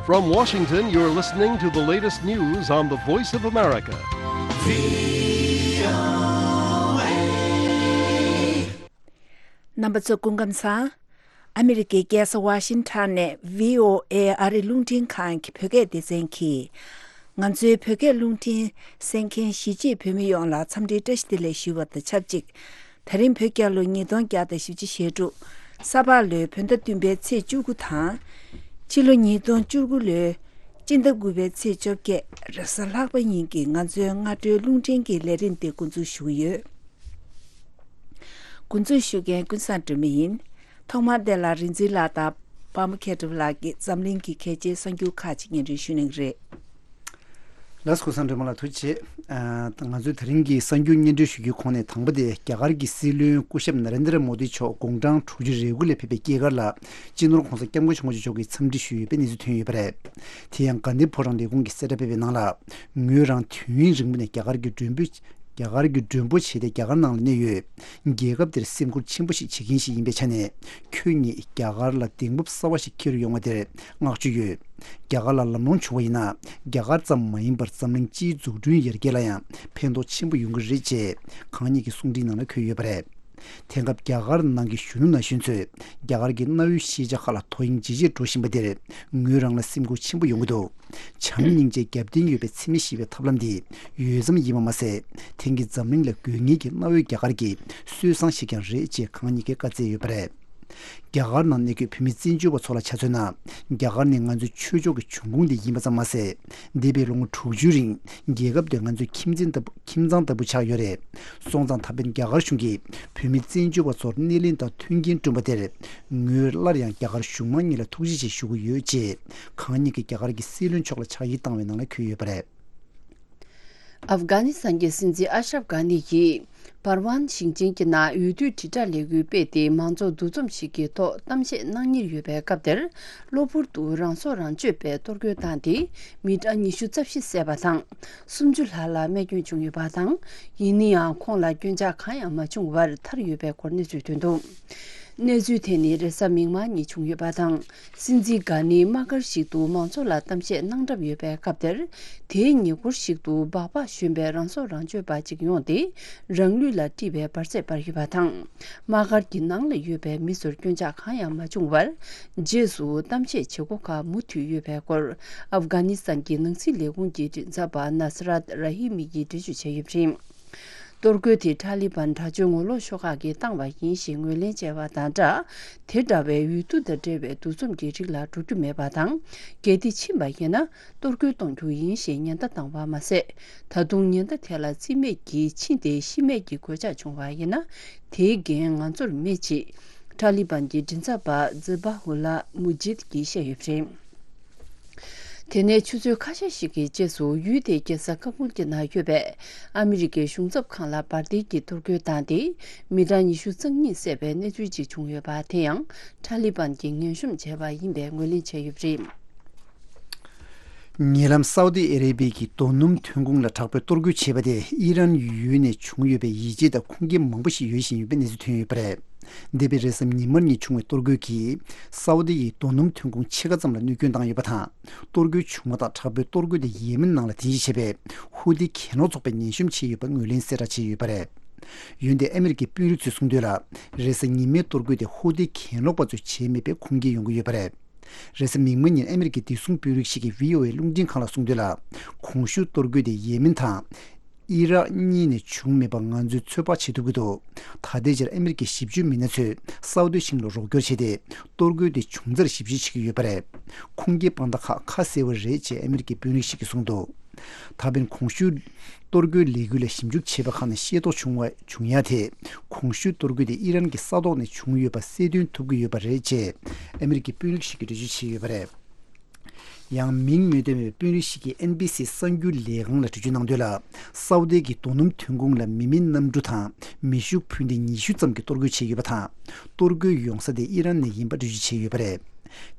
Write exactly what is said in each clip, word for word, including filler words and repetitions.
From Washington, you're listening to the latest news on the Voice of America. རྣམ་པ་ཚོ་སྐུ་ཁམས་བཟང་། ཨ་མི་རི་ཀའི་རྒྱལ་ས་ཝ་ཤིང་ཊོན་ནས་བྷི་ཨོ་ཨེ་ཨ་རི་རླུང་འཕྲིན་ཁང་གི་བོད་སྐད་སྡེ་ཚན་གྱིས། ང་ཚོའི་བོད་སྐད་རླུང་འཕྲིན་གསན་མཁན་གཞིས་བྱེས་བོད་མི་ཡོངས་ལ་འཚམས་འདྲིའི་བཀྲ་ཤིས་བདེ་ལེགས་ཞུ་བ་དང་ཆབས་ཅིག་དེ་རིང་བོད་རྒྱལ་ལོ་ཉིས་སྟོང་བརྒྱ་དང་བཞི་བཅུ་ཞེ་དྲུག་ས་ཕག་ལོའི་བོད་ཟླ་བདུན་པའི་ཚེས་བཅུ་དགུ་དང་། ཕྱི་ལོ་ཉིས་སྟོང་བཅུ་དགུ་ལོའི་སྤྱི་ཟླ་དགུ་པའི་ཚེས་བཅོ་བརྒྱད་རེས་གཟའ་ལྷག་པ་ཉིན་གྱི་ང་ཚོའི་སྔ་དྲོའི་རླུང་འཕྲིན་གྱི་ལས་རིམ་འདི་འགོ་འཛུགས་ཞུ་གི་ཡོད། འགོ་འཛུགས་ཞུ་མཁན་ཀུན་བཟང་སྒྲོལ་མ་ཡིན། ཐོག་མར་དེ་ལ་རིག་འཛིན་ལགས་དང་པདྨ་མཁས་གྲུབ་ལགས་ཀྱིས་འཛམ་གླིང་གི་གལ་ཆེའི་གསར་འགྱུར་ཁག་ཅིག་སྙན་སྒྲོན་ཞུ་གནང་གི་རེད། ལགས་སོ། ཀུན་བཟང་སྒྲོལ་མ་ལགས་ཐུགས་རྗེ་ཆེ། ཨ་ང་ཚོས་དེ་རིང་གི་གསར་འགྱུར་སྙན་སྒྲོན་ཞུ་རྒྱུའི་ཁོངས་ནས་དང་པོ་དེ་རྒྱ་གར་གྱི་སྲིད་བློན་སྐུ་ཞབས་ན་རེན་དྲ་མོ་དི་མཆོག་དགུང་གྲངས་དྲུག་ཅུ་རེ་དགུ་ལ་ཕེབས་པའི་སྐྱེས་སྐར་ལ་སྤྱི་ནོར་༸གོང་ས་༸སྐྱབས་མགོན་ཆེན་པོ་མཆོག་གིས་འཚམས་འདྲི་ཞུས་ཡོད་པའི་གནས་ཚུལ་ཐོན་ཡོད་པ་རེད། དེ་ཡང་དགའ་ལྡན་ཕོ་བྲང་ལས་ཁུངས་ཀྱིས་གསལ་བསྒྲགས་སྤེལ་བའི་ནང་ལ། ངོས་རང་དུས་ཡུན་རིང་པོ་ནས་རྒྱ་གར་གྱི་མགྲོན་པོ། རྒྱ་གར་གྱི་མགྲོན་པོ་བྱས་ཏེ་རྒྱ་གར་ནང་ལ་གནས་ཡོད། རྒྱལ་ཁབ་འདིར་སེམས་ཁུར་ཆེན་པོ་ཞིག་བྱེད་མཁན་ཞིག་ཡིན་པའི་ཆ་ནས། ཁྱོད་ཉིད་རྒྱ་གར་ལ་གདེང་སྤོབས་གསར་བ་ཞིག་འཁྱེར་ཡོང་བ་དེར་བསྔགས་བརྗོད་ཡོད། རྒྱ་གར་ལ་ལམ་ལྷོང་བྱུང་བ་ཡིན་ན། རྒྱ་གར་ཙམ་མ་ཡིན་པར་འཛམ་གླིང་སྤྱིའི་འཛུགས་སྐྲུན་ཡར་རྒྱས་ལ་ཡང་ཕན་ཐོགས་ཆེན་པོ་ཡོང་གི་རེད་ཅེས་གང་ཉིད་ཀྱི་གསུང་འཕྲིན་ནང་ལ་འཁོད་ཡོད་པ་རེད། དེང་སྐབས་རྒྱ་གར་ནང་གི་གཞོན་ནུ་ན་གཞོན་ཚོས་རྒྱ་གར་གྱི་གནའ་བོའི་ཤེས་བྱ་ཁག་ལ་དོ་དབྱིངས་ཇེ་ཆེར་འགྲོ་བཞིན་པ་དེར་ངོས་རང་ལ་སེམས་འགུལ་ཆེན་པོ་ཡོང་གི་འདུག་བྱམས་སྙིང་རྗེ་རྒྱབ་རྟེན་ཡོད་པའི་འཚེ་མེད་ཞི་བའི་ཐབས་ལམ་འདི་ཡོད་ཙམ་ཡིན་པ་མ་ཟད། དེང་གི་འཛམ་གླིང་ལ་དགོས་ངེས་ཀྱི་གནའ་བོའི་རྒྱ་གར་གྱི་སྲོལ་བཟང་ཞིག་ཀྱང་རེད་ཅེས་གང་ཉིད་ཀྱིས་བཀའ་སྩལ་ཡོད་པ་རེད། རྒྱ་གར་ནང་གནས་འཁོད་བོད་མི་བཙན་བྱོལ་བ་ཚོ་ལ་ཆ་མཚོན་ན། རྒྱ་གར་ནི་ང་ཚོའི་ཆོས་ཕྱོགས་ཀྱི་འབྱུང་ཁུངས་དེ་ཡིན་པ་ཙམ་མ་ཟད། འདས་པའི་ལོ་ངོ་དྲུག་ཅུའི་རིང་རྒྱལ་ཁབ་དེ་ང་ཚོའི་ཁྱིམ་མཚེས་ལྟ་བུ། ཁྱིམ་ཚང་ལྟ་བུ་ཆགས་ཡོད་རེད། སོང་ཙང་ད་ཕན་རྒྱ་གར་གཞུང་གིས་བོད་མི་བཙན་བྱོལ་བ་ཚོར་སྣེ་ལེན་དང་མཐུན་རྐྱེན་བསྐྲུན་པ་དེར། ངོས་སླར་ཡང་རྒྱ་གར་གཞུང་མང་གཉིས་ལ་ཐུགས་རྗེ་ཆེ་ཞུ་གི་ཡོད་ཅེས་གང་ཉིད་ཀྱིས་རྒྱ་གར་གྱི་སྲིད་བློན་མཆོག་ལ་ཕྱག་ཡིག་བཏང་བའི་ནང་ལ་འཁོད་ཡོད་པ་རེད། ཨབ་གྷ་ནི་སི་ཐན་གྱི་སྲིད་འཛིན་ཨ་ཤ་རབ་གྷ་ནི་ཡིས་པར་ཝན་ཞིང་ཆེན་གྱི་ནང་འོས་བསྡུའི་དྲིལ་བསྒྲགས་ལས་འགུལ་སྤེལ་ཏེ། མང་ཚོགས་འདུ་འཛོམས་ཤིག་གི་ཐོག་གཏམ་བཤད་གནང་གཉེར་ཡོད་པའི་སྐབས་དེར། གློ་བུར་དུ་རང་སྲོག་རང་གཅོད་པའི་གཏོར་རྒོལ་བཏང་སྟེ། མི་གྲངས་ཉི་ཤུ་རྩ་བཞི་བསད་པ་དང་། སུམ་ཅུ་ལྷག་ལ་རྨས་སྐྱོན་བྱུང་ཡོད་པ་དང་། ཡིན་ན་ཡང་ཁོང་ལ་སྐྱོན་ཆག་གང་ཡང་མ་བྱུང་བར་ཐར་ཡོད་པའི་སྐོར་གནས་ཚུལ་ཐོན་འདུག་གནས་ཚུལ་དེ་ནི་རེས་གཟའ་མིག་དམར་ཉིན་བྱུང་ཡོད་པ་དང་། སྲིད་འཛིན་གྷ་ནི་དམག་སྒར་ཞིག་ཏུ་མང་ཚོགས་ལ་གཏམ་བཤད་གནང་གྲབས་ཡོད་པའི་སྐབས་དེར། དེའི་ཉེ་འཁོར་ཞིག་ཏུ་སྦག་སྦག་ཞོན་པའི་རང་སྲོག་རང་གཅོད་པ་ཅིག་ཡོང་སྟེ། རང་ལུས་ལ་དཀྲིས་པའི་འབར་རྫས་སྤར་ཡོད་པ་དང་། དམག་སྒར་གྱི་ནང་ལ་ཡོད་པའི་མི་ཚོར་སྐྱོན་ཆག་གང་ཡང་མ་བྱུང་བར། རྗེས་སུ་གཏམ་བཤད་བྱེད་སྒོ་ཁག་མུ་མཐུད་ཡོད་པའི་སྐོར། ཨབ་གྷ་ནི་སི་ཐན་གྱི་ནང་སྲིད་ལས་ཁུངས་ཀྱི་མགྲིན་ཚབ་པ་ན་སི་རཱད་ར་ཧི་མི་ཡིས་འགྲེལ་བརྗོད་བྱས་ཡོད་པ་རེད། གཏོར་རྒོལ་དེ་ཐ་ལི་བན་དྲག་སྤྱོད་ངོ་ལོག་ཤོག་ཁག་གིས་བཏང་བ་ཡིན་ཞེས་ངོས་ལེན་བྱས་པ་དང་སྦྲགས། དེ་འདྲ་བའི་འོས་བསྡུ་དང་འབྲེལ་བའི་འདུ་འཛོམས་ཀྱི་རིགས་ལ་འགྲོ་རྒྱུ་མེད་པ་དང་། གལ་ཏེ་ཕྱིན་པ་ཡིན་ན། གཏོར་རྒོལ་གཏོང་རྒྱུ་ཡིན་ཞེས་ཉེན་བརྡ་བཏང་བ་མ་ཟད། ད་དུང་ཉེན་བརྡ་དེ་ལ་རྩིས་མེད་ཀྱིས་ཕྱིན་ཏེ་ཤི་རྨས་ཀྱི་གོད་ཆག་བྱུང་བ་ཡིན་ན། དེའི་འགན་ང་ཚོར་མེད་ཅེས། ཐ་ལི་བན་གྱི་མགྲིན་ཚབ་པ་ཛི་བྷ་ཧུ་ལ་མུ་ཇིད་ཀྱིས་བཤད་ཡོད་པ་རེད། དེ་ནས་ཆུ་ཚོད་ཁ་ཤས་ཤིག་གི་རྗེས་སུ་ཡུལ་དེའི་རྒྱལ་ས་ཀ་བུལ་གྱི་ནང་ཡོད་པའི་ཨ་མི་རི་ཀའི་གཞུང་ཚབ་ཁང་ལ་འབར་མདེལ་གྱིས་གཏོར་རྒོལ་བཏང་སྟེ། མི་གྲངས་ཉི་ཤུ་རྩ་གཉིས་བསད་པའི་གནས་ཚུལ་ཅིག་བྱུང་ཡོད་པ་དེ་ཡང་ཐ་ལི་བན་གྱིས་ངན་གཤོམ་བྱས་པ་ཡིན་པའི་ངོས་ལེན་བྱས་ཡོད་པ་རེད། ཉེ་ལམ་སའུ་ཏི་ཨ་རེ་བྷི་ཡའི་རྡོ་སྣུམ་ཐོན་ཁུངས་ལ་དྲག་པོའི་གཏོར་རྒོལ་བྱས་པ་དེ་ཨི་རན་ཡུལ་ནས་བྱུང་ཡོད་པའི་ཡིད་ཆེས་དང་ཁུངས་སྐྱེལ་མང་པོ་ཞིག་ཡོད་བཞིན་ཡོད་པའི་གནས་ཚུལ་ཐོན་ཡོད་པ་རེད། འདས་པའི་རེས་གཟའ་ཉི་མ་ཉིན་བྱུང་བའི་གཏོར་རྒོལ་གྱིས་སའུ་ཏི་ཡི་རྡོ་སྣུམ་ཐོན་ཁུངས་ཕྱེད་ཀ་ཙམ་ལ་གནོད་སྐྱོན་བཏང་ཡོད་པ་དང་། གཏོར་རྒོལ་བྱུང་བ་དང་དྲག་པོའི་གཏོར་རྒོལ་དེ་ཡེ་མེན་ནང་ལ་རྟེན་གཞི་བྱས་པའི་ཧུ་ཏི་གྱེན་ལོག་ཚོགས་པས་ཉེན་གཤོམ་བྱས་ཡོད་པ་ངོས་ལེན་གསལ་བསྒྲགས་བྱས་ཡོད་པ་རེད། འོན་ཏེ་ཨ་མི་རི་ཀའི་དཔོན་རིགས་ཚོས་གསུངས་དོན་ལ། རེས་གཟའ་ཉི་མའི་གཏོར་རྒོལ་དེ་ཧུ་ཏི་གྱེན་ལོག་པ་ཚོས་བྱས་མེད་པའི་ཁུངས་སྐྱེལ་ཡོང་གི་ཡོད་པ་རེད། རེས་གཟའ་མིག་དམར་ཉིན་ཨ་མི་རི་ཀའི་བདེ་སྲུང་དཔོན་རིགས་ཤིག་གིས་བྷི་ཨོ་ཨེ་རླུང་འཕྲིན་ཁང་ལ་གསུངས་དོན་ལ། གོང་ཞུས་གཏོར་རྒོལ་དེ་ཡེ་མེན་དང་། ཨི་རག་གཉིས་ནས་བྱུང་མེད་པ་ང་ཚོས་ཚོད་དཔག་བྱེད་ཐུབ་ཀྱི་འདུག་ད་ལྟའི་ཆར་ཨ་མི་རི་ཀའི་ཞིབ་དཔྱོད་མི་སྣ་ཚོས་སའུ་ཏི་ཤིང་ལ་རོགས་སྐྱོར་བྱས་ཏེ། གཏོར་རྒོལ་དེ་བྱུང་རྩར་ཞིབ་དཔྱད་བྱེད་ཀྱི་ཡོད་པ་རེད། ཁུངས་སྐྱེལ་དཔང་རྟགས་ཁག་ཁ་གསལ་བོ་རེད་ཅེས་ཨ་མི་རི་ཀའི་དཔོན་རིགས་ཤིག་གིས་གསུངས་འདུག་ད་ཕན་གོང་ཞུས་གཏོར་རྒོལ་ལས་འགུལ་ལ་ཞིབ་འཇུག་བྱས་པ་ཁག་ནས་ཤེས་རྟོགས་བྱུང་བ་བྱུང་ཡ་དེ། གོང་ཞུས་གཏོར་རྒོལ་དེ་ཨི་རན་གྱི་ས་ཐོག་ནས་བྱུང་ཡོད་པ་གསལ་སྟོན་ཐུབ་ཀྱི་ཡོད་པ་རེད་ཅེས་ཨ་མི་རི་ཀའི་དཔོན་རིགས་ཤིག་གིས་འགྲེལ་བརྗོད་བྱས་ཡོད་པ་རེད། ཡང་མིང་མི་འདོན་པའི་དཔོན་རིགས་ཤིག་གིས་ཨེན་བྷི་སི་གསར་འགྱུར་ལས་ཁང་ལ་འགྲེལ་བརྗོད་གནང་དོན་ལ། སའུ་ཏི་གི་རྡོ་སྣུམ་ཐོན་ཁུངས་ལ་མི་མེད་གནམ་གྲུ་དང་མེ་ཤུགས་འཕུར་མདེལ་ཉི་ཤུ་ཙམ་གྱིས་གཏོར་རྒོལ་བྱས་ཡོད་པ་དང་། གཏོར་རྒོལ་ཡོང་ས་དེ་ཨི་རན་ནས་ཡིན་པ་འགྲེལ་བརྗོད་བྱས་ཡོད་པ་རེད།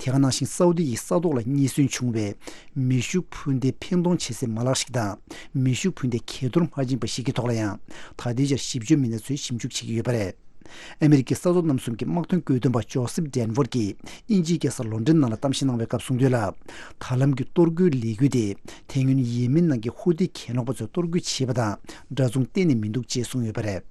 དེ་ག་ནང་བཞིན་སའུ་ཏི་ཡི་ས་ཐོག་ལ་རྙེད་སོན་བྱུང་བའི་མེ་ཤུགས་འཕུར་མདེལ་འཕེན་གཏོང་བྱེད་སའི་མ་ལག་ཞིག་དང་། མེ་ཤུགས་འཕུར་མདེལ་གས་གཏོར་མ་བྱིན་པ་ཞིག་གི་ཐོག་ལ་ཡང་ད་ལྟའི་ཆར་ཞིབ་དཔྱོད་མི་སྣ་ཚོས་ཞིབ་འཇུག་བྱེད་ཀྱི་ཡོད་པ་རེད། ཨ་མི་རི་ཀའི་ས་མཚོ་རྣམ་གསུམ་གྱི་དམག་དོན་བཀོད་འདོམས་པ་ཇོ་སེབ་ཌན་ཝར་གྱིས་དབྱིན་ཇིའི་རྒྱལ་ས་ལོན་ཌོན་ནང་ལ་གཏམ་བཤད་གནང་བའི་སྐབས་གསུངས་དོན་ལ། ད་ལམ་གྱི་གཏོར་རྒོལ་ལས་འགུལ་དེ་དེ་སྔོན་ཡེ་མེན་ནང་གི་ཧུ་ཏི་གྱེན་ལོག་པ་ཚོས་གཏོར་རྒོལ་བྱས་པ་དང་འདྲ་མཚུངས་གཏན་ནས་མི་འདུག་ཅེས་གསུངས་ཡོད་པ་རེད།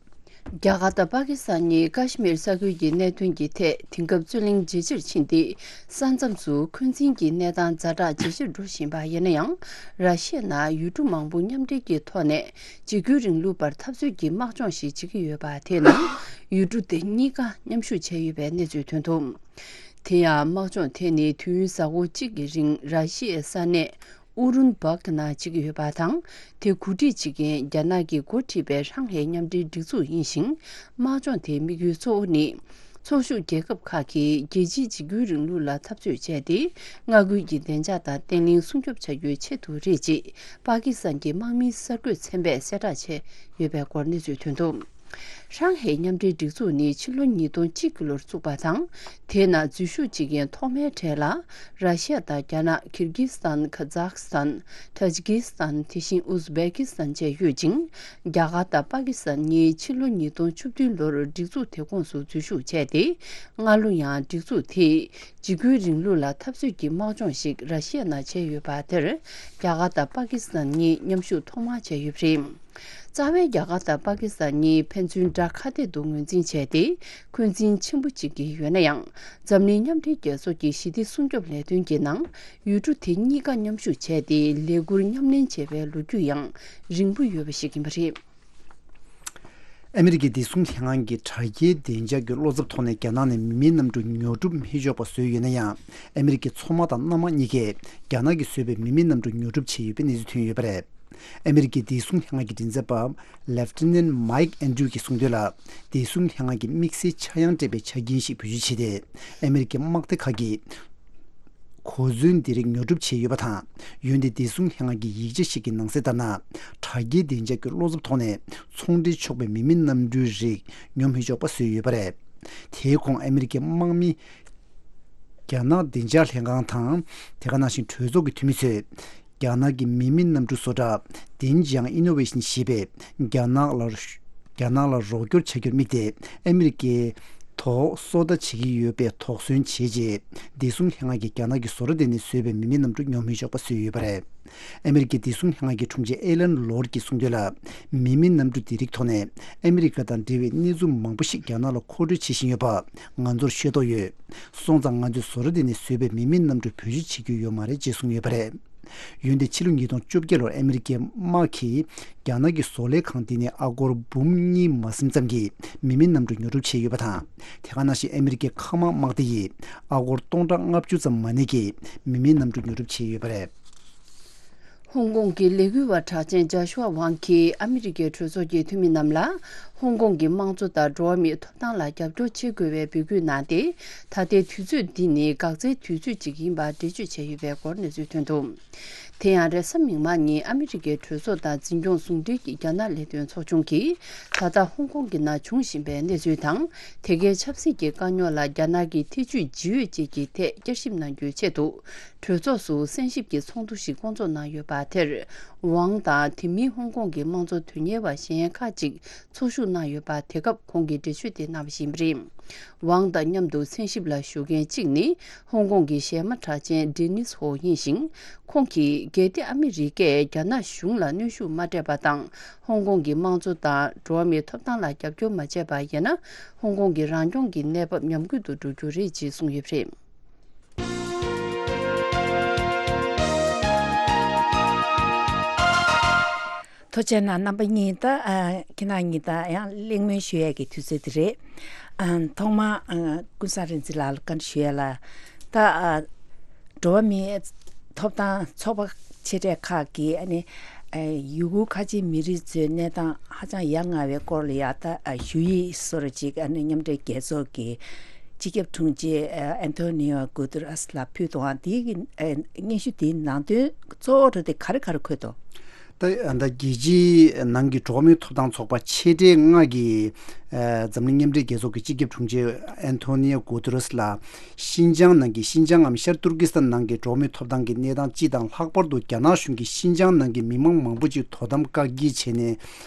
རྒྱ་གར་དང་པ་ཀི་སི་ཐན་གཉིས་ཀ་ཤི་མིར་ས་ཁུལ་གྱི་གནད་དོན་གྱི་ཐད་དེང་སྐབས་རྩོད་གླེང་ཇེ་ཆེར་ཕྱིན་ཏེ། ས་མཚམས་སུ་འཁོན་འཛིན་གྱི་གནས་སྟངས་ཛ་དྲག་ཇེ་ཆེར་འགྲོ་བཞིན་པ་ཡིན་ན་ཡང་། ར་ཤི་ཡ་ནང་ཡུལ་གྲུ་མང་པོ་མཉམ་འབྲེལ་གྱི་ཐོག་ནས་འཇིགས་སྐུལ་རིང་ལུགས་པར་འཐབ་རྩོད་ཀྱི་དམག་སྦྱོང་ཞིག་བྱེད་ཀྱི་ཡོད་པ། དེས་ན་ཡུལ་གྲུ་དེ་གཉིས་ཀ་མཉམ་ཞུགས་བྱས་ཡོད་པའི་གནས་ཚུལ་ཐོན་འདུག་དེ་ཡང་དམག་སྦྱོང་དེ་ནི་དུས་ཡུན་གཟའ་འཁོར་གཅིག་གི་རིང་ར་ཤི་ཡའི་ས་གནས་ཨུ་རུན་སྦག་ནང་བྱེད་ཀྱི་ཡོད་པ་དང་། དེ་གོ་སྒྲིག་བྱེད་མཁན་རྒྱ་ནག་གིས་འགོ་ཁྲིད་པའི་ཧྲང་ཧའེ་མཉམ་འབྲེལ་སྒྲིག་འཛུགས་ཡིན་ཞིང་། དམག་སྦྱོང་དེའི་དམིགས་ཡུལ་གཙོ་བོ་ནི། ཚོགས་ཞུགས་རྒྱལ་ཁབ་ཁག་གིས་རྒྱལ་སྤྱིའི་འཇིགས་སྐུལ་རིང་ལུགས་ལ་འཐབ་རྩོད་བྱས་ཏེ། མངའ་ཁུལ་གྱི་བདེ་འཇགས་དང་བརྟན་ལྷིང་སྲུང་སྐྱོབ་བྱ་རྒྱུའི་ཆེད་དུ་རེད་ཅེས་པ་ཀི་སི་ཐན་གྱི་དམག་མིའི་གསར་འགོད་ཚན་པས་གསལ་བསྒྲགས་བྱས་ཡོད་པའི་སྐོར་གནས་ཚུལ་ཐོན་འདུག་ཧྲང་ཧའེ་མཉམ་འབྲེལ་སྒྲིག་འཛུགས་ནི་ཕྱི་ལོ་ཉིས་སྟོང་གཅིག་གི་ལོར་བཙུགས་པ་དང་། དེའི་ནང་འཛུལ་ཞུགས་བྱེད་མཁན་ཐོག་མའི་གྲས་ལ་ར་ཤི་ཡ་དང་རྒྱ་ནག་ཀིར་གིས་སི་ཐན། ཁ་ཛག་སི་ཐན། ཏཱ་ཇི་ཀིས་སི་ཐན། དེ་བཞིན་ཨུ་ཛི་བེ་ཀིས་ཐན་བཅས་ཡོད་ཅིང་། རྒྱ་གར་དང་པ་ཀི་སི་ཐན་གཉིས་ཕྱི་ལོ་ཉིས་སྟོང་བཅུ་བདུན་ལོར་སྒྲིག་འཛུགས་དེ་ཁོངས་སུ་འཛུལ་ཞུགས་བྱས་ཏེ། སྔ་ལོ་ཡང་སྒྲིག་འཛུགས་དེས་འཇིགས་སྐུལ་རིང་ལུགས་ལ་འཐབ་རྩོད་ཀྱི་དམག་སྦྱོང་ཞིག་ར་ཤི་ཡ་ནང་བྱས་ཡོད་པ་དེར། རྒྱ་གར་དང་པ་ཀི་སི་ཐན་གཉིས་མཉམ་ཞུགས་ཐོག་མར་བྱས་ཡོད་པ་རེད། རྩ་བའི་རྒྱ་གར་དང་པ་ཀི་སི་ཐན་གཉིས་ཕན་ཚུན་དགྲ་ཁ་གཏད་དུ་ངོས་འཛིན་བྱས་ཏེ། འཁོན་འཛིན་ཆེན་པོ་བྱེད་ཀྱི་ཡོད་ན་ཡང་། འཛམ་གླིང་མཉམ་འབྲེལ་རྒྱལ་ཚོགས་ཀྱི་ཞི་བདེ་སྲུང་སྐྱོབ་ལས་དོན་གྱི་ནང་ཡུལ་གྲུ་དེ་གཉིས་ཀ་མཉམ་ཞུགས་བྱས་ཏེ། ལས་འཁུར་མཉམ་ལེན་བྱས་པའི་ལོ་རྒྱུས་ཡང་རིང་པོ་ཡོད་པ་ཞིག་ཡིན་པ་རེད། ཨ་མི་རི་ཀའི་བདེ་སྲུང་ལྷན་ཁང་གིས་དྲ་རྒྱའི་བདེ་འཇགས་ཀྱི་བློ་འཚབ་ཐོག་ནས་རྒྱ་ནག་ནས་མི་མེད་གནམ་གྲུ་ཉོ་སྒྲུབ་མི་ཆོག་པ་བཟོས་ཡོད་ན་ཡང་། ཨ་མི་རི་ཀའི་མཚོ་དམག་དང་གནམ་དམག་གཉིས་ཀས་རྒྱ་ནག་གིས་བཟོས་པའི་མི་མེད་གནམ་གྲུ་ཉོ་སྒྲུབ་བྱས་ཡོད་པའི་གནས་ཚུལ་ཐོན་ཡོད་པ་རེད། ཨ་མི་རི་ཀའི་བདེ་སྲུང་ལྷན་ཁང་གི་མགྲིན་ཚབ་པ་Lieutenant Mike Andrews གྱིས་གསུངས་དོན་ལ། བདེ་སྲུང་ལྷན་ཁང་གིས་དམིགས་བསལ་ཆག་ཡང་སྤྲད་པའི་ཆ་རྐྱེན་ཞིག་བེད་སྤྱོད་བྱས་ཏེ། ཨ་མི་རི་ཀའི་དམག་སྡེ་ཁག་གིས་གོ་མཚོན་འདི་རིགས་ཉོ་སྒྲུབ་བྱས་ཡོད་པ་དང་། འོན་ཏེ་བདེ་སྲུང་ལྷན་ཁང་གི་ཡིག་ཆ་ཞིག་གི་ནང་གསལ་ལྟར་ན། དྲ་རྒྱའི་བདེ་འཇགས་ཀྱི་བློ་འཚབ་ཐོག་ནས་ཚོང་འབྲེལ་ཆོག་པའི་མི་མེད་གནམ་གྲུའི་རིགས་ཉོ་མི་ཆོག་པ་བཟོས་ཡོད་པ་རེད། དེའི་གོང་ཨ་མི་རི་ཀའི་དམག་མི། རྒྱ་ནག་བདེ་འཇགས་ལྷན་ཁང་དང་། དེ་ག་ནང་བཞིན་གྲོས་ཚོགས་ཀྱི་འཐུས་མི་ཚོས། རྒྱ་ནག་གི་མི་མེད་གནམ་གྲུ་བཟོ་གྲྭ་Dingjiang Innovation ཞེས་པས་རྒྱ་ནག་ལ། རྒྱ་ནག་ལ་རོགས་སྐྱོར་བྱ་རྒྱུར་དམིགས་ཏེ། ཨ་མི་རི་ཀའི་ཐོག་སོ་ལྟ་བྱེད་ཀྱི་ཡོད་པའི་དོགས་ཟོན་བྱས་རྗེས། བདེ་སྲུང་ལྷན་ཁང་གིས་རྒྱ་ནག་གི་བཟོ་གྲྭ་དེ་ནས་བཟོས་པའི་མི་མེད་གནམ་གྲུ་ཉོ་མི་ཆོག་པ་བཟོས་ཡོད་པ་རེད། ཨ་མི་རི་ཀའི་བདེ་སྲུང་ལྷན་ཁང་གི་དྲུང་ཆེ་ཨེ་ལན་ལོར་གྱིས་གསུངས་དོན་ལ། མི་མེད་གནམ་གྲུ་དེ་རིགས་ཐོག་ནས་ཨ་མི་རི་ཀ་དང་འབྲེལ་བའི་གནས་ཚུལ་མང་པོ་ཞིག་རྒྱ་ནག་ལ་མཁོ་སྤྲོད་བྱེད་བཞིན་ཡོད་པ་ང་ཚོར་ཤེས་རྟོགས་ཡོད། སོང་ཙང་ང་ཚོས་བཟོ་གྲྭ་དེ་ནས་བཟོས་པའི་མི་མེད་གནམ་གྲུ་བེད་སྤྱོད་བྱེད་རྒྱུ་ཡོད་མ་རེད་ཅེས་གསུངས་ཡོད་པ་རེད། འོན་ཏེ་ཕྱི་ལོ་ཉིས་སྟོང་བཅོ་བརྒྱད་ལོར་ཨ་མི་རི་ཀའི་དམག་གིས་རྒྱ་ནག་གི་བཟོ་ལས་ཁང་དེ་ནས་ཨ་སྒོར་འབུམ་གཉིས་མ་ཟིན་ཙམ་གྱི་མི་མེད་གནམ་གྲུ་ཉོ་སྒྲུབ་བྱས་ཡོད་པ་དང་། དེ་ག་ནང་བཞིན་ཨ་མི་རི་ཀའི་མཁའ་དམག་དམག་སྡེ་ཡིས་ཨ་སྒོར་སྟོང་ཕྲག་ལྔ་བཅུ་ཙམ་མ་གནས་ཀྱི་མི་མེད་གནམ་གྲུ་ཉོ་སྒྲུབ་བྱས་ཡོད་པ་རེད། ཧོང་ཀོང་གི་ལས་འགུལ་བ་གྲགས་ཅན་ཇཱ་ཤུ་ཝ་ཝང་གིས་ཨ་མི་རི་ཀའི་གྲོས་ཚོགས་ཀྱི་འཐུས་མི་རྣམས་ལ། ཧོང་ཀོང་གི་དམངས་གཙོ་དང་འགྲོ་བ་མིའི་ཐོབ་ཐང་ལ་རྒྱབ་སྐྱོར་བྱེད་དགོས་པའི་འབོད་སྐུལ་གནང་སྟེ། ད་ལྟའི་དུས་ཚོད་འདི་ནི་འགག་རྩའི་དུས་ཚོད་ཅིག་ཡིན་པར་འགྲེལ་བརྗོད་བྱས་ཡོད་པའི་སྐོར་གནས་ཚུལ་ཐོན་འདུག་དེ་ཡང་རེས་གཟའ་མིག་དམར་ཉིན་ཨ་མི་རི་ཀའི་གྲོས་ཚོགས་དང་འཛིན་སྐྱོང་ཟུང་འབྲེལ་གྱི་རྒྱ་ནག་ལས་དོན་ཚོགས་ཆུང་གིས། ད་ལྟ་ཧོང་ཀོང་གི་ནང་བྱུང་བཞིན་པའི་གནས་ཚུལ་དང་། དེ་གའི་ཆབ་སྲིད་ཀྱི་དཀའ་རྙོག་ལ་རྒྱ་ནག་གི་ཐེ་ཇུས་ཇི་ཡོད་བཅས་ཀྱི་ཐད་བསྐྱར་ཞིབ་གནང་རྒྱུའི་ཆེད་དུ། གྲོས་ཚོགས་སུ་གསན་ཞིབ་ཀྱི་ཚོགས་འདུ་ཞིག་བསྐོང་ཚོགས་གནང་ཡོད་པ་དེར། ཝང་དང་དེ་མིན་ཧོང་ཀོང་གི་དམངས་གཙོ་དོན་གཉེར་བ་གཞན་ཁག་ཅིག་ཚོགས་ཞུགས་གནང་ཡོད་པ། དེ་སྐབས་ཁོང་གིས་འགྲེལ་བརྗོད་དེ་གནང་བ་ཞིག་ཡིན་པ་རེད། ཝང་དང་མཉམ་དུ་གསན་ཞིབ་ལ་ཞུགས་མཁན་གཅིག་ནི། ཧོང་ཀོང་གི་གཞས་མ་གྲགས་ཅན་ཌེ་ནིས་ཧོ་ཡིན་ཞིང་། ཁོང་གིས་གལ་ཏེ་ཨ་མི་རི་ཀས་རྒྱ་ནག་གཞུང་ལ་གནོན་ཤུགས་མ་སྤྲད་པ་དང་། ཧོང་ཀོང་གི་དམངས་གཙོ་དང་འགྲོ་བ་མིའི་ཐོབ་ཐང་ལ་རྒྱབ་སྐྱོར་མ་བྱས་པ་ཡིན་ན། ཧོང་ཀོང་གི་རང་སྐྱོང་གི་གནས་བབ་ཉམས་རྒུད་དུ་འགྲོ་རྒྱུ་རེད་ཅེས་གསུངས་ཡོད་པ་རེད། ཐུགས་རྗེ་གནང་རྣམ་པ་གཉིས། ད་ཨ་ཁྱེད་རང་གཉིས་ད་ཡང་གླེང་མོལ་ཞུ་ཡས་ཀྱི་དུས་ཚོད་དེ་རེད། ཨ་ཐོག་མར་ཨ་ཀུན་བཟང་རིག་འཛིན་ལགས་ལ་བཀའ་འདྲི་ཞུ་ཡས་ལ། ད་ཨ་འགྲོ་བ་མིའི་ཐོབ་ཐང་ཚོགས་པ་ཆེ་གྲས་ཁག་གིས་ཨ་ནི་ཨ་ཡུ་གུར་ཁ་ཆེ་མི་རིགས་ཚོའི་གནས་སྟངས་ཧ་ཅང་ཡ་ང་བའི་སྐོར་ལ་ཡ་ད་ཨ་ཞུ་ཡིག་སོར་ཅིག་ཨ་ནི་མཉམ་འབྲེལ་རྒྱལ་ཚོགས་ཀྱི་སྤྱི་ཁྱབ་དྲུང་ཆེ་ཨ་ཨན་ཐོ་ནི་ཡོ་གུ་ཏེ་རེས་ལ་ཕུལ་འདུག་ཨ་དེའི་གི་ཨ་སྙན་ཞུ་དེའི་ནང་དོན་གཙོ་བོ་དེ་ག་རེ་ག་རེ་འཁོད་འདུག་ད་ད་རྒྱལ་སྤྱིའི་ནང་གི་འགྲོ་བ་མིའི་ཐོབ་ཐང་ཚོགས་པ་ཆེ་གྲས་ལྔ་གིས་ཨ་འཛམ་གླིང་མཉམ་འབྲེལ་རྒྱལ་ཚོགས་ཀྱི་སྤྱི་ཁྱབ་དྲུང་ཆེ་ཨན་ཐོ་ནི་ཡོ་གུ་ཏེ་རེས་ལ་ཤིན་ཅང་ནང་གི་ཤིན་ཅང་ངམ་ཤར་ཏུར་ཀི་སི་ཐན་ནང་གི་འགྲོ་བ་མིའི་ཐོབ་ཐང་གི་གནས་སྟངས་སྤྱི་དང་ལྷག་པར་དུ་རྒྱ་ནག་གཞུང་གིས་ཤིན་ཅང་ནང་གི་མི་མང་མང་པོ་ཅིག་དོ་དམ་བཀག་སྐྱིལ་བྱས་ནས་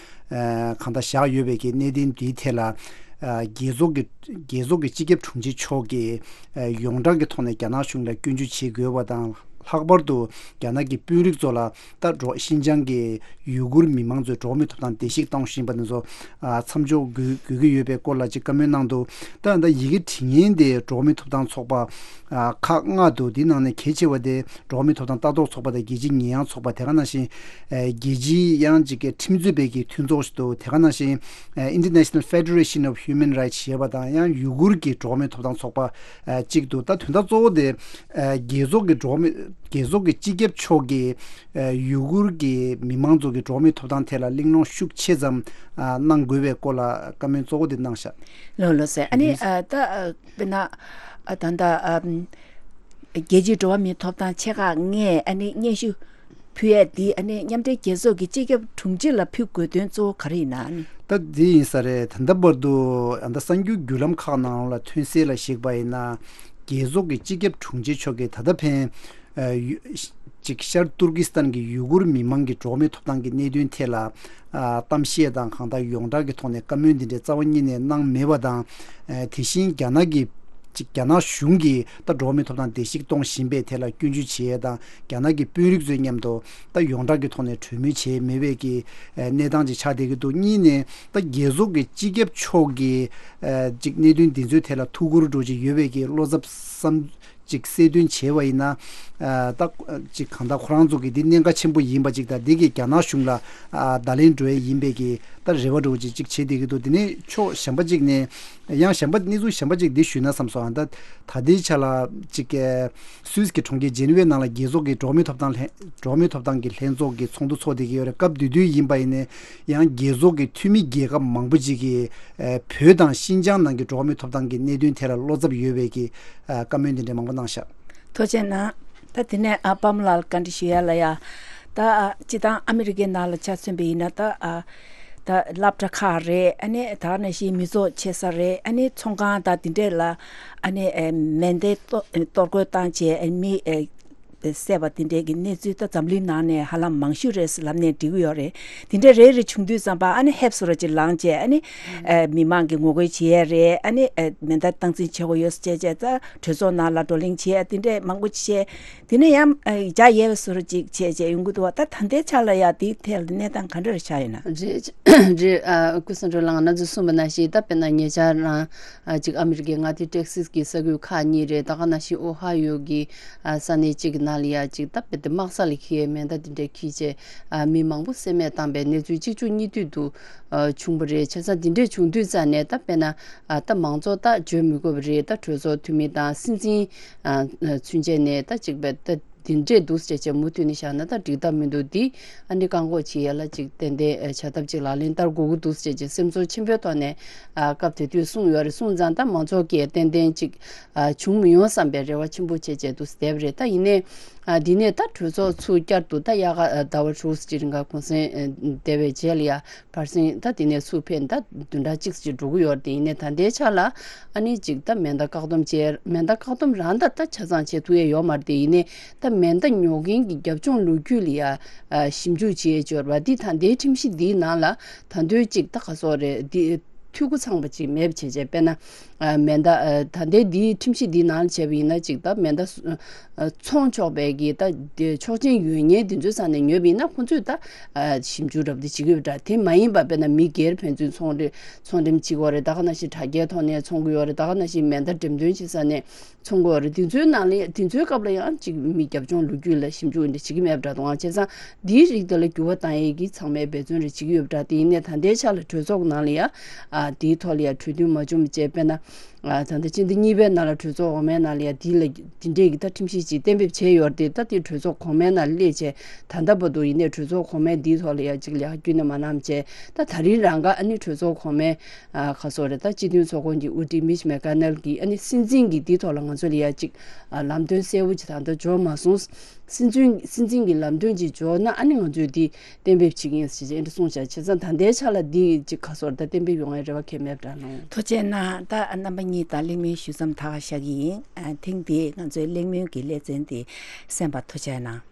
ཨ་གང་ལྟར་བཞག་ཡོད་པའི་གི་གནད་དོན་འདིའི་ཐད་ལ་ ཨ་རྒྱལ་ཚོགས་ཀྱི་རྒྱལ་ཚོགས་ཀྱི་སྤྱི་ཁྱབ་དྲུང་ཆེ་མཆོག་གིས་ཨ་ཡོངས་གྲགས་ཀྱི་ཐོག་ནས་རྒྱ་ནག་གཞུང་ལ་སྐྱོན་བརྗོད་བྱེད་དགོས་པ་དང་། ལྷག་པར་དུ་རྒྱ་ནག་གི་དཔོན་རིགས་ཚོ་ལ་ད་འགྲོ་ཤིན་ཅང་གི་ཡུ་གུར་མི་མང་ཚོའི་འགྲོ་བ་མིའི་ཐོབ་ཐང་བརྡལ་བཤིག་གཏོང་བཞིན་པ་དེ་ཚོ་ཨ་མཚམས་འཇོག་དགོས་དགོས་ཀྱི་ཡོད་པའི་སྐོར་ལ་ཅིག་བཀའ་མོལ་གནང་འདུག་ད་ད་ཡི་གེ་བྲིས་མཁན་དེ་འགྲོ་བ་མིའི་ཐོབ་ཐང་ཚོགས་པ་ཨ་ཁག་ལྔ་འདུག་དེའི་ནང་ནས་གལ་ཆེ་བ་དེ་འགྲོ་བ་མིའི་ཐོབ་ཐང་ལྟ་རྟོག་ཚོགས་པ་དང་རྒྱལ་སྤྱིའི་ཉེས་ཡངས་ཚོགས་པ། དེ་ག་ནང་བཞིན་ཨ་རྒྱལ་སྤྱིའི་ཡང་ཅིག་གི་ཁྲིམས་རྩོད་པའི་གི་མཐུན་ཚོགས་ཤིག་འདུག་དེ་ག་ནང་བཞིན་ཨ་International Federation of Human Rights ཞེས་པ་དང་། ཡང་ཡུ་གུར་གྱི་འགྲོ་བ་མིའི་ཐོབ་ཐང་ཚོགས་པ་ཨ་གཅིག་འདུག་ད་དོན་དག་གཙོ་བོ་དེ་ཨ་རྒྱལ་ཚོགས་ཀྱི་འགྲོ་བ་མི་རྒྱལ་ཚོགས་ཀྱི་སྤྱི་ཁྱབ་མཆོག་གིས་ཨ་ཡུ་གུར་གྱི་མི་མང་ཚོ་གི་འགྲོ་བ་མིའི་ཐོབ་ཐང་ཐད་ལ་གླེང་སློང་ཤུགས་ཆེ་ཙམ་ཨ་གནང་དགོས་པའི་སྐོར་ལ་བཀའ་མོལ་གཙོ་བོ་དེ་གནང་ཤག་ལགས་ལགས་སེ། ཨ་ནི་ཨ་ད་ཨ་དཔེར་ན་ཨ་རྒྱལ་སྤྱིའི་འགྲོ་བ་མིའི་ཐོབ་ཐང་ཆེ་ཁག་ལྔས་ཨ་ནི་སྙན་ཞུ་ཕུལ་ཡས་འདི་ཨ་ནི་མཉམ་འབྲེལ་རྒྱལ་ཚོགས་ཀྱི་སྤྱི་ཁྱབ་དྲུང་ཆེ་ལ་ཕུལ་དགོས་དོན་གཙོ་བོ་ག་རེ་ཡིན་ན། ཨ་ནི་ད་འདི་ཡིན་ས་རེད། ད་ལྟ་བར་དུ་ཨ་ད་གསར་འགྱུར་བརྒྱུད་ལམ་ཁག་ནང་ལ་ཐོན་གསལ་ལ་གཞིགས་པ་ཡིན་ན། རྒྱལ་ཚོགས་ཀྱི་སྤྱི་ཁྱབ་དྲུང་ཆེ་མཆོག་གིས་ད་ལྟ་ཕན་ཨ་ཡུ་ཅིག་ཤར་ཏུར་ཀི་སི་ཐན་གྱི་ཡུ་གུར་མི་མང་གི་འགྲོ་བ་མིའི་ཐོབ་ཐང་གི་གནད་དོན་ཐད་ལ་ཨ་གཏམ་བཤད་དང་གང་ལྟར་ཡོངས་གྲགས་ཀྱི་ཐོག་ནས་བཀའ་མོལ་འདི་འདྲའི་རྩ་བ་ཉིད་ནས་གནང་མེད་པ་དང་། ཨ་དེ་བཞིན་རྒྱ་ནག་གི་ཅིག་རྒྱ་ནག་གཞུང་གིས་ད་འགྲོ་བ་མིའི་ཐོབ་ཐང་བརྡལ་བཤིག་གཏོང་བཞིན་པའི་ཐད་ལ་སྐྱོན་བརྗོད་བྱེད་ཡས་དང་། རྒྱ་ནག་གི་དཔོན་རིགས་ཚོའི་མཉམ་དུ་ད་ཡོངས་གྲགས་ཀྱི་ཐོག་ནས་གྲོས་མོལ་བྱས་མེད་པའི་གི་ཨ་གནས་སྟངས་ཅིག་ཆགས་བསྡད་ཀྱི་འདུག་གཉིས་ནས་ད་རྒྱལ་ཚོགས་ཀྱི་སྤྱི་ཁྱབ་མཆོག་གིས་ཨ་ཅིག་གནད་དོན་འདི་ཚོའི་ཐད་ལ་ཐུགས་ཁུར་འདྲ་ཅིག་ཡོད་པའི་གི་བློ་འཚབ་བསམ་ཅིག་གསལ་སྟོན་བྱས་པ་ཡིན་ན། ཨ་ད་ཅིག་གང་ལྟར་ཁོ་རང་ཚོ་གི་འདི་གནད་འགག་ཆེན་པོ་ཡིན་པ་ཅིག་དང་། འདི་གིས་རྒྱ་ནག་གཞུང་ལ་ཨ་བརྡ་ལན་འགྲོ་ཡས་ཡིན་པའི་གི་ད་རེ་བ་འདྲ་ཅིག་ཅིག་བྱེད་བསྡད་ཀྱི་འདུག་དེ་ནས་ཕྱོགས་གཞན་པ་ཅིག་ནས་ཡང་གཞན་པ་གནས་ཚུལ་གཞན་པ་ཅིག་འདི་ཞུས་ན་བསམ་སོང་། ཨ་ད་ད་ལྟའི་ཆ་ལ་ཅིག་ཨ་སུད་སི་གི་གྲོང་ཁྱེར་ཇེ་ནི་ཝའི་ནང་ལ་རྒྱལ་ཚོགས་ཀྱི་འགྲོ་བ་མིའི་ཐོབ་ཐང་ལྷན་འགྲོ་བ་མིའི་ཐོབ་ཐང་གི་ལྷན་ཚོགས་ཀྱི་ཚོགས་འདུ་ཚོགས་བསྡད་ཀྱི་ཡོད་རེད། སྐབས་དེ་དུས་ཡིན་པ་ཡིན་ནའི་ཡང་རྒྱལ་ཚོགས་ཀྱི་འཐུས་མི་རྒྱལ་ཁབ་མང་པོ་ཅིག་གིས་ཨ་བོད་དང་ཤིན་ཅང་ནང་གི་འགྲོ་བ་མིའི་ཐོབ་ཐང་གི་གནད་དོན་ཐད་ལ་བློ་འཚབ་ཡོད་པའི་གི་ཨ་བཀའ་མོལ་འདི་འདྲ་མང་པོ་གནང་ཤག་ཐུགས་རྗེ་གནང་། ད་དེ་ནས་ཨ་པདྨ་ལགས་ལ་བཀའ་འདྲི་ཞུ་ཡ་ལ་ཡ། ད་ཨ་སྤྱིར་བཏང་ཨ་མི་རི་ཀའི་ནང་ལ་ཆ་མཚོན་པ་ཡིན་ན། ད་ཨ་ད་སློབ་གྲྭ་ཁག་རེད། ཨ་ནི་ད་ག་ནང་བཞིན་མི་ཚོགས་ཆེ་ས་རེད། ཨ་ནི་ཚོང་ཁང་དང་དེ་འདྲས་ལ་ཨ་ནི་ཨེ་མེ་མདའི་གཏོར་གཏོར་རྒོལ་བཏང་བྱས་ཨེ་མི་ཨེ་བསད་པ་དེ་འདྲས་ཀྱི་གནས་ཚུལ་ད་འཛམ་གླིང་ནང་ནས་ཧ་ལམ་མང་ཤོས་རེད་ལབ་ནས་འགྲིག་གི་ཡོད་རེད། དེ་འདྲས་རེ་རེ་བྱུང་དུས་ཙམ་པ་ཨ་ནི་ཧེབ་སོ་ར་ཅིག་ལངས་བྱས། ཨ་ནི་ཨེ་མི་མང་གི་ངོ་རྒོལ་བྱེད་ཡས་རེད། ཨ་ནི་ཨེ་མེ་མདའ་སྟངས་འཛིན་བྱེད་དགོས་ཡོད་ཟེར་བྱས་བྱས། ད་གྲོས་ཚོགས་ནང་ལ་བགྲོ་གླེང་བྱེད་ཡས་དེ་འདྲས་མང་པོ་བྱས། དེ་ནས་ཡང་ཨ་རྒྱ་ཡལ་བའི་བཟོ་འདྲ་ཅིག་བྱས་བྱས་ཡོང་གི་འདུག་བ། ད་ད་ལྟའི་ཆ་ལ་ཡ་དེའི་ཐད་ལ་གནས་སྟངས་ག་འདྲ་རེ་ཆགས་ཡོད་ན། རེད་རེད། ཨ་སྐུ་ཞབས་ལགས་ང་ཚོས་གསུངས་པ་ནང་བཞིན། ད་དཔེར་ན་ཉེ་ཆར་རང་ཨ་ཅིག་ཨ་མི་རི་ཀའི་མངའ་སྡེ་ཏེག་སིས་ཀྱི་ས་ཁུལ་ཁག་གཉིས་རེད། ད་ག་ནང་བཞིན་ཨོ་ཧ་ཡོ་གི་ཨ་ས་གནས་གཅིག་གི་ནང་ལ་ཡ་ཅིག་ད་དཔེ་དེ་དམག་ས་ལ་འཁྱེར་མེ་མདའ་དེ་འདྲས་འཁྱེར་བྱས་ཨ་མི་མང་པོ་བསད་རྨས་བཏང་པའི་གནས་ཚུལ་གཅིག་མཇུག་གཉིས་མཐུད་དུ་ཨ་བྱུང་བ་རེད། བྱས་ཙང་དེ་འདྲས་བྱུང་དུས་ཙང་ནས། ད་དཔེར་ན་ཨ་ད་མང་གཙོ་ད་བརྗོད་མི་དགོས་པ་རེད། ད་གྲོས་ཚོགས་འཐུས་མི་དང་སྲིད་འཛིན་ཨ་ཚུན་ཆད་ནས་ད་ཅིག་པའི་ད་དེ་འདྲས་འདུག་ཟེར་བྱས་མུ་མཐུད་ནས་བཞག་ན་ད་འགྲིག་ཐབས་མི་འདུག་འདི་ཨ་ནི་བཀག་འགོག་བྱེད་ཡ་ལ་ཅིག་ཏན་ཏན་ཨ་བྱ་ཐབས་ཅིག་ལག་ལེན་བསྟར་དགོས་ཀྱི་འདུག་ཟེར་བྱས་སེམས་ཚོར་ཆེན་པོའི་ཐོག་ནས་ཨ་སྐབས་དེ་དུས་གསུངས་ཡོད་རེད། གསུངས་ཙང་ད་མང་ཚོགས་ཀྱིས་ཏན་ཏན་ཅིག་ཨ་བྱུང་མི་ཡོང་བསམ་པའི་རེ་བ་ཆེན་པོ་བྱས་བྱས་འདུག་བསྡད་པ་རེད། ད་ཡིན་ནའི་ཨ་འདི་ནས་ད་གྲོས་ཚོགས་ཚུར་བསྐྱར་དུ་ད་དབྱར་ཁ་ཟླ་བ་དྲུག་ཅིག་རིང་ག་གུང་སེང་ཨ་བསྡད་པའི་རྗེས་ལ་ཡ། བར་གསེང་ད་དེ་ནས་ཚུར་ཕེབས་ད་བདུན་ཕྲག་གཅིག་ཙམ་ཅིག་འགྲོ་གི་ཡོད་རེད་དེ། ཡིན་ནའི་ད་ལྟའི་ཆ་ལ་ཨ་ནི་ཅིག་ད་མེ་མདའ་བཀག་སྡོམ་བྱས། མེ་མདའ་བཀག་སྡོམ་རང་ད་ད་ཆ་ཚང་བྱེད་ཐུབ་ཡས་ཡོད་མ་རེད་དེ། ཡིན་ནའི་ད་མེ་མདའ་ཉོ་མཁན་གྱི་རྒྱབ་ལྗོངས་ལོ་རྒྱུས་ལ་ཡ་ཨ་ཞིབ་འཇུག་བྱེད་ཡས་ཡོད་རེད་པ། འདི་ད་ལྟའི་ཁྲིམས་གཞི་འདིའི་ནང་ལ་ད་དུང་ཅིག་ད་ག་སོགས་རེད། འདི་འཐུས་སྒོ་ཚང་བ་ཅིག་མེད་པ་བྱས་བྱས། དཔེར་ན་ཨ་མེ་མདའ་ཨ་ད་ལྟའི་འདིའི་ཁྲིམས་གཞི་འདིའི་ནང་ལ་བྱས་པ་ཡིན་ན། ཅིག་ད་མེ་མདའ་སུ་ཨ་འཚོང་ཆོག་པའི་གི་ད་དེ་ཆོག་མཆན་ཡོད་མཁན་དེ་ཚོའི་ས་ནས་ཉོས་པ་ཡིན་ན་ཁོང་ཚོས་ད་ཨ་ཞིབ་འཇུག་རབ་དེ་བྱེད་ཀྱི་ཡོད་པ་འདྲ། དེ་མ་ཡིན་པ་དཔེར་ན་མི་སྒེར་ཕན་ཚུན་ཚོང་འབྲེལ་ཚོང་འགྲེམས་བྱེད་ཀྱི་ཡོད་རེད། ད་ག་ནང་བཞིན་དྲ་རྒྱའི་ཐོག་ནས་ཚོང་གི་ཡོད་རེད། ད་ག་ནང་བཞིན་མེ་མདའ་འགྲེམས་སྟོན་བྱེད་ས་ནས་ཚོང་གི་ཡོད་རེད། དེ་ཚོའི་ནང་ལ་དེ་ཚོའི་སྐབས་ལ་ཡང་ཅིག་མི་རྒྱབ་ལྗོངས་ལོ་རྒྱུས་ལ་ཞིབ་འཇུག་འདི་བྱེད་ཀྱི་མེད་པ་འདྲ་འདུག་ཨང་། བྱས་ཙང་འདིའི་རིགས་དེ་ལ་འགྱུར་བ་བཏང་ཡས་ཀྱི་ཚང་མས་འབད་བརྩོན་རེ་བྱེད་ཀྱི་ཡོད་པ་འདྲ། དེ་ཡིན་ནའི་ད་ལྟའི་ཆ་ལ་གྲོས་ཚོགས་ནང་ལ་ཡང་ཨ་དེའི་ཐོག་ལ་ཡང་གྲོས་མཐུན་མ་བྱུང་བ་བྱས། དཔེར་ན། ཨ་ད་ལྟ་སྤྱི་ཟླ་གཉིས་པའི་ནང་ལ་གྲོས་ཚོགས་འོག་མའི་ནང་ལ་ཡང་འདི་ལ་འདི་འདྲས་ཀྱི་ད་ཁྲིམས་གཞི་ཅིག་གཏན་འབེབས་བྱས་ཡོད་རེད་དེ། ད་དེ་གྲོས་ཚོགས་གོང་མའི་ནང་སླེབས་བྱས་ད་ལྟ་བར་དུ་ཡིན་ནའི་གྲོས་ཚོགས་གོང་མས་འདིའི་ཐོག་ལ་ཡང་ཅིག་ལས་ཀ་ཁྱོན་ནས་མ་གནང་བྱས། ད་ད་རིང་རང་ག་ཨ་ནི་གྲོས་ཚོགས་གོང་མའི་ཨ་ག་སོགས་རེད། ད་སྤྱི་མཐུན་ཚོགས་ཁོངས་ཀྱི་དབུ་ཁྲིད་མིཆ་མེ་ཀ་ནེལ་གྱིས་ཨ་ནི་སྲིད་འཛིན་གྱིས་འདིའི་ཐོག་ལ་ང་ཚོ་ལ་ཡང་ཅིག་ཨ་ལམ་སྟོན་གསལ་པོ་ཅིག་ད་ལྟ་འབྱོར་མ་སོང་། སྲིད་འཛིན་སྲིད་འཛིན་གྱི་ལམ་སྟོན་ཅིག་འབྱོར་ན་ཨ་ནི་ང་ཚོས་འདི་གཏན་འབེབས་བྱེད་ཀྱི་ཡིན་ཟེར་བྱས་འདི་གསུངས་བཞག་བྱས་ཙང་ད་ལྟའི་ཆ་ལ་འདི་ཅིག་ག་སོར་ད་གཏན་འབེབས་ཡོང་ཡ་རེ་བ་གང་ཡང་མེད་པ་འདྲ་ལོང་། ཐུགས་རྗེ་གནང་། ད་རྣམ་པ་གཉིས་དང་གླེང་མོལ་ཞུ་མཚམས་ད་ག་བཞག་གི་ཡིན། ཨ་ཐེངས་འདིའི་ང་ཚོའི་གླེང་མོལ་གྱི་ལེ་ཚན་འདི་གསན་པར་ཐུགས་རྗེ་གནང་།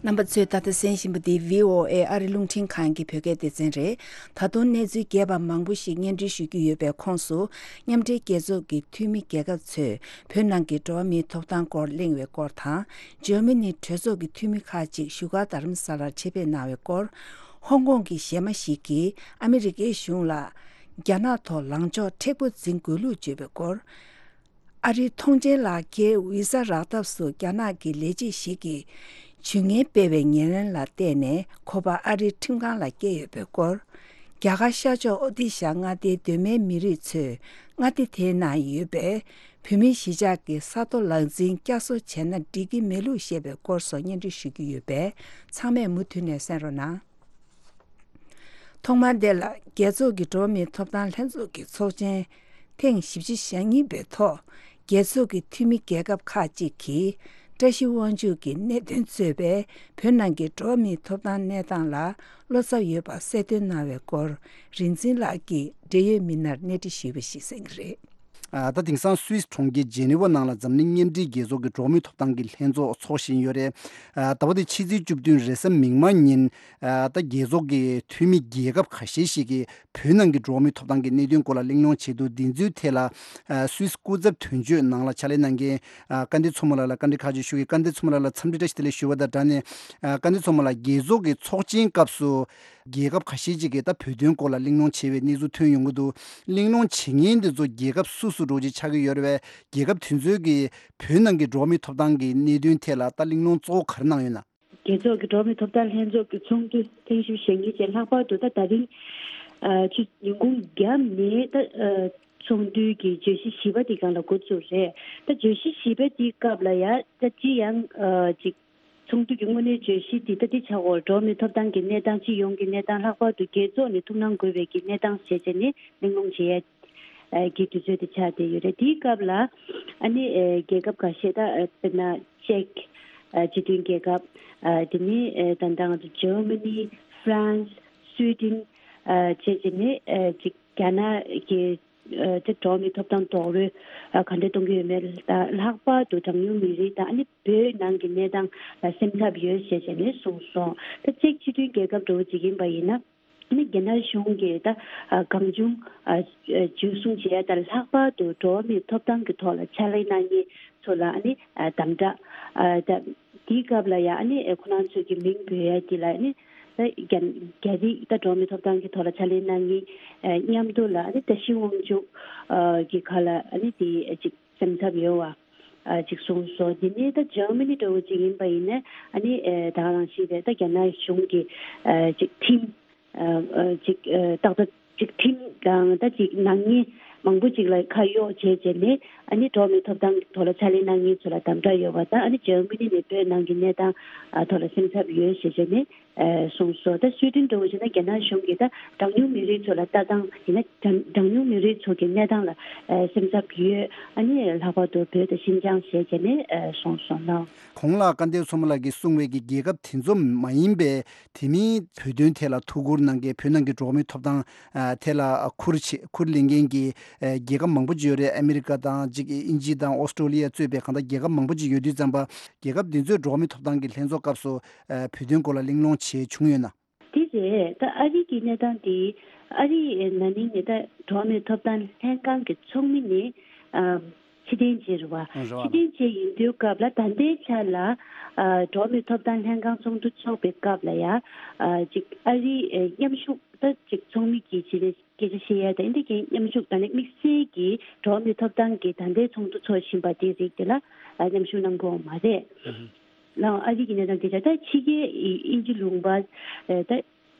རྣམ་པ་ཚོས་ད་ལྟ་གསན་བཞིན་པ་འདི་བྷི་ཨོ་ཨེ་ཨ་རི་རླུང་འཕྲིན་ཁང་གི་བོད་སྐད་སྡེ་ཚན་རེད། ད་དུང་གནས་ཚུལ་རྒྱས་པ་མང་པོ་ཞིག་སྙན་སྒྲོན་ཞུ་རྒྱུ་ཡོད་པའི་ཁོངས་སུ། མཉམ་འབྲེལ་རྒྱལ་ཚོགས་ཀྱི་འཐུས་མི་རྒྱལ་ཁབ་ཚོས་བོད་ནང་གི་འགྲོ་བ་མིའི་ཐོབ་ཐང་སྐོར་གླེང་བའི་སྐོར་དང་། འཇར་མ་ནི་གྲོས་ཚོགས་ཀྱི་འཐུས་མི་ཁག་ཅིག་བཞུགས་སྒར་རྡ་རམ་ས་ལར་ཆེད་ཕེབས་གནང་བའི་སྐོར། ཧོང་ཀོང་གི་གཞས་མ་ཞིག་གིས་ཨ་མི་རི་ཀའི་གཞུང་ལ་རྒྱ་ནག་ཐོག་ལངས་ཕྱོགས་མཁྲེགས་པོ་འཛིན་དགོས་ལུགས་བརྗོད་པའི་སྐོར། ཨ་རིའི་ཐོངས་མཆན་ལག་འཁྱེར་ཝི་ས་རག་ཐབས་སུ་རྒྱ་ནག་གི་ལས་བྱེད་ཞིག་གིས་ཇུས་ངན་སྤེལ་བའི་ཉེས་ལན་ལ་བརྟེན་ནས་ཁོ་པ་ཨ་རིའི་ཁྲིམས་ཁང་ལ་བསྐྱལ་ཡོད་པའི་སྐོར། རྒྱ་གར་ཤར་ཕྱོགས་ཨོ་ཏི་ཤ་མངའ་སྡེའི་གདོད་མའི་མི་རིགས་ཚོས་མངའ་སྡེ་དེའི་ནང་ཡོད་པའི་བོད་མིའི་གཞིས་ཆགས་ཀྱི་ས་རྡོ་ལག་འཛིན་བསྐྱར་གསོ་བྱས་ན་འགྲིག་གི་མེད་ལུགས་བཤད་པའི་སྐོར་སོགས་སྙན་སྒྲོན་ཞུ་རྒྱུ་ཡོད་པས། ཚང་མས་མུ་མཐུད་ནས་གསན་རོགས་གནང་། ཐོག་མར་འདི་ལ་རྒྱལ་ཚོགས་ཀྱི་འགྲོ་བ་མིའི་ཐོབ་ཐང་ལྷན་ཚོགས་ཀྱི་ཚོགས་ཆེན་ཐེངས་བཞི་བཅུ་ཞེ་གཉིས་པའི་ཐོག་རྒྱལ་ཚོགས་ཀྱི་འཐུས་མི་རྒྱལ་ཁབ་ཁག་ཅིག་གིས་བཀྲ་ཤིས་དབང་ཕྱུག་གི་གནད་དོན་གཙོས་པའི་བོད་ནང་གི་འགྲོ་བ་མིའི་ཐོབ་ཐང་གནས་སྟངས་ལ་བློ་འཚབ་ཡོད་པ་གསལ་སྟོན་གནང་བའི་སྐོར། རིག་འཛིན་ལགས་ཀྱིས་འབྲེལ་ཡོད་མི་སྣར་གནས་འདྲི་ཞུས་པ་ཞིག་གསན་གྱི་རེད། ཨ། ད་དེང་སང་སུད་སི་གྲོང་ཁྱེར་ཇེ་ནི་ཝ་ནང་ལ་འཛམ་གླིང་མཉམ་འབྲེལ་རྒྱལ་ཚོགས་ཀྱི་འགྲོ་བ་མིའི་ཐོབ་ཐང་གི་ལྷན་ཚོགས་འཚོགས་བཞིན་ཡོད་རེད། ཨ། ཟླ་བ་འདིའི་ཕྱི་ཚེས་བཅུ་བདུན་རེས་གཟའ་མིག་དམར་ཉིན། ཨ། ད་རྒྱལ་ཚོགས་ཀྱི་འཐུས་མི་རྒྱལ་ཁབ་ཁ་ཤས་ཤིག་གིས་བོད་ནང་གི་འགྲོ་བ་མིའི་ཐོབ་ཐང་གི་གནད་དོན་སྐོར་ལ་གླེང་སློང་བྱས་འདུག་འདི་ཚོའི་ཐད་ལ། ཨ། སུད་སི་སྐུ་ཚབ་དོན་གཅོད་ནང་ལ་ཕྱག་ལས་གནང་མཁན། ཨ། བཀའ་འདྲི་མཚོ་མོ་ལགས་ལ་བཀའ་འདྲི་ཁག་ཅིག་ཞུ་གི། བཀའ་འདྲི་མཚོ་མོ་ལགས་ལ་འཚམས་འདྲི་བཀྲ་ཤིས་བདེ་ལེགས་ཞུ་བ་དང་སྦྲགས་ནས། ཨ། བཀའ་འདྲི་མཚོ་མོ་ལགས། རྒྱལ་ཚོགས་ཀྱི་ཚོགས་ཆེན་སྐབས་སུ། རྒྱལ་ཁབ་ཁ་ཤས་ཅིག་གིས་ད་བོད་དོན་སྐོར་ལ་གླེང་སློང་བྱས་པའི་གནས་ཚུལ་ཐོན་ཡོང་གི་འདུག་གླེང་སློང་བྱེད་མཁན་དེ་ཚོ་རྒྱལ་ཁབ་སུ་སུ་འདྲ་བོ་ཅིག་ཆགས་ཀྱི་ཡོད་རེད་པས། རྒྱལ་ཁབ་དེ་ཚོའི་གི་བོད་ནང་གི་འགྲོ་བ་མིའི་ཐོབ་ཐང་གི་གནད་དོན་ཐད་ལ་ད་གླེང་སློང་གཙོ་བོ་ག་རེ་གནང་ཡོད་ན། རྒྱལ་ཚོགས་ཀྱི་འགྲོ་བ་མིའི་ཐོབ་ཐང་ལྷན་ཚོགས་ཀྱི་ཚོགས་འདུ་ཐེངས་བཞི་བཅུ་ཞེ་གཉིས་ཅན་ལྷག་པར་དུ་ད་ད་རིང་ཨ་ཆུ་ཉིན་གུང་རྒྱབ་ནས་ད་ཨ་ཚོགས་འདུའི་གི་བརྗོད་གཞི་བཞི་པ་དེ་སྒང་ལ་འགོ་བཙུགས་རེད། ད་བརྗོད་གཞི་བཞི་པ་དེའི་སྐབས་ལ་ཡ་ད་ཅི་ཡང་ཨ་ཅིག་ཚོགས་འདུ་གི་དངོས་གནས་བརྗོད་གཞི་འདི་ལྟ་འདི་ཆགས་འོག་འགྲོ་བ་མིའི་ཐོབ་ཐང་གི་གནས་སྟངས། སྤྱི་ཡོངས་ཀྱི་གནས་སྟངས། ལྷག་པར་དུ་རྒྱལ་ཚོགས་ནས་ཐུགས་སྣང་དགོས་པའི་གི་གནས་སྟངས་ཞེས་བྱས་ནས་གླེང་སློང་བྱེད་ཡ་གི་དུས་ཚོད་དེ་ཆགས་བསྡད་ཡོད་རེད། དེའི་སྐབས་ལ་ཨ་ནི་རྒྱལ་ཁབ་ཁ་ཤས་ད་དཔེར་ན་ཅེཀ་སྤྱི་མཐུན་རྒྱལ་ཁབ། དེ་ནས་ད་ལྟ་ང་ཚོ་ཇར་མ་ནི། ཧྥ་རན་སི། སུའེ་ཏེན་བྱས་བྱས་ནས་ཅིག་རྒྱ་ནག་གི་ཨ་དེ་འགྲོ་བ་མིའི་ཐོབ་ཐང་རྡོག་རོལ་ཨ་ག་འདྲ་གཏོང་གི་ཡོད་མེད་དང་། ལྷག་པར་དུ་གྲངས་ཉུང་མི་རིགས་དང་ཨ་ནི་བོད་ནང་གི་གནས་སྟངས་ལ་སེམས་འཚབ་ཡོད་ཞེས་བྱས་ནས་གསུངས་སོང་། ད་ཅེཀ་སྤྱི་མཐུན་རྒྱལ་ཁབ་འདྲ་བོ་ཅིག་ཡིན་པ་ཡིན་ན། ཨ་ནི་རྒྱ་ནག་གཞུང་གིས་ད་ཨ་གང་བྱུང་ཨ་འཇུ་བཟུང་བྱེད་ཡ་དང་། ལྷག་པར་དུ་འགྲོ་བ་མིའི་ཐོབ་ཐང་གི་ཐོག་ལ་ཕྱག་ལས་གནང་མཁན་ཚོ་ལ་ཨ་ནི་ཨ་དམ་དྲག་ཨ་ད་དེའི་སྐབས་ལ་ཡ་ཨ་ནི་ཨ་ཁོ་རང་ཚོས་ཀྱི་མིང་འབོད་ཡ་དེ་ལ་ཨ་ནི། ད་རྒྱ་རྒྱ་རིགས་ད་འགྲོ་བ་མིའི་ཐོབ་ཐང་གི་ཐོག་ལ་ཕྱག་ལས་གནང་མཁན་ཨ་མཉམ་དུ་ལ་ཨ་ནི་བཀྲ་ཤིས་དབང་ཕྱུག་ཨ་གི་ཁ་ལ་ཨ་ནི་དེ་ཅིག་སེམས་འཚབ་ཡོད་པ་ཨ་ཅིག་གསུངས་སོང་། དེ་ནས་ད་ཇར་མ་ནི་འདྲ་བོ་ཅིག་ཡིན་པ་ཡིན་ན་ཨ་ནི་ཨ་ད་ག་རང་བཞིན་རེད། ད་རྒྱ་ནག་གཞུང་གི་ཨ་ཅིག་ཁྲིམས་ཨ་ཨ་ཅིག་ཨ་ཏག་ཏག་ཅིག་ཁྲིམས་དང་ད་ཅིག་ནག་ཉེས་མང་པོ་ཅིག་ལ་ཁ་གཡོགས་བྱས་བྱས་ནས་ཨ་ནི་འགྲོ་བ་མིའི་ཐོབ་ཐང་གི་ཐོག་ལ་ཕྱག་ལས་གནང་མཁན་ཚོ་ལ་དམ་དྲག་ཡོད་པ་དང་། ཨ་ནི་ཇར་མ་ནི་ནས་བོད་ནང་གི་གནས་སྟངས་ཨ་ཐོག་ལ་སེམས་འཚབ་ཡོད་ཞེས་བྱས་ནས། ཨ་གསུངས་སོང་། ད་སུའེ་ཏེན་འདྲ་བོ་བྱས་ན་རྒྱ་ནག་གཞུང་གིས་ད་གྲངས་ཉུང་མི་རིགས་ཚོ་ལ་ལྟ་སྟངས་ཡིན་ན་གྲངས་གྲངས་ཉུང་མི་རིགས་ཚོ་གི་གནས་སྟངས་ལ་ཨ་སེམས་འཚབ་ཡོད། ཨ་ནི་ལྷག་པར་དུ་བོད་དང་ཤིན་ཅང་ཞེས་བྱས་ནས་ཨ་གསུངས་སོང་ལགས། གོང་ལ་བཀའ་བསྟན་མཚོ་མོ་ལགས་ཀྱིས་གསུངས་པའི་གི་རྒྱལ་ཁབ་དེ་ཚོ་མ་ཡིན་པའི་དེ་མིན་བོད་དོན་ཐད་ལ་ཐུགས་ཁུར་གནང་མཁན། བོད་ནང་གི་འགྲོ་བ་མིའི་ཐོབ་ཐང་ཨ་ཐད་ལ་ཁུར་ཆེ་ཁུར་ལེན་མཁན་གྱི་ཨ་རྒྱལ་ཁབ་མང་པོ་ཅིག་ཡོད་རེད། ཨ་མི་རི་ཀ་དང་ཅིག་དབྱིན་ཇི་དང་ཨོ་སི་ཀྲོ་ལི་ཡ་གཙོས་པའི་གང་ལྟར་རྒྱལ་ཁབ་མང་པོ་ཅིག་ཡོད་དུས་ཙམ་པ། རྒྱལ་ཁབ་འདི་ཚོའི་འགྲོ་བ་མིའི་ཐོབ་ཐང་གི་ལྷན་ཚོགས་སྐབས་སུ་ཨ་བོད་དོན་སྐོར་ལ་གླེང་སློང་བྱས་བྱུང་ཡོད་ན། དེ་རེད། ད་ཨ་རི་གི་གནས་སྟངས་དེ་ཨ་རི་ནང་ནས་ད་འགྲོ་བ་མིའི་ཐོབ་ཐང་ལྷན་ཁང་གི་ཚོགས་མི་ནས་ཨ་ཕྱིར་འཐེན་བྱས་རེད་བ། རེད་བ། ཕྱིར་འཐེན་བྱས་ཡིན་དུས་སྐབས་ལ་ད་ལྟའི་ཆ་ལ་ཨ་འགྲོ་བ་མིའི་ཐོབ་ཐང་ལྷན་ཁང་ཚོགས་འདུ་འཚོགས་པའི་སྐབས་ལ་ཡ་ཨ་ཅིག་ཨ་རི་ཨ་མཉམ་ཞུགས་ད་ཅིག་ཚོགས་མི་གིས་བྱས་ནས་སྐད་ཆ་བཤད་ཡ་དང་། འདི་གའི་མཉམ་ཞུགས་ད་ནི་དམིགས་བསལ་གྱིས་འགྲོ་བ་མིའི་ཐོབ་ཐང་གི་ད་ལྟའི་ཚོགས་འདུ་འཚོགས་བཞིན་པ་དེའི་རིགས་དེ་ལ་ཨ་མཉམ་ཞུགས་གནང་གི་ཡོད་མ་རེད། ལའང་ཨ་རི་གི་གནས་སྟངས་དེ་ཆ་ད་ཕྱི་རྒྱལ་དབྱིན་ཇི་ལུང་པ་ད་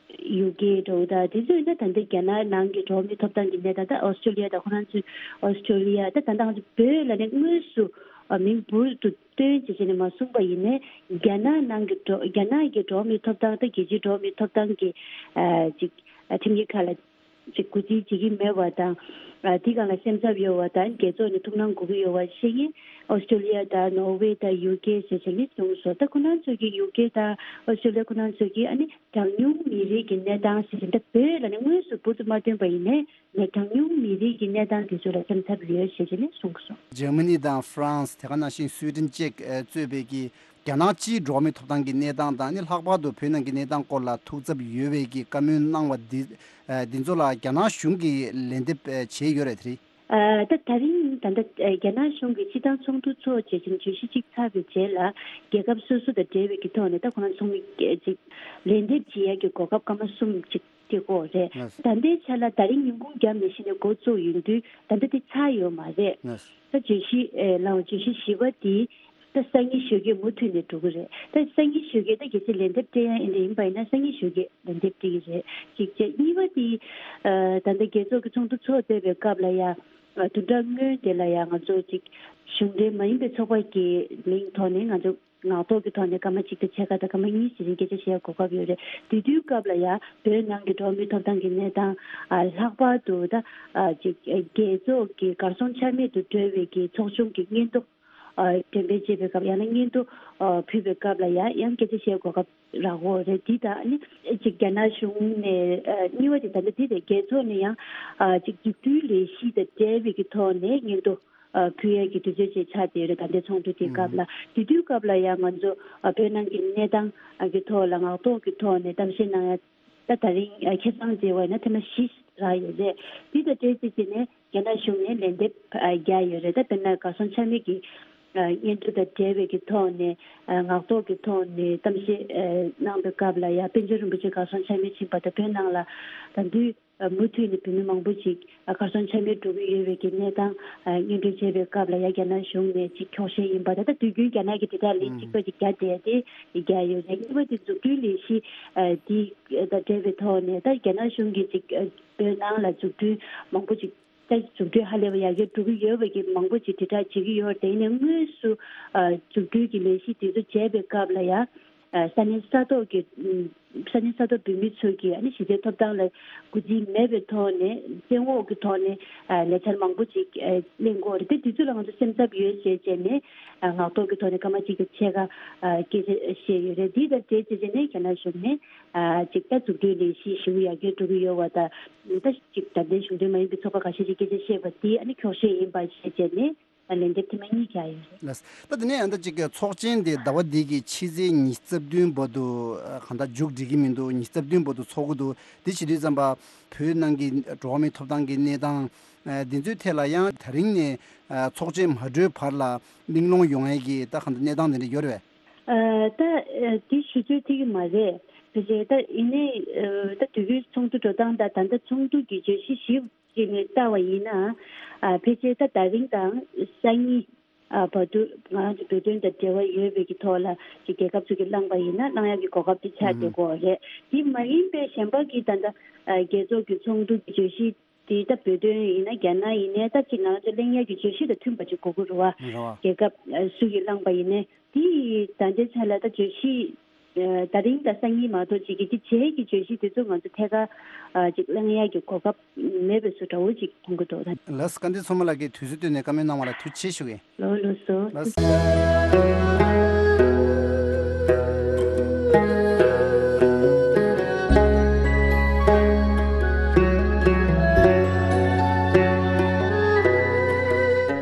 ཡུ་ཀེ་འདྲ་བོ་ད་དེ་ཚོ་ཡིན་ན་ད་ལྟ་རྒྱ་ནག་ནང་གི་འགྲོ་བ་མིའི་ཐོབ་ཐང་གི་གནས་སྟངས། ད་ཨོ་སི་ཀྲོ་ལི་ཡ་དང་ཁོ་རང་ཚོའི་ཨོ་སི་ཀྲོ་ལི་ཡ་ད་ད་ལྟ་ང་ཚོ་བོད་ལ་ནི་དངོས་སུ་མིང་འབུར་དུ་བཏོན་བྱས་བྱས་ནས་མ་གསུངས་པ་ཡིན་ནའི་རྒྱ་ནག་ནང་གི་འགྲོ་རྒྱ་ནག་གི་འགྲོ་བ་མིའི་ཐོབ་ཐང་ད་རྒྱལ་སྤྱིའི་འགྲོ་བ་མིའི་ཐོབ་ཐང་གི་ཅིག་ཁྲིམས་ཀྱི་ཁ་ལ་ཅིག་གུས་བརྩི་བྱེད་ཀྱི་མེད་པ་དང་ ཨ་དེ་སྒང་ལ་སེམས་འཚབ་ཡོད་པ་དང་རྒྱལ་ཚོགས་ནས་ཐུགས་སྣང་དགོས་ཀྱི་ཡོད་པ་བཤད་མཁན་ཨོ་སི་ཀྲོ་ལི་ཡ་དང་ནོར་ཝེ་དང་ཡུ་ཀེ་ཞེས་བྱས་ནས་གསུངས་སོང་། ད་ཁོ་རང་ཚོ་གིས་ཡུ་ཀེ་དང་ཨོ་སི་ཀྲོ་ལི་ཡ་ཁོ་རང་ཚོ་གིས་ཨ་ནི་གྲངས་ཉུང་མི་རིགས་ཀྱི་གནས་སྟངས་ཞེས་བྱས་ད་བོད་ལ་ནི་དངོས་སུ་འབུར་དུ་མ་ཐོན་པ་ཡིན་ནའི་ནས་གྲངས་ཉུང་མི་རིགས་ཀྱི་གནས་སྟངས་དེ་ཚོ་ལ་སེམས་འཚབ་ཡོད་ཞེས་བྱས་ནས་གསུངས་སོང་། འཇར་མ་ནི་དང་ཧྥ་རན་སི། དེ་ག་ནང་བཞིན་སུའེ་ཏན་བཅས་གཙོས་པའི་གི་རྒྱ་ནག་སྤྱིའི་འགྲོ་བ་མིའི་ཐོབ་ཐང་གི་གནས་སྟངས་དང་ནི་ལྷག་པར་དུ་བོད་ནང་གི་གནས་སྟངས་སྐོར་ལ་ཐུགས་འཚབ་ཡོད་པའི་གི་བཀའ་མོལ་གནང་བ་འདི་འདི་ཚོ་ལ་རྒྱ་ནག་གཞུང་གིས་ལན་འདེབས་བྱས་ཡོད་རེད་དེ་རེད། ད་ད་རིང་ད་ལྟ་རྒྱ་ནག་གཞུང་གིས་སྤྱི་བཏང་ཚོགས་འདུ་ཚོགས་བྱས་ཤིང་བརྗོད་གཞི་གཅིག་ཚར་བའི་རྗེས་ལ་རྒྱལ་ཁབ་སོ་སོ་དང་འབྲེལ་བའི་གི་ཐོག་ནས་ད་ཁོ་རང་ཚོགས་མི་ཅིག་ལན་འདེབས་བྱེད་ཡ་གི་གོ་སྐབས་སྐར་མ་གསུམ་ཅིག་དེ་སྐོར་རེད། ལགས། ད་ལྟའི་ཆ་ལ་ད་རིང་ཉིན་གུང་རྒྱབ་ནས་གཞི་ནས་འགོ་བཙུགས་ཡོང་དུས་ད་ལྟ་དེ་ཚར་ཡོད་མ་རེད། ལགས། ད་བརྗོད་གཞི་ཨེ་ལའང་བརྗོད་གཞི་བཞི་པ་དེ་ད་སང་ཉིན་ཞོགས་ཀས་མུ་མཐུད་ནས་འགྲོ་གི་རེད། ད་སང་ཉིན་ཞོགས་ཀས་ད་གལ་སྲིད་ལན་འདེབས་སྤྲད་ཡ་ཨེ་འདྲ་ཡིན་པ་ཡིན་ན་སང་ཉིན་ཞོགས་ཀས་ལན་འདེབས་སྤྲད་ཀྱི་རེད། གཅིག་བྱས། གཉིས་པ་དེ་ཨ་ད་ལྟ་རྒྱལ་ཚོགས་ཀྱི་ཚོགས་འདུ་ཚོགས་བསྡད་པའི་སྐབས་ལ་ཡ་ཨ་བདུན་ཕྲག་སྔོན་དེ་ལ་ཡ་ང་ཚོ་ཅིག་གཞུང་འབྲེལ་མ་ཡིན་པའི་ཚོགས་པ་གི་མིང་ཐོག་ནས་ང་ཚོ་ངག་ཐོག་གི་ཐོག་ནས་སྐར་མ་གཅིག་དང་ཕྱེད་ཀ་དང་སྐར་མ་གཉིས་ཞིག་རིང་སྐད་ཆ་བཤད་གོ་སྐབས་ཡོད་རེད། དེ་དུས་སྐབས་ལ་ཡང་བོད་ནང་གི་འགྲོ་བ་མིའི་ཐོབ་ཐང་གི་གནས་སྟངས་ཨ་ལྷག་པར་དུ་ད་ཨ་ཅིག་རྒྱལ་ཚོགས་ཀྱི་གར་སོང་ཆ་མེད་དུ་འགྲོ་བའི་གི་ཚོགས་ཆུང་གི་སྙན་ཐོ་ཨ་འགྲེམས་སྤེལ་བྱེད་པའི་སྐབས་ཡང་ན་སྙན་ཐོ་ཨ་ཕུལ་བའི་སྐབས་ལ་ཡང་ཡང་སྐད་ཆ་བཤད་གོ་སྐབས་རག་གོ་རེད། འདི་དང་ཨ་ནི་ཅིག་རྒྱ་ནག་གཞུང་ནས་ཨ་གཉིས་པ་དེ་ད་ལྟ་འདི་རེད། རྒྱལ་ཚོགས་ནས་ཡང་ཨ་ཅིག་མཛུབ་སྟོན་ལས་གཞི་དང་འབྲེལ་བའི་གི་ཐོག་ནས་སྙན་ཐོ་ཨ་ཕུལ་ཡས་ཀྱི་དུས་ཚོད་ཅིག་ཆགས་བསྡད་ཡོད་རེད། ད་ལྟའི་ཚོགས་འདུ་དེའི་སྐབས་ལ། དེ་དུས་སྐབས་ལ་ཡང་ང་ཚོ་ཨ་བོད་ནང་གི་གནས་སྟངས་ཨ་གི་ཐོག་ལ་ངག་ཐོག་གི་ཐོག་ནས་གཏམ་བཤད་གནང་ཡ་ད་ད་རིང་ཨ་ཁེ་བཟང་བྱས་པ་ཡིན་ན་ཐེངས་མ་བཞི་རག་ཡོད་རེད། དེ་དང་འབྲེལ་བྱས་བྱས་ནས་རྒྱ་ནག་གཞུང་ནས་ལན་འདེབས་ཨ་བརྒྱབ་ཡོད་རེད། ད་དཔེར་ན་གར་སོང་ཆ་མེད་ཀྱི་ཨ་སྙན་ཐོ་དང་འབྲེལ་བའི་གི་ཐོག་ནས་ཨ་ངག་ཐོག་གི་ཐོག་ནས་གཏམ་བཤད་ཨ་གནང་པའི་སྐབས་ལ་ཡང་པཎ་ཆེན་རིན་པོ་ཆེ་གར་སོང་ཆ་མེད་ཕྱིན་པ་དང་བོད་ནང་ལ་ད་དུས་མུ་མཐུད་ནས་བོད་མི་མང་པོ་ཞིག་གར་སོང་ཆ་མེད་འགྲོ་གི་ཡོད་པའི་གི་གནས་སྟངས་སྙན་སྒྲོན་བྱས་པའི་སྐབས་ལ་ཡ་རྒྱ་ནག་གཞུང་ནས་ཅིག་འཁྱོག་བཤད་ཡིན་པ་དང་། ད་དུས་རྒྱུན་རྒྱ་ནག་གི་དེ་དག་ལས་གཅིག་པ་ཅིག་རྒྱ་བསྡད་དེ་རྒྱ་ཡོད་རེད། གཉིས་པ་དེ་མཛུབ་སྟོན་ལས་གཞི་དེ་དང་འབྲེལ་བའི་ཐོག་ནས་ད་རྒྱ་ནག་གཞུང་གིས་ཅིག་བོད་ནང་ལ་མཛུབ་སྟོན་མང་པོ་ཅིག་ད་མཛུབ་སྟོན་ཧ་ལས་པ་ཡར་རྒྱས་འགྲོ་གི་ཡོད་པའི་གི་མང་པོ་ཅིག་དྲིལ་བསྒྲགས་བྱེད་ཀྱི་ཡོད་རེད། དེ་ཡིན་ནའི་དངོས་སུ་མཛུབ་སྟོན་གྱི་ལས་གཞི་དེ་ཚོ་བྱས་པའི་སྐབས་ལ་ཡ། ས་གནས་ས་ཐོག་གི་ས་གནས་ས་ཐོག་བོད་མི་ཚོ་གིས་ཨ་ནི་གཞི་རྩའི་ཐོབ་ཐང་ལ་གུས་བརྩི་མེད་པའི་ཐོག་ནས་བཙན་འོག་གི་ཐོག་ནས་ལས་འཆར་མང་པོ་ཅིག་གླེང་གི་ཡོད་རེད། དེ་དུས་ཚོད་ལ་ང་ཚོ་སེམས་འཚབ་ཡོད་ཅེས་བྱས་ནས་ངག་ཐོག་གི་ཐོག་ནས་སྐར་མ་གཅིག་དང་ཕྱེད་ཀ་སྐད་ཆ་བཤད་ཡོད་རེད། འདི་དང་འབྲེལ་བྱས་བྱས་ནས་རྒྱ་ནག་གཞུང་ནས་ཅིག་ད་མཛུབ་སྟོན་ལས་གཞི་ཞེ་པོ་ཡར་རྒྱས་འགྲོ་གི་ཡོད་པ་དང་། ད་ཅིག་ད་ལྟའི་གཞུང་འབྲེལ་མ་ཡིན་པའི་ཚོགས་པ་ཁ་ཤས་ཀྱིས་སྐད་ཆ་བཤད་པ་འདི་ཨ་ནི་འཁྱོག་བཤད་ཡིན་པ་ཞེས་བྱས་ནས། ལན་འདེབས་དེ་མ་གཉིས་བྱ་ཡོད་རེད། ལགས། ད་དེ་ནས་ཡང་ད་ཅིག་ཚོགས་ཆེན་དེ་ཟླ་བ་འདི་གི་ཕྱི་ཚེས་ཉི་ཤུ་རྩ་བདུན་བར་དུ་གང་ལྟར་མཇུག་སྒྲིལ་གྱི་མི་འདུག་ཉི་ཤུ་རྩ་བདུན་བར་དུ་ཚོགས་ཀྱི་འདུག་དེ་བྱེད་དུས་ཙམ་པ་བོད་ནང་གི་འགྲོ་བ་མིའི་ཐོབ་ཐང་གི་གནས་སྟངས་འདི་ཚོའི་ཐད་ལ་ཡང་དེ་རིང་ནས་ཚོགས་ཆེན་མ་གྲོལ་བར་ལ་གླེང་སློང་ཡོང་ཡས་ཀྱི་ད་གང་ལྟར་གནས་སྟངས་དེ་འདྲ་ཡོད་རེད་པས། ད་དེ་ཞུ་ཚོད་ཐིག་གི་མ་རེད། ཕལ་ཆེར་ད་ཡིན་ནའི་ད་དུས་རྒྱུན་ཚོགས་འདུ་འགྲོ་སྟངས་དང་ད་ལྟ་ཚོགས་འདུ་གི་བརྗོད་གཞི་ཞིབ་ཅིག་ནས་བལྟ་བ་ཡིན་ན། ཨ་ཕལ་ཆེར་ད་ད་རིང་དང་སང་ཉིན་ཨ་བར་དུ་ང་རང་ཚོ་བོད་དོན་དང་འབྲེལ་བ་ཡོད་པའི་གི་ཐོག་ལ་ཅིག་རྒྱལ་ཁབ་ཚོ་གིས་བླངས་པ་ཡིན་ན་བླང་ཡག་གི་གོ་སྐབས་དེ་ཆགས་བསྡད་ཀྱི་ཡོད་རེད། དེ་མ་ཡིན་པའི་གཞན་པ་གི་ད་ལྟ་ཨ་རྒྱལ་ཚོགས་ཀྱི་ཚོགས་འདུ་གི་བརྗོད་གཞི་དེ་ད་བོད་དོན་ཡིན་ན་རྒྱ་ནག་ཡིན་ནའི་ད་ཅིག་ང་ཚོ་གླེང་ཡག་གི་བརྗོད་གཞི་དང་མཐུན་པ་ཅིག་དགོས་ཀྱི་རེད་བ། རེད་བ། རྒྱལ་ཁབ་ཨ་སུ་གིས་བླངས་པ་ཡིན་ནའི་དེ་ད་ལྟའི་ཆ་ལ་ད་བརྗོད་གཞི་ཨ་ད་རིང་དང་སང་ཉིན་མ་གཏོགས་ཅིག་གི་དེ་རྗེས་ཀྱི་བརྗོད་གཞི་དེ་ཚོ་ང་ཚོ་ཐད་ཀར་ཨ་ཅིག་གླེང་ཡག་གི་གོ་སྐབས་མེད་པའི་བཟོ་འདྲ་བོ་ཅིག་མཐོང་གི་འདུག་ད། ལགས། སྐལ་ལྡན་མཚོ་མོ་ལགས་ཀྱིས་དུས་ཚོད་བཏོན་ནས་བཀའ་མོལ་གནང་བ་ལ་ཐུགས་རྗེ་ཆེ་ཞུ་གི་ཡིན། ལགས་ལགས་སོ། ལགས།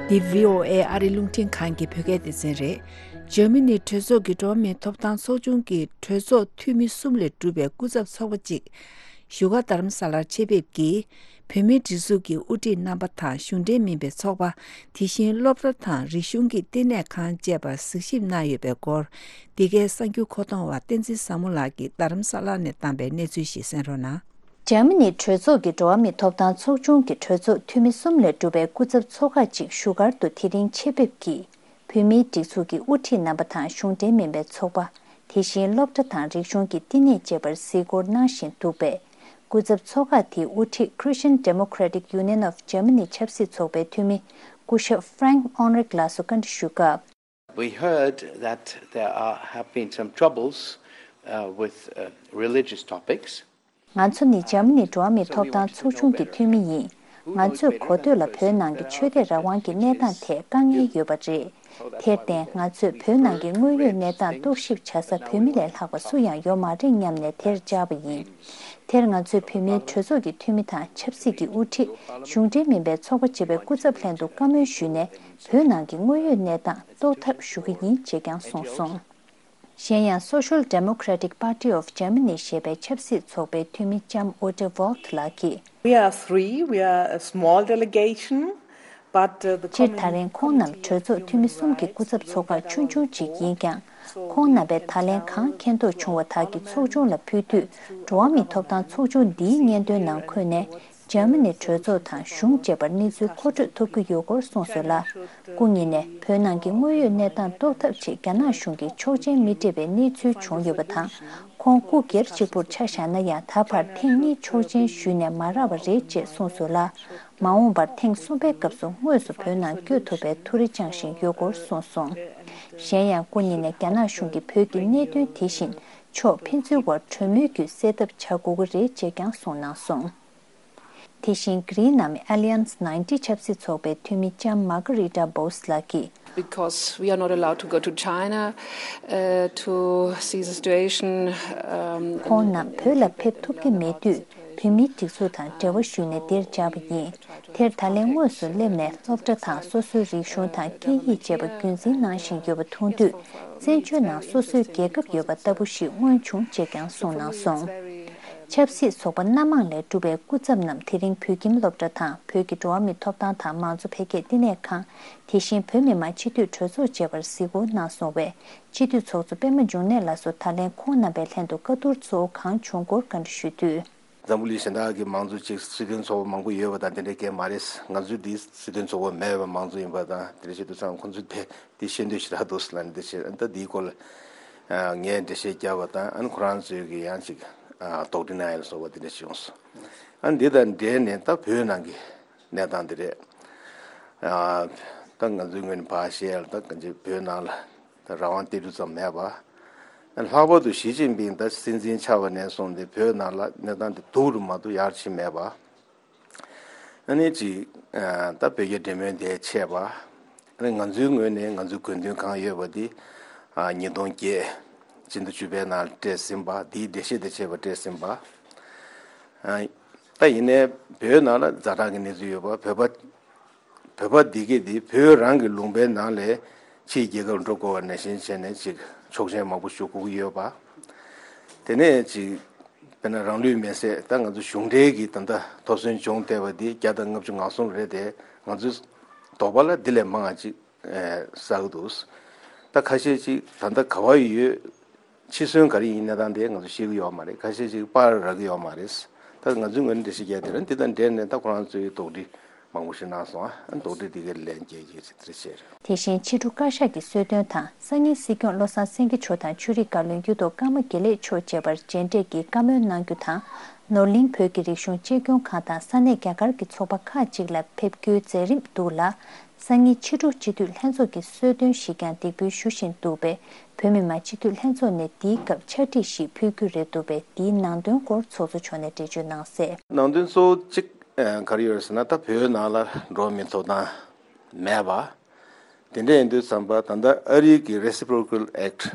འདི་བྷི་ཨོ་ཨེ་ཨ་རིའི་རླུང་འཕྲིན་ཁང་གི་བོད་སྐད་སྡེ་ཚན་རེད། འཇར་མ་ནི་གྲོས་ཚོགས་ཀྱི་འགྲོ་བ་མིའི་ཐོབ་ཐང་ཚོགས་ཆུང་གི་གྲོས་ཚོགས་འཐུས་མི་གསུམ་ལས་གྲུབ་པའི་སྐུ་ཚབ་ཚོགས་པ་གཅིག་བཞུགས་སྒར་རྡ་རམ་ས་ལར་ཆེད་ཕེབས་ཀྱིས། བོད་མིའི་སྒྲིག་འཛུགས་ཀྱི་དབུ་ཁྲིད་རྣམ་པ་དང་གཞུང་འབྲེལ་མིན་པའི་ཚོགས་པ། དེ་བཞིན་སློབ་གྲྭ་དང་རིག་གཞུང་གི་བསྟི་གནས་ཁང་བཅས་པར་གཟིགས་ཞིབ་གནང་ཡོད་པའི་སྐོར། འདི་གའི་གསར་འགྱུར་མཁོ་གཏོང་བ་བསྟན་འཛིན་བཟང་མོ་ལགས་ཀྱིས་རྡ་རམ་ས་ལ་ནས་བཏང་པའི་གནས་ཚུལ་ཞིག་གསན་རོགས་གནང་། འཇར་མ་ནི་གྲོས་ཚོགས་ཀྱི་འགྲོ་བ་མིའི་ཐོབ་ཐང་ཚོགས་ཆུང་གི་གྲོས་ཚོགས་འཐུས་མི་གསུམ་ལས་གྲུབ་པའི་སྐུ་ཚབ་ཚོགས་ཁག་ཅིག་བཞུགས་སྒར་དུ་དེ་རིང་ཆེད་ཕེབས་ཀྱིས། བོད་མིའི་སྒྲིག་འཛུགས་ཀྱི་དབུ་ཁྲིད་རྣམ་པ་དང་གཞུང་འབྲེལ་མིན་པའི་ཚོགས་པ། དེ་བཞིན་སློབ་གྲྭ་དང་རིག་གཞུང་གི་བསྟི་གནས་བཅས་པར་གཟིགས་སྐོར་གནང་བཞིན་འདུག་པས། སྐུ་ཚབ་ཚོགས་ཁག་དེའི་དབུ་ཁྲིད་Christian Democratic Union of Germany ཆབ་སྲིད་ཚོགས་པའི་འཐུས་མི་སྐུ་ཞབས་Frank Heinrich ལགས་སུ་བཀའ་འདྲི་ཞུས་སྐབས། We heard that there are, have been some troubles, uh, with, uh, religious topics. ང་ཚོ་ནི་འཇར་མ་ནི་འགྲོ་བ་མིའི་ཐོབ་ཐང་ཚོགས་ཆུང་གི་འཐུས་མི་ཡིན། ང་ཚོས་གོ་ཐོས་ལ་བོད་ནང་གི་ཆོས་དད་རང་དབང་གི་གནས་སྟངས་ཐད་དཀའ་ངལ་ཡོད་པ་རེད། དེར་བརྟེན་ང་ཚོས་བོད་ནང་གི་དངོས་ཡོད་གནས་སྟངས་རྟོག་ཞིབ་བྱ་ས་བོད་མི་ལས་ལྷག་པ་སུ་ཡང་ཡོད་མ་རེད་སྙམ་ནས་དེར་བཅར་བ་ཡིན། དེར་ང་ཚོས་བོད་མིའི་གྲོས་ཚོགས་ཀྱི་འཐུས་མི་དང་ཆབ་སྲིད་ཀྱི་དབུ་ཁྲིད། གཞུང་འབྲེལ་མིན་པའི་ཚོགས་པ་བཅས་པའི་སྐུ་ཚབ་ལྷན་དུ་བཀའ་མོལ་ཞུས་ནས་བོད་ནང་གི་དངོས་ཡོད་གནས་སྟངས་རྟོགས་ཐབས་ཞུ་གི་ཡིན་ཅེས་ཀྱང་གསུངས་སོང་། གཞན་ཡང་Social Democratic Party of Germany ཞེས་པའི་ཆབ་སྲིད་ཚོགས་པའི་འཐུས་མི་ལྕམ་Ute Wolf ལགས་ཀྱིས། We are three, we are a small delegation, but uh, the སྤྱིར་ད་རིང་ཁོང་རྣམས་གྲོས་ཚོགས་འཐུས་མི་གསུམ་གྱི་སྐུ་ཚབ་ཚོགས་ཁག་ཆུང་ཆུང་ཅིག་ཡིན་ཀྱང་། ཁོང་རྣམ་པས་ད་ལན་གང་མཁྱེན་རྟོགས་བྱུང་བ་དག་གི་ཚོགས་ཆུང་ལ་ཕུལ་དུས། འགྲོ་བ་མིའི་ཐོབ་ཐང་ཚོགས་ཆུང་འདིའི་སྙན་ཐོའི་ནང་འཁོད་ནས། འཇར་མ་ནི་གྲོས་ཚོགས་དང་གཞུང་བཅས་པར་གནས་ཚུལ་མཁོ་སྤྲོད་ཐུབ་ཀྱི་ཡོད་སྐོར་གསུངས་སོང་ལ། སྐུ་ཉིད་ནས་བོད་ནང་གི་དངོས་ཡོད་གནས་སྟངས་རྟོགས་ཐབས་ཆེད་རྒྱ་ནག་གཞུང་གིས་ཆོག་མཆན་མི་སྤྲད་པའི་གནས་ཚུལ་བྱུང་ཡོད་པ་དང་། ཁོང་སྐུ་སྒེར་གཅིག་པུར་ཆ་བཞག་ན་ཡང་ད་བར་ཐེངས་གཉིས་ཆོག་མཆན་ཞུས་ནས་མ་རག་པ་རེད་ཅེས་གསུངས་སོང་ལ། མ་འོངས་པར་ཐེངས་གསུམ་པའི་སྐབས་སུ་དངོས་སུ་བོད་ནང་བསྐྱོད་ཐུབ་པའི་ཐུགས་རེ་བཅངས་བཞིན་ཡོད་སྐོར་གསུངས་སོང་། གཞན་ཡང་སྐུ་ཉིད་ནས་རྒྱ་ནག་གཞུང་གིས་བོད་ཀྱི་གནད་དོན་དེ་བཞིན་ཕྱོགས་ཕན་ཚུན་དབར་གྲོས་མོལ་བརྒྱུད་སེལ་ཐབས་བྱ་དགོས་ཀྱི་རེད་ཅེས་ཀྱང་གསུངས་གནང་སོང་། དེ་བཞིན་གྷི་རིའི་ནང་མི་Alliance ninety ཆབ་སྲིད་ཚོགས་པའི་འཐུས་མི་ལྕམ་Margarita Bose ལགས་ཀྱིས། Because we are not allowed to go to China uh, to see the situation. Um, ཁོང་རྣམས་བོད་ལ་ཕེབས་ཐུབ་ཀྱི་མེད་དུས་བོད་མིའི་སྒྲིག་འཛུགས་དང་འབྲེལ་བ་ཞུས་ནས་འདིར་བཅར་བ་ཡིན། དེར་ད་ལན་དངོས་སུ་སླེབས་ནས་སློབ་གྲྭ་དང་སོ་སོའི་རིག་གཞུང་དང་སྐད་ཡིག་བཅས་པ་རྒྱུན་འཛིན་གནང་བཞིན་ཡོད་པ་མཐོང་དུས། བཙན་བྱོལ་ནང་སོ་སོའི་རྒྱལ་ཁབ་ཡོད་པ་ལྟ་བུ་ཞིག་མངོན་བྱུང་ཅེས་ཀྱང་གསུངས་གནང་སོང་། ཆབ་སྲིད་ཚོགས་པ་སྣ་མང་ལས་གྲུབ་པའི་སྐུ་ཚབ་རྣམས་དེ་རིང་བོད་ཁྱིམ་སློབ་གྲྭ་དང་བོད་ཀྱི་འགྲོ་བ་མིའི་ཐོབ་ཐང་དང་མང་གཙོ་འཕེལ་རྒྱས་བསྟི་གནས་ཁང་། དེ་བཞིན་བོད་མི་མང་སྤྱི་འཐུས་གྲོས་ཚོགས་བཅས་པར་གཟིགས་སྐོར་གནང་སོང་བས། སྤྱི་འཐུས་ཚོགས་གཙོ་པད་མ་འབྱུང་གནས་ལགས་སུ་ད་ལན་ཁོང་རྣམ་པའི་ལྷན་དུ་བཀའ་བསྡུར་གཙོ་བོ་གང་བྱུང་སྐོར་བཀའ་འདྲི་ཞུས་དུས། འཛམ་བུ་གླིང་གཞན་དག་གི་མང་གཙོ་ཅིག་སྲིད་དོན་ཚོགས་པ་མང་པོ་ཡོད་པ་དང་དེ་འདྲའི་སྐད་མ་རེད། ང་ཚོའི་འདི་སྲིད་དོན་ཚོགས་པ་མེད་པའི་མང་གཙོ་ཡིན་པ་དང་དེ་འདྲ་བྱེད་དུས་ཙང་ཁོང་ཚོས་དེ་འདི་ཤེས་འདོད་ཞེ་དྲག་འདུག་ཟེར་ལ་འདི་བྱེད་ཨ་ད་འདིའི་སྐོར་ལ་ངས་འགྲེལ་བཤད་བརྒྱབ་པ་དང་ཨ་ནི་ཁོ་རང་ཚོས་ཀྱི་ཡང་ཅིག་དོགས་འདྲི་གནང་ཡ་ལ་སོགས་པ་དེ་འདྲ་བྱུང་སོང་། ཨ་ནི་འདི་དང་འབྲེལ་ནས་ད་བོད་ནང་གི་གནས་སྟངས་དེ་རེད། ད་ང་ཚོའི་ངོས་ནས་ཕར་བཤད་ཡ་ལ་ད་གང་ཅི་བོད་ནང་ལ་ད་རང་དབང་སྟེར་རྒྱུ་ཙམ་མེད་པ། ལྷག་པར་དུ་ཞི་ཅིན་ཕིང་ད་སྲིད་འཛིན་ཆགས་པ་ནས་བཟུང་སྟེ་བོད་ནང་ལ་གནས་སྟངས་དེ་སྡུག་རུ་མ་གཏོགས་ཡར་ཕྱིན་མེད་པ། ཨ་ནི་ཅིག་ད་བོད་རྒྱ་འབྲེལ་མོལ་དེ་ཆད་པ། ཨ་ནི་ང་ཚོའི་ངོས་ནས་ང་ཚོའི་དགོས་འདུན་གང་ཡོད་པ་དེ་ཉིས་སྟོང་བརྒྱད་ཕྱི་ཟླ་བཅུ་པའི་ནང་ལ་སྤྲད་ཟིན་པ་དེའི་འགྲེལ་བཤད་དེ་བྱས་པ་སྤྲད་ཟིན་པ། ད་ཡིན་ནའི་བོད་ནང་ལ་ཛ་དྲག་གི་གནས་ཚུལ་ཡོད་པ་བོད་པ། བོད་པ་འདི་གས་འདི་བོད་རང་གི་ལུང་པའི་ནང་ལས་ཕྱིའི་རྒྱལ་ཁབ་འགྲོ་དགོས་པ་ནང་བཞིན་བྱས་ནས་ཅིག་ཆོག་མཆན་མང་པོ་ཞུ་དགོས་ཀྱི་ཡོད་པ། དེ་ནས་ཅིག་དཔེར་ན་རང་ལུས་མེར་སྲེག་ད་ང་ཚོ་གཞུང་འབྲེལ་གྱི་ད་ལྟ་ཐོབ་ཐང་བྱུང་བསྡད་པ་འདི་བརྒྱ་དང་ལྔ་བཅུ་ང་གསུམ་རེད་དེ་ང་ཚོའི་དོགས་པ་ལ་འདི་ལས་མང་བ་ཅིག་བསགས་འདུག་ད་ཁ་ཤས་ཅིག་ད་ལྟ་ག་བ་ཡོད། འཆི་གསོན་ག་རེ་ཡིན་གནས་སྟངས་དེ་ང་ཚོ་ཤེས་ཀྱི་ཡོད་མ་རེད། ཁ་ཤས་ཅིག་པར་རག་གི་ཡོད་མ་རེད། ད་ང་ཚོའི་ངོས་ནས་འགྲེལ་བཤད་རྒྱག་དེ་རིང་འདི་དང་འབྲེལ་ནས་ད་ཁོ་རང་ཚོའི་དོགས་འདྲི་མང་པོ་ཞིག་གནང་སོང་ཨ། དོགས་འདྲི་འདི་གའི་ལན་སྐྱེལ་གྱི་ཅིག་དེ་རེད་ཤེས་རེད། དེ་བཞིན་ཕྱི་དྲོ་བཀའ་ཤག་གི་གསོལ་སྟོན་དང་སང་ཉིན་སྲིད་སྐྱོང་བློ་བཟང་སེང་གེ་མཆོག་དང་ཆོས་རིག་བཀའ་བློན་གཡུ་ཐོག་ཀརྨ་དགེ་ལེགས་མཆོག་བཅས་པར་མཇལ་འཕྲད་ཀྱིས་བཀའ་མོལ་གནང་རྒྱུ་དང་། ནོར་གླིང་བོད་ཀྱི་རིག་གཞུང་གཅེས་སྐྱོང་ཁང་དང་ས་གནས་རྒྱ་གར་གྱི་ཚོགས་པ་ཁག་ཅིག་ལ་ཕེབས་རྒྱུའི་མཛད་རིམ་འདུག་ལ། སང་ཉིན་ཕྱི་དྲོ་སྤྱི་འཐུས་ལྷན་ཚོགས་ཀྱི་གསོལ་སྟོན་ཞིག་ཀྱང་འདེགས་འབུལ་ཞུ་བཞིན་འདུག་པས། བོད་མི་མང་སྤྱི་འཐུས་ལྷན་ཚོགས་ནས་འདིའི་སྐབས་ཕྱག་བྲིས་ཤིག་ཕུལ་རྒྱུ་རེད་འདུག་པས། འདིའི་ནང་དོན་སྐོར་ཚོགས་གཙོ་མཆོག་ནས་འགྲེལ་བརྗོད་གནང་གསལ། ནང་དོན་གཙོ་བོ་གཅིག་ག་རེ་ཡོད་རེད་ཟེར་ན་ད་བོད་ནང་ལ་འགྲོ་བ་མིའི་ཐོབ་ཐང་མེད་པ། དེ་འདྲ་ཡིན་དུས་ཙམ་པ་ད་ལྟ་ཨ་རིའི་གི་Reciprocal Act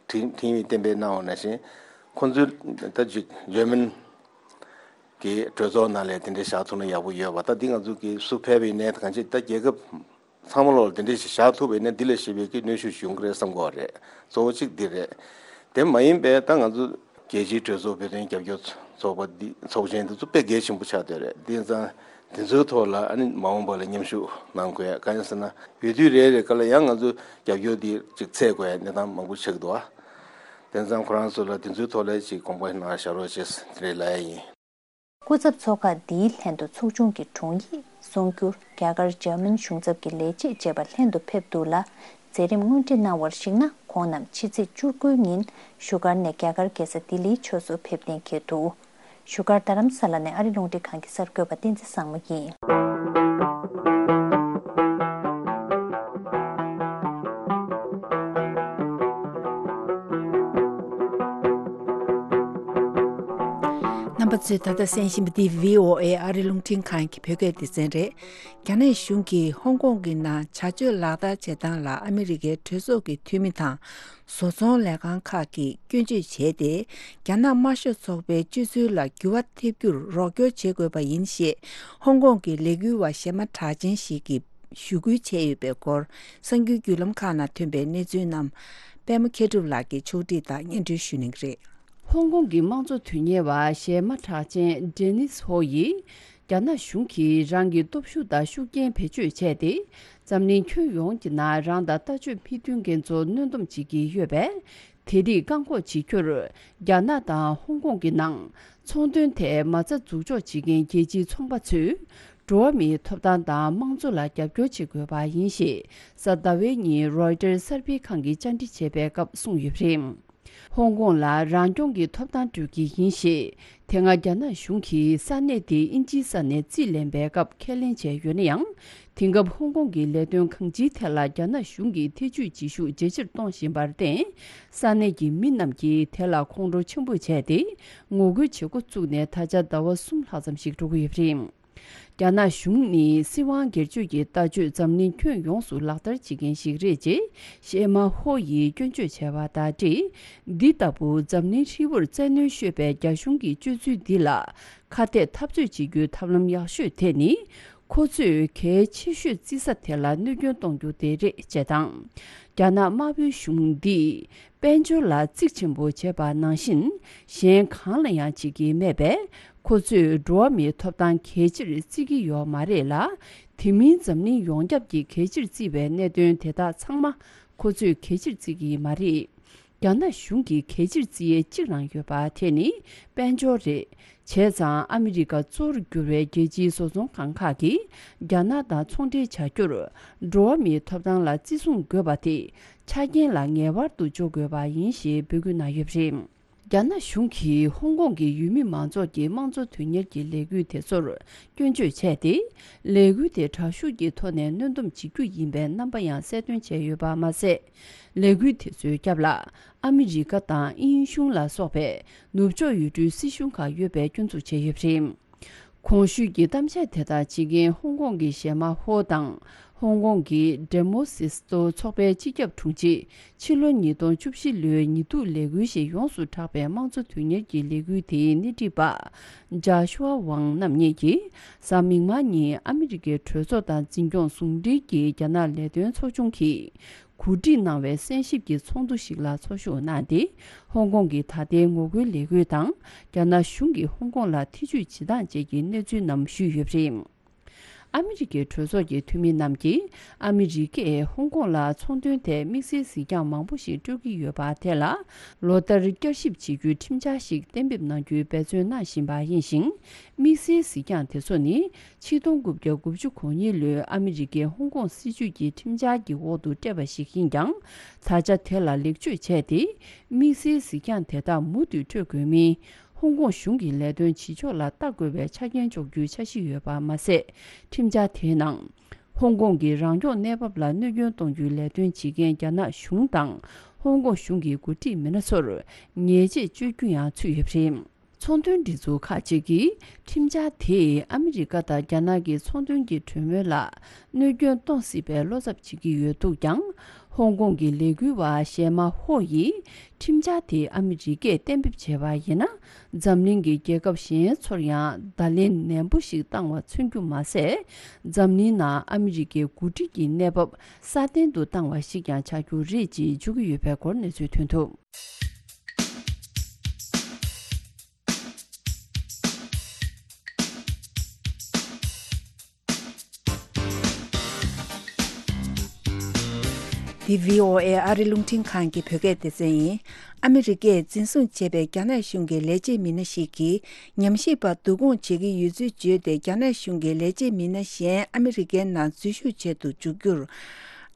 ཁྲིམས་ཁྲིམས་ཡིག་གཏན་འབེབས་གནང་བ་ནང་བཞིན་ཁོང་ཚོའི་ད་ཅིག་འཇར་མན་གྱི་གྲོས་ཚོགས་ནང་ལ་དེ་འདྲ་བཞག་ཐུབ་ན་ཡག་པོ་ཡོད་པ། ད་འདི་ང་ཚོ་གི་སུ་ཕེབས་པའི་གནས་གང་ཅི་ད་རྒྱལ་ཁབ་ཚང་མ་ལོག་ལ་དེ་འདྲ་ཞིག་བཞག་ཐུབ་པའི་གནས་འདི་ལས་ཞེ་པའི་གི་གནོན་ཤུགས་ཡོང་གི་རེད་བསམ་གི་རེད། གཙོ་བོ་གཅིག་འདི་རེད། དེ་མ་ཡིན་པའི་ད་ང་ཚོ་རྒྱལ་སྤྱིའི་གྲོས་ཚོགས་བོད་དོན་རྒྱབ་སྐྱོར་ཚོགས་པ་འདི་ཚོགས་ཆེན་འདི་ཚོ་དཔེ་གལ་ཆེན་པོ་ཆགས་བསྡད་རེད། དེ་ཙང་དེ་ཚོའི་ཐོག་ལ་ཨ་ནི་མ་འོངས་པ་ལ་མཉམ་ཞུགས་གནང་དགོས་ཡ་གང་ཡིན་ཟེར་ན་འོས་བསྡུ་རེ་རེ་ག་ལ་ཡང་ང་ཚོ་རྒྱབ་སྐྱོར་འདི་ཅིག་འཚོལ་དགོས་ཡ་གནས་སྟངས་མང་པོ་ཆགས་འདུག་ཨ། དེ་ཙང་ཁོ་རང་ཚོ་ལ་དེ་ཚོའི་ཐོག་ལ་ཅིག་དགོངས་པ་གནང་བཞག་རོགས་བྱེད་ཟེར་དེ་རེད་ལབ་ཡ་ཡིན། སྐུ་ཚབ་ཚོགས་ཁག་འདིའི་ལྷན་དུ་ཚོགས་ཆུང་གི་དྲུང་ཡིག་གསུང་སྒྱུར་རྒྱ་གར་འཇར་མན་གཞུང་ཚབ་ཀྱི་ལས་བྱེད་བཅས་པ་ལྷན་དུ་ཕེབས་འདུག་ལ། མཛད་རིམ་སྔོན་སྒྲིག་གནང་བར་གཞིགས་ན་ཁོང་རྣམས་ཕྱི་ཚེས་བཅུ་དགུའི་ཉིན་བཞུགས་སྒར་ནས་རྒྱ་གར་རྒྱལ་ས་ལྡི་ལིའི་ཕྱོགས་སུ་ཕེབས་གཏན་འཁེལ་འདུག་བཞུགས་སྒར་རྡ་རམ་ས་ལ་ནས་ཨ་རི་རླུང་འཕྲིན་ཁང་གི་གསར་འགོད་པ་བསྟན་འཛིན་བཟང་མོ་ཡིན། རྣམ་ པ་ཚོས་ད་ལྟ་གསན་བཞིན་པ་འདི་བྷི་ཨོ་ཨེ་ཨ་རི་རླུང་འཕྲིན་ཁང་གི་བོད་སྐད་སྡེ་ཚན་རེད། རྒྱ་ནག་གཞུང་གིས་ཧོང་ཀོང་གི་ནང་བྱ་སྤྱོད་ལག་བསྟར་བྱེད་སྟངས་ལ་ཨ་མི་རི་ཀའི་གྲོས་ཚོགས་ཀྱི་འཐུས་མི་དང་བཟོ་ཚོང་ལས་ཁང་ཁག་གིས་སྐྱོན་བརྗོད་བྱས་ཏེ། རྒྱ་ནག་དམར་ཤོག་ཚོགས་པའི་སྤྱོད་ཚུལ་ལ་འགྱུར་བ་ཐེབས་རྒྱུར་རོགས་སྐྱོར་བྱེད་དགོས་པ་ཡིན་ཞེས། ཧོང་ཀོང་གི་ལས་འགུལ་བ་གཞས་མ་གྲགས་ཅན་ཞིག་གིས་ཞུ་སྐུལ་བྱས་ཡོད་པའི་སྐོར། གསར་འགྱུར་བརྒྱུད་ལམ་ཁག་ནང་ཐོན་པའི་གནས་ཚུལ་རྣམས། པད་མ་མཁས་གྲུབ་ལགས་ཀྱིས་ཕྱོགས་སྒྲིག་དང་སྙན་སྒྲོན་ཞུ་གནང་གི་རེད། ཧོང་ཀོང་གི་དམངས་གཙོ་དོན་གཉེར་བ་གཞས་མ་གྲགས་ཅན་ཌེ་ནིས་ཧོ་ཡིས། རྒྱ་ནག་གཞུང་གིས་རང་གི་སྟོབས་ཤུགས་དང་ཤུགས་རྐྱེན་བེད་སྤྱོད་བྱས་ཏེ། འཛམ་གླིང་ཁྱོན་ཡོངས་ཀྱི་ནང་རང་དང་ལྟ་སྤྱོད་མི་མཐུན་མཁན་ཚོ་གནོན་སྡོམ་བྱེད་ཀྱི་ཡོད་པས། དེ་རིགས་བཀག་འགོག་བྱེད་རྒྱུར། རྒྱ་ནག་དང་ཧོང་ཀོང་གི་ནང་ཚོང་དོན་ཐད་མ་རྩ་འཛུགས་འཇོག་བྱེད་མཁན་རྒྱལ་སྤྱིའི་ཚོང་པ་ཚོས། འགྲོ་བ་མིའི་ཐོབ་ཐང་དང་དམངས་གཙོ་ལ་རྒྱབ་སྐྱོར་བྱེད་དགོས་པ་ཡིན་ཞེས། གཟའ་ཟླ་བའི་ཉིན་རོའི་ཊར་གསར་སྤེལ་ཁང་གིས་བཅར་འདྲི་བྱས་པའི་སྐབས་གསུངས་ཡོད་པ་རེད། ཧོང་ཀོང་ལ་རང་སྐྱོང་གི་ཐོབ་ཐང་སྤྲོད་ཀྱི་ཡིན་ཞེས། དེ་སྔ་རྒྱ་ནག་གཞུང་གིས་ས་གནས་དེ་དབྱིན་ཇིའི་ས་གནས་རྩིས་ལེན་པའི་སྐབས་ཁས་ལེན་བྱས་ཡོད་ན་ཡང་། དེང་སྐབས་ཧོང་ཀོང་གི་ལས་དོན་གང་ཅིའི་ཐད་ལ་རྒྱ་ནག་གཞུང་གིས་ཐེ་ཇུས་བྱེད་ཤུགས་ཇེ་ཆེར་གཏོང་བཞིན་པར་བརྟེན། ས་གནས་ཀྱི་མི་རྣམས་ཀྱིས་དེ་ལ་ཁོང་ཁྲོ་ཆེན་པོ་བྱས་ཏེ། ངོ་རྒོལ་བྱེད་འགོ་བཙུགས་ནས་ད་ཆ་ཟླ་བ་གསུམ་ལྷག་ཙམ་ཞིག་འགྲོ་གི་ཡོད་པ་རེད། རྒྱ་ནག་གཞུང་ནི་སྲིད་དབང་སྒེར་གཅོད་ཀྱི་ལྟ་སྤྱོད་འཛམ་གླིང་ཁྱོན་ཡོངས་སུ་ལག་བསྟར་བྱེད་མཁན་ཞིག་རེད་ཅེས་གཞས་མ་ཧོ་ཡིས་སྐྱོན་བརྗོད་བྱས་པ་དང་འབྲེལ། འདི་ལྟ་བུ་འཛམ་གླིང་ཧྲིལ་བོར་བཙན་གནོན་ཤོད་པའི་རྒྱ་གཞུང་གི་སྤྱོད་ཚུལ་འདི་ལ་ཁ་གཏད་འཐབ་རྩོད་བྱེད་རྒྱུའི་ཐབས་ལམ་ཡག་ཤོས་དེ་ནི། ཁོ་ཚོས་གལ་ཆེ་ཤོས་བརྩི་ས་དེ་ལ་གནོད་སྐྱོན་གཏོང་རྒྱུ་དེ་རེད་ཅེས་དང་། རྒྱ་ནག་དམར་པོའི་གཞུང་འདིས། དཔལ་འབྱོར་ལ་གཙིགས་ཆེན་པོ་བྱེད་པ་ནང་བཞིན། གཞན་གང་ལ་ཡང་བྱེད་ཀྱི་མེད་པས། ཁོ་ཚོས་འགྲོ་བ་མིའི་ཐོབ་ཐང་གལ་ཆེར་བརྩི་གི་ཡོད་མ་རེད་ལ། དེ་མིན་འཛམ་གླིང་ཡོངས་ཁྱབ་ཀྱིས་གལ་ཆེར་བརྩི་བའི་གནད་དོན་དེ་དག་ཚང་མ་ཁོ་ཚོས་གལ་ཆེར་བརྩི་གི་མ་རེད། རྒྱ་ནག་གཞུང་གིས་གལ་ཆེར་བརྩི་ཡས་གཅིག་རང་ཡོད་པ་དེ་ནི་དཔལ་འབྱོར་རེད། བྱས་ཙང་ཨ་མི་རི་ཀ་གཙོ་བོར་གྱུར་བའི་རྒྱལ་སྤྱིའི་བཟོ་ཚོང་ཁང་ཁག་གིས་རྒྱ་ནག་དང་ཚོང་འབྲེལ་བྱ་རྒྱུར། འགྲོ་བ་མིའི་ཐོབ་ཐང་ལ་བརྩི་སྲུང་དགོས་པ་དེ་ཆ་རྐྱེན་ལ་ངེས་པར་དུ་འཇོག་དགོས་པ་ཡིན་ཞེས་འབོད་སྐུལ་གནང་ཡོད་པ་རེད། རྒྱ་ནག་གཞུང་གིས་ཧོང་ཀོང་གི་ཡུལ་མི་མང་ཚོགས་ཀྱི་དམངས་གཙོ་དོན་གཉེར་གྱི་ལས་འགུལ་དེ་ཚོར་སྐྱོན་བརྗོད་བྱས་ཏེ། ལས་འགུལ་དེ་དྲག་ཤུགས་ཀྱི་ཐོག་ནས་གནོན་སྡོམ་བྱེད་རྒྱུ་ཡིན་པའི་རྣམ་པ་ཡང་གསལ་སྟོན་བྱས་ཡོད་པ་མ་ཟད། ལས་འགུལ་དེ་ཚོའི་རྒྱབ་ལ་ཨ་མི་རི་ཀ་དང་དབྱིན་གཞུང་ལ་སོགས་པའི་ནུབ་ཕྱོགས་ཡུལ་གྲུའི་སྲིད་གཞུང་ཁག་ཡོད་པའི་སྐྱོན་འཛུགས་བྱས་ཡོད་པ་རེད། གོང་ཞུས་ཀྱི་གཏམ་བཤད་དེ་དག་བྱེད་མཁན་ཧོང་ཀོང་གི་གཞས་མ་ཧོ་དང་། ཧོང་ཀོང་གི་ཌེ་མོ་སིས་ཏོ་ཚོགས་པའི་སྤྱི་ཁྱབ་དྲུང་ཆེ། ཕྱི་ལོ་ཉིས་སྟོང་བཅུ་བཞི་ལོའི་ཉི་གདུགས་ལས་འགུལ་ཞེས་ཡོངས་སུ་གྲགས་པའི་དམངས་གཙོ་དོན་གཉེར་གྱི་ལས་འགུལ་དེའི་སྣེ་ཁྲིད་པ། ཇཱ་ཤུ་ཨ་ཝང་རྣམ་གཉིས་ཀྱིས། གཟའ་མིག་དམར་ཉིན་ཨ་མི་རི་ཀའི་གྲོས་ཚོགས་དང་འཛིན་སྐྱོང་ཟུང་འབྲེལ་གྱི་རྒྱ་ནག་ལས་དོན་ཚོགས་ཆུང་གིས། གོ་སྒྲིག་གནང་བའི་གསན་ཞིབ་ཀྱི་ཚོགས་འདུ་ཞིག་ལ་ཚོགས་ཞུགས་གནང་སྟེ། ཧོང་ཀོང་གི་ད་ལྟའི་ངོ་རྒོལ་ལས་འགུལ་དང་། རྒྱ་ནག་གཞུང་གིས་ཧོང་ཀོང་ལ་ཐེ་ཇུས་བྱེད་སྟངས་བཅས་ཀྱི་གནས་ཚུལ་རྣམས་ཞུས་ཡོད་པ་རེད། ཨ་མི་རི་ཀའི་གྲོས་ཚོགས་ཀྱི་འཐུས་མི་རྣམས་ཀྱིས། ཨ་མི་རི་ཀས་ཧོང་ཀོང་ལ་ཚོང་དོན་ཐད་དམིགས་བསལ་གཟིགས་རྒྱང་མང་པོ་ཞིག་སྤྲོད་ཀྱི་ཡོད་པ་དེ་ལ། ལོ་ལྟར་བསྐྱར་ཞིབ་བྱེད་རྒྱུའི་ཁྲིམས་འཆར་ཞིག་གཏན་འབེབས་གནང་རྒྱུའི་འབད་བརྩོན་གནང་བཞིན་པ་ཡིན་ཞིང་། དམིགས་བསལ་གཟིགས་རྒྱང་དེ་ཚོ་ནི། ཆིག་སྟོང་དགུ་བརྒྱ་དགུ་བཅུ་གོ་གཉིས་ལོའི་ཨ་མི་རི་ཀའི་ཧོང་ཀོང་སྲིད་བྱུས་ཀྱི་ཁྲིམས་འཆར་གྱི་འོག་ཏུ་སྤྲད་པ་ཞིག་ཡིན་ཀྱང་། ད་ཆ་དེ་ལ་ལེགས་བཅོས་བྱས་ཏེ། དམིགས་བསལ་གཟིགས་རྒྱང་དེ་དག་མུ་མཐུད་སྤྲོད་དགོས་མིན། ཧོང་ཀོང་གཞུང་གི་ལས་དོན་བྱེད་ཕྱོགས་ལ་ལྟ་དགོས་པའི་ཆ་རྐྱེན་འཇོག་རྒྱུའི་འཆར་གཞི་ཡོད་པ་མ་ཟད། ཁྲིམས་འཆར་དེའི་ནང་། ཧོང་ཀོང་གི་རང་སྐྱོང་གནས་བབ་ལ་གནོད་སྐྱོན་གཏོང་རྒྱུའི་ལས་དོན་བྱེད་མཁན་རྒྱ་ནག་གཞུང་དང་། ཧོང་ཀོང་གཞུང་གི་འགོ་ཁྲིད་མི་སྣ་ཚོར་ཉེས་ཆད་གཅོད་རྒྱུ་ཡང་ཚུད་ཡོད་པ་རེད། ཚོང་དོན་སྒྲིག་འཛུགས་ཁག་ཅིག་གིས་ཁྲིམས་འཆར་དེས་ཨ་མི་རི་ཀ་དང་རྒྱ་ནག་གི་ཚོང་དོན་གྱི་གྲོས་མོལ་ལ་གནོད་སྐྱོན་གཏོང་སྲིད་པའི་བློ་འཚབ་བྱེད་ཀྱི་ཡོད་འདུག་ཀྱང་། ཧོང་ཀོང་གི་ལས་འགུལ་བ་གཞས་མ་ཧོ་ཡིས་ཁྲིམས་འཆར་དེ་ཨ་མི་རི་ཀས་གཏན་འབེབས་བྱས་པ་ཡིན་ན། འཛམ་གླིང་གི་རྒྱལ་ཁབ་གཞན་ཚོར་ཡང་བརྡ་ལན་ནན་པོ་ཞིག་བཏང་བ་མཚོན་རྒྱུ་མ་ཟད། འཛམ་གླིང་ནང་ཨ་མི་རི་ཀའི་འགོ་ཁྲིད་ཀྱི་གནས་བབ་སྲ་བརྟན་དུ་བཏང་བ་ཞིག་ཀྱང་ཆགས་རྒྱུ་རེད་ཅེས་བརྗོད་ཀྱི་ཡོད་པའི་སྐོར་གནས་ཚུལ་ཐོན་འདུག། འདི་བྷི་ཨོ་ཨེ་ཨ་རི་རླུང་འཕྲིན་ཁང་གི་བོད་སྐད་སྡེ་ཚན་ཡིན། ཨ་མི་རི་ཀས་འཛིན་བཟུང་བྱས་པའི་རྒྱ་ནག་གཞུང་གི་ལས་བྱེད་མི་སྣ་ཞིག་གིས། ཉམས་ཞིབ་པ་བསྡུ་སྐོང་བྱེད་ཀྱི་ཡོད་ཚུལ་བརྗོད་དེ། རྒྱ་ནག་གཞུང་གི་ལས་བྱེད་མི་སྣ་གཞན་ཨ་མི་རི་ཀའི་ནང་འཛུལ་ཞུགས་བྱེད་དུ་འཇུག་རྒྱུར།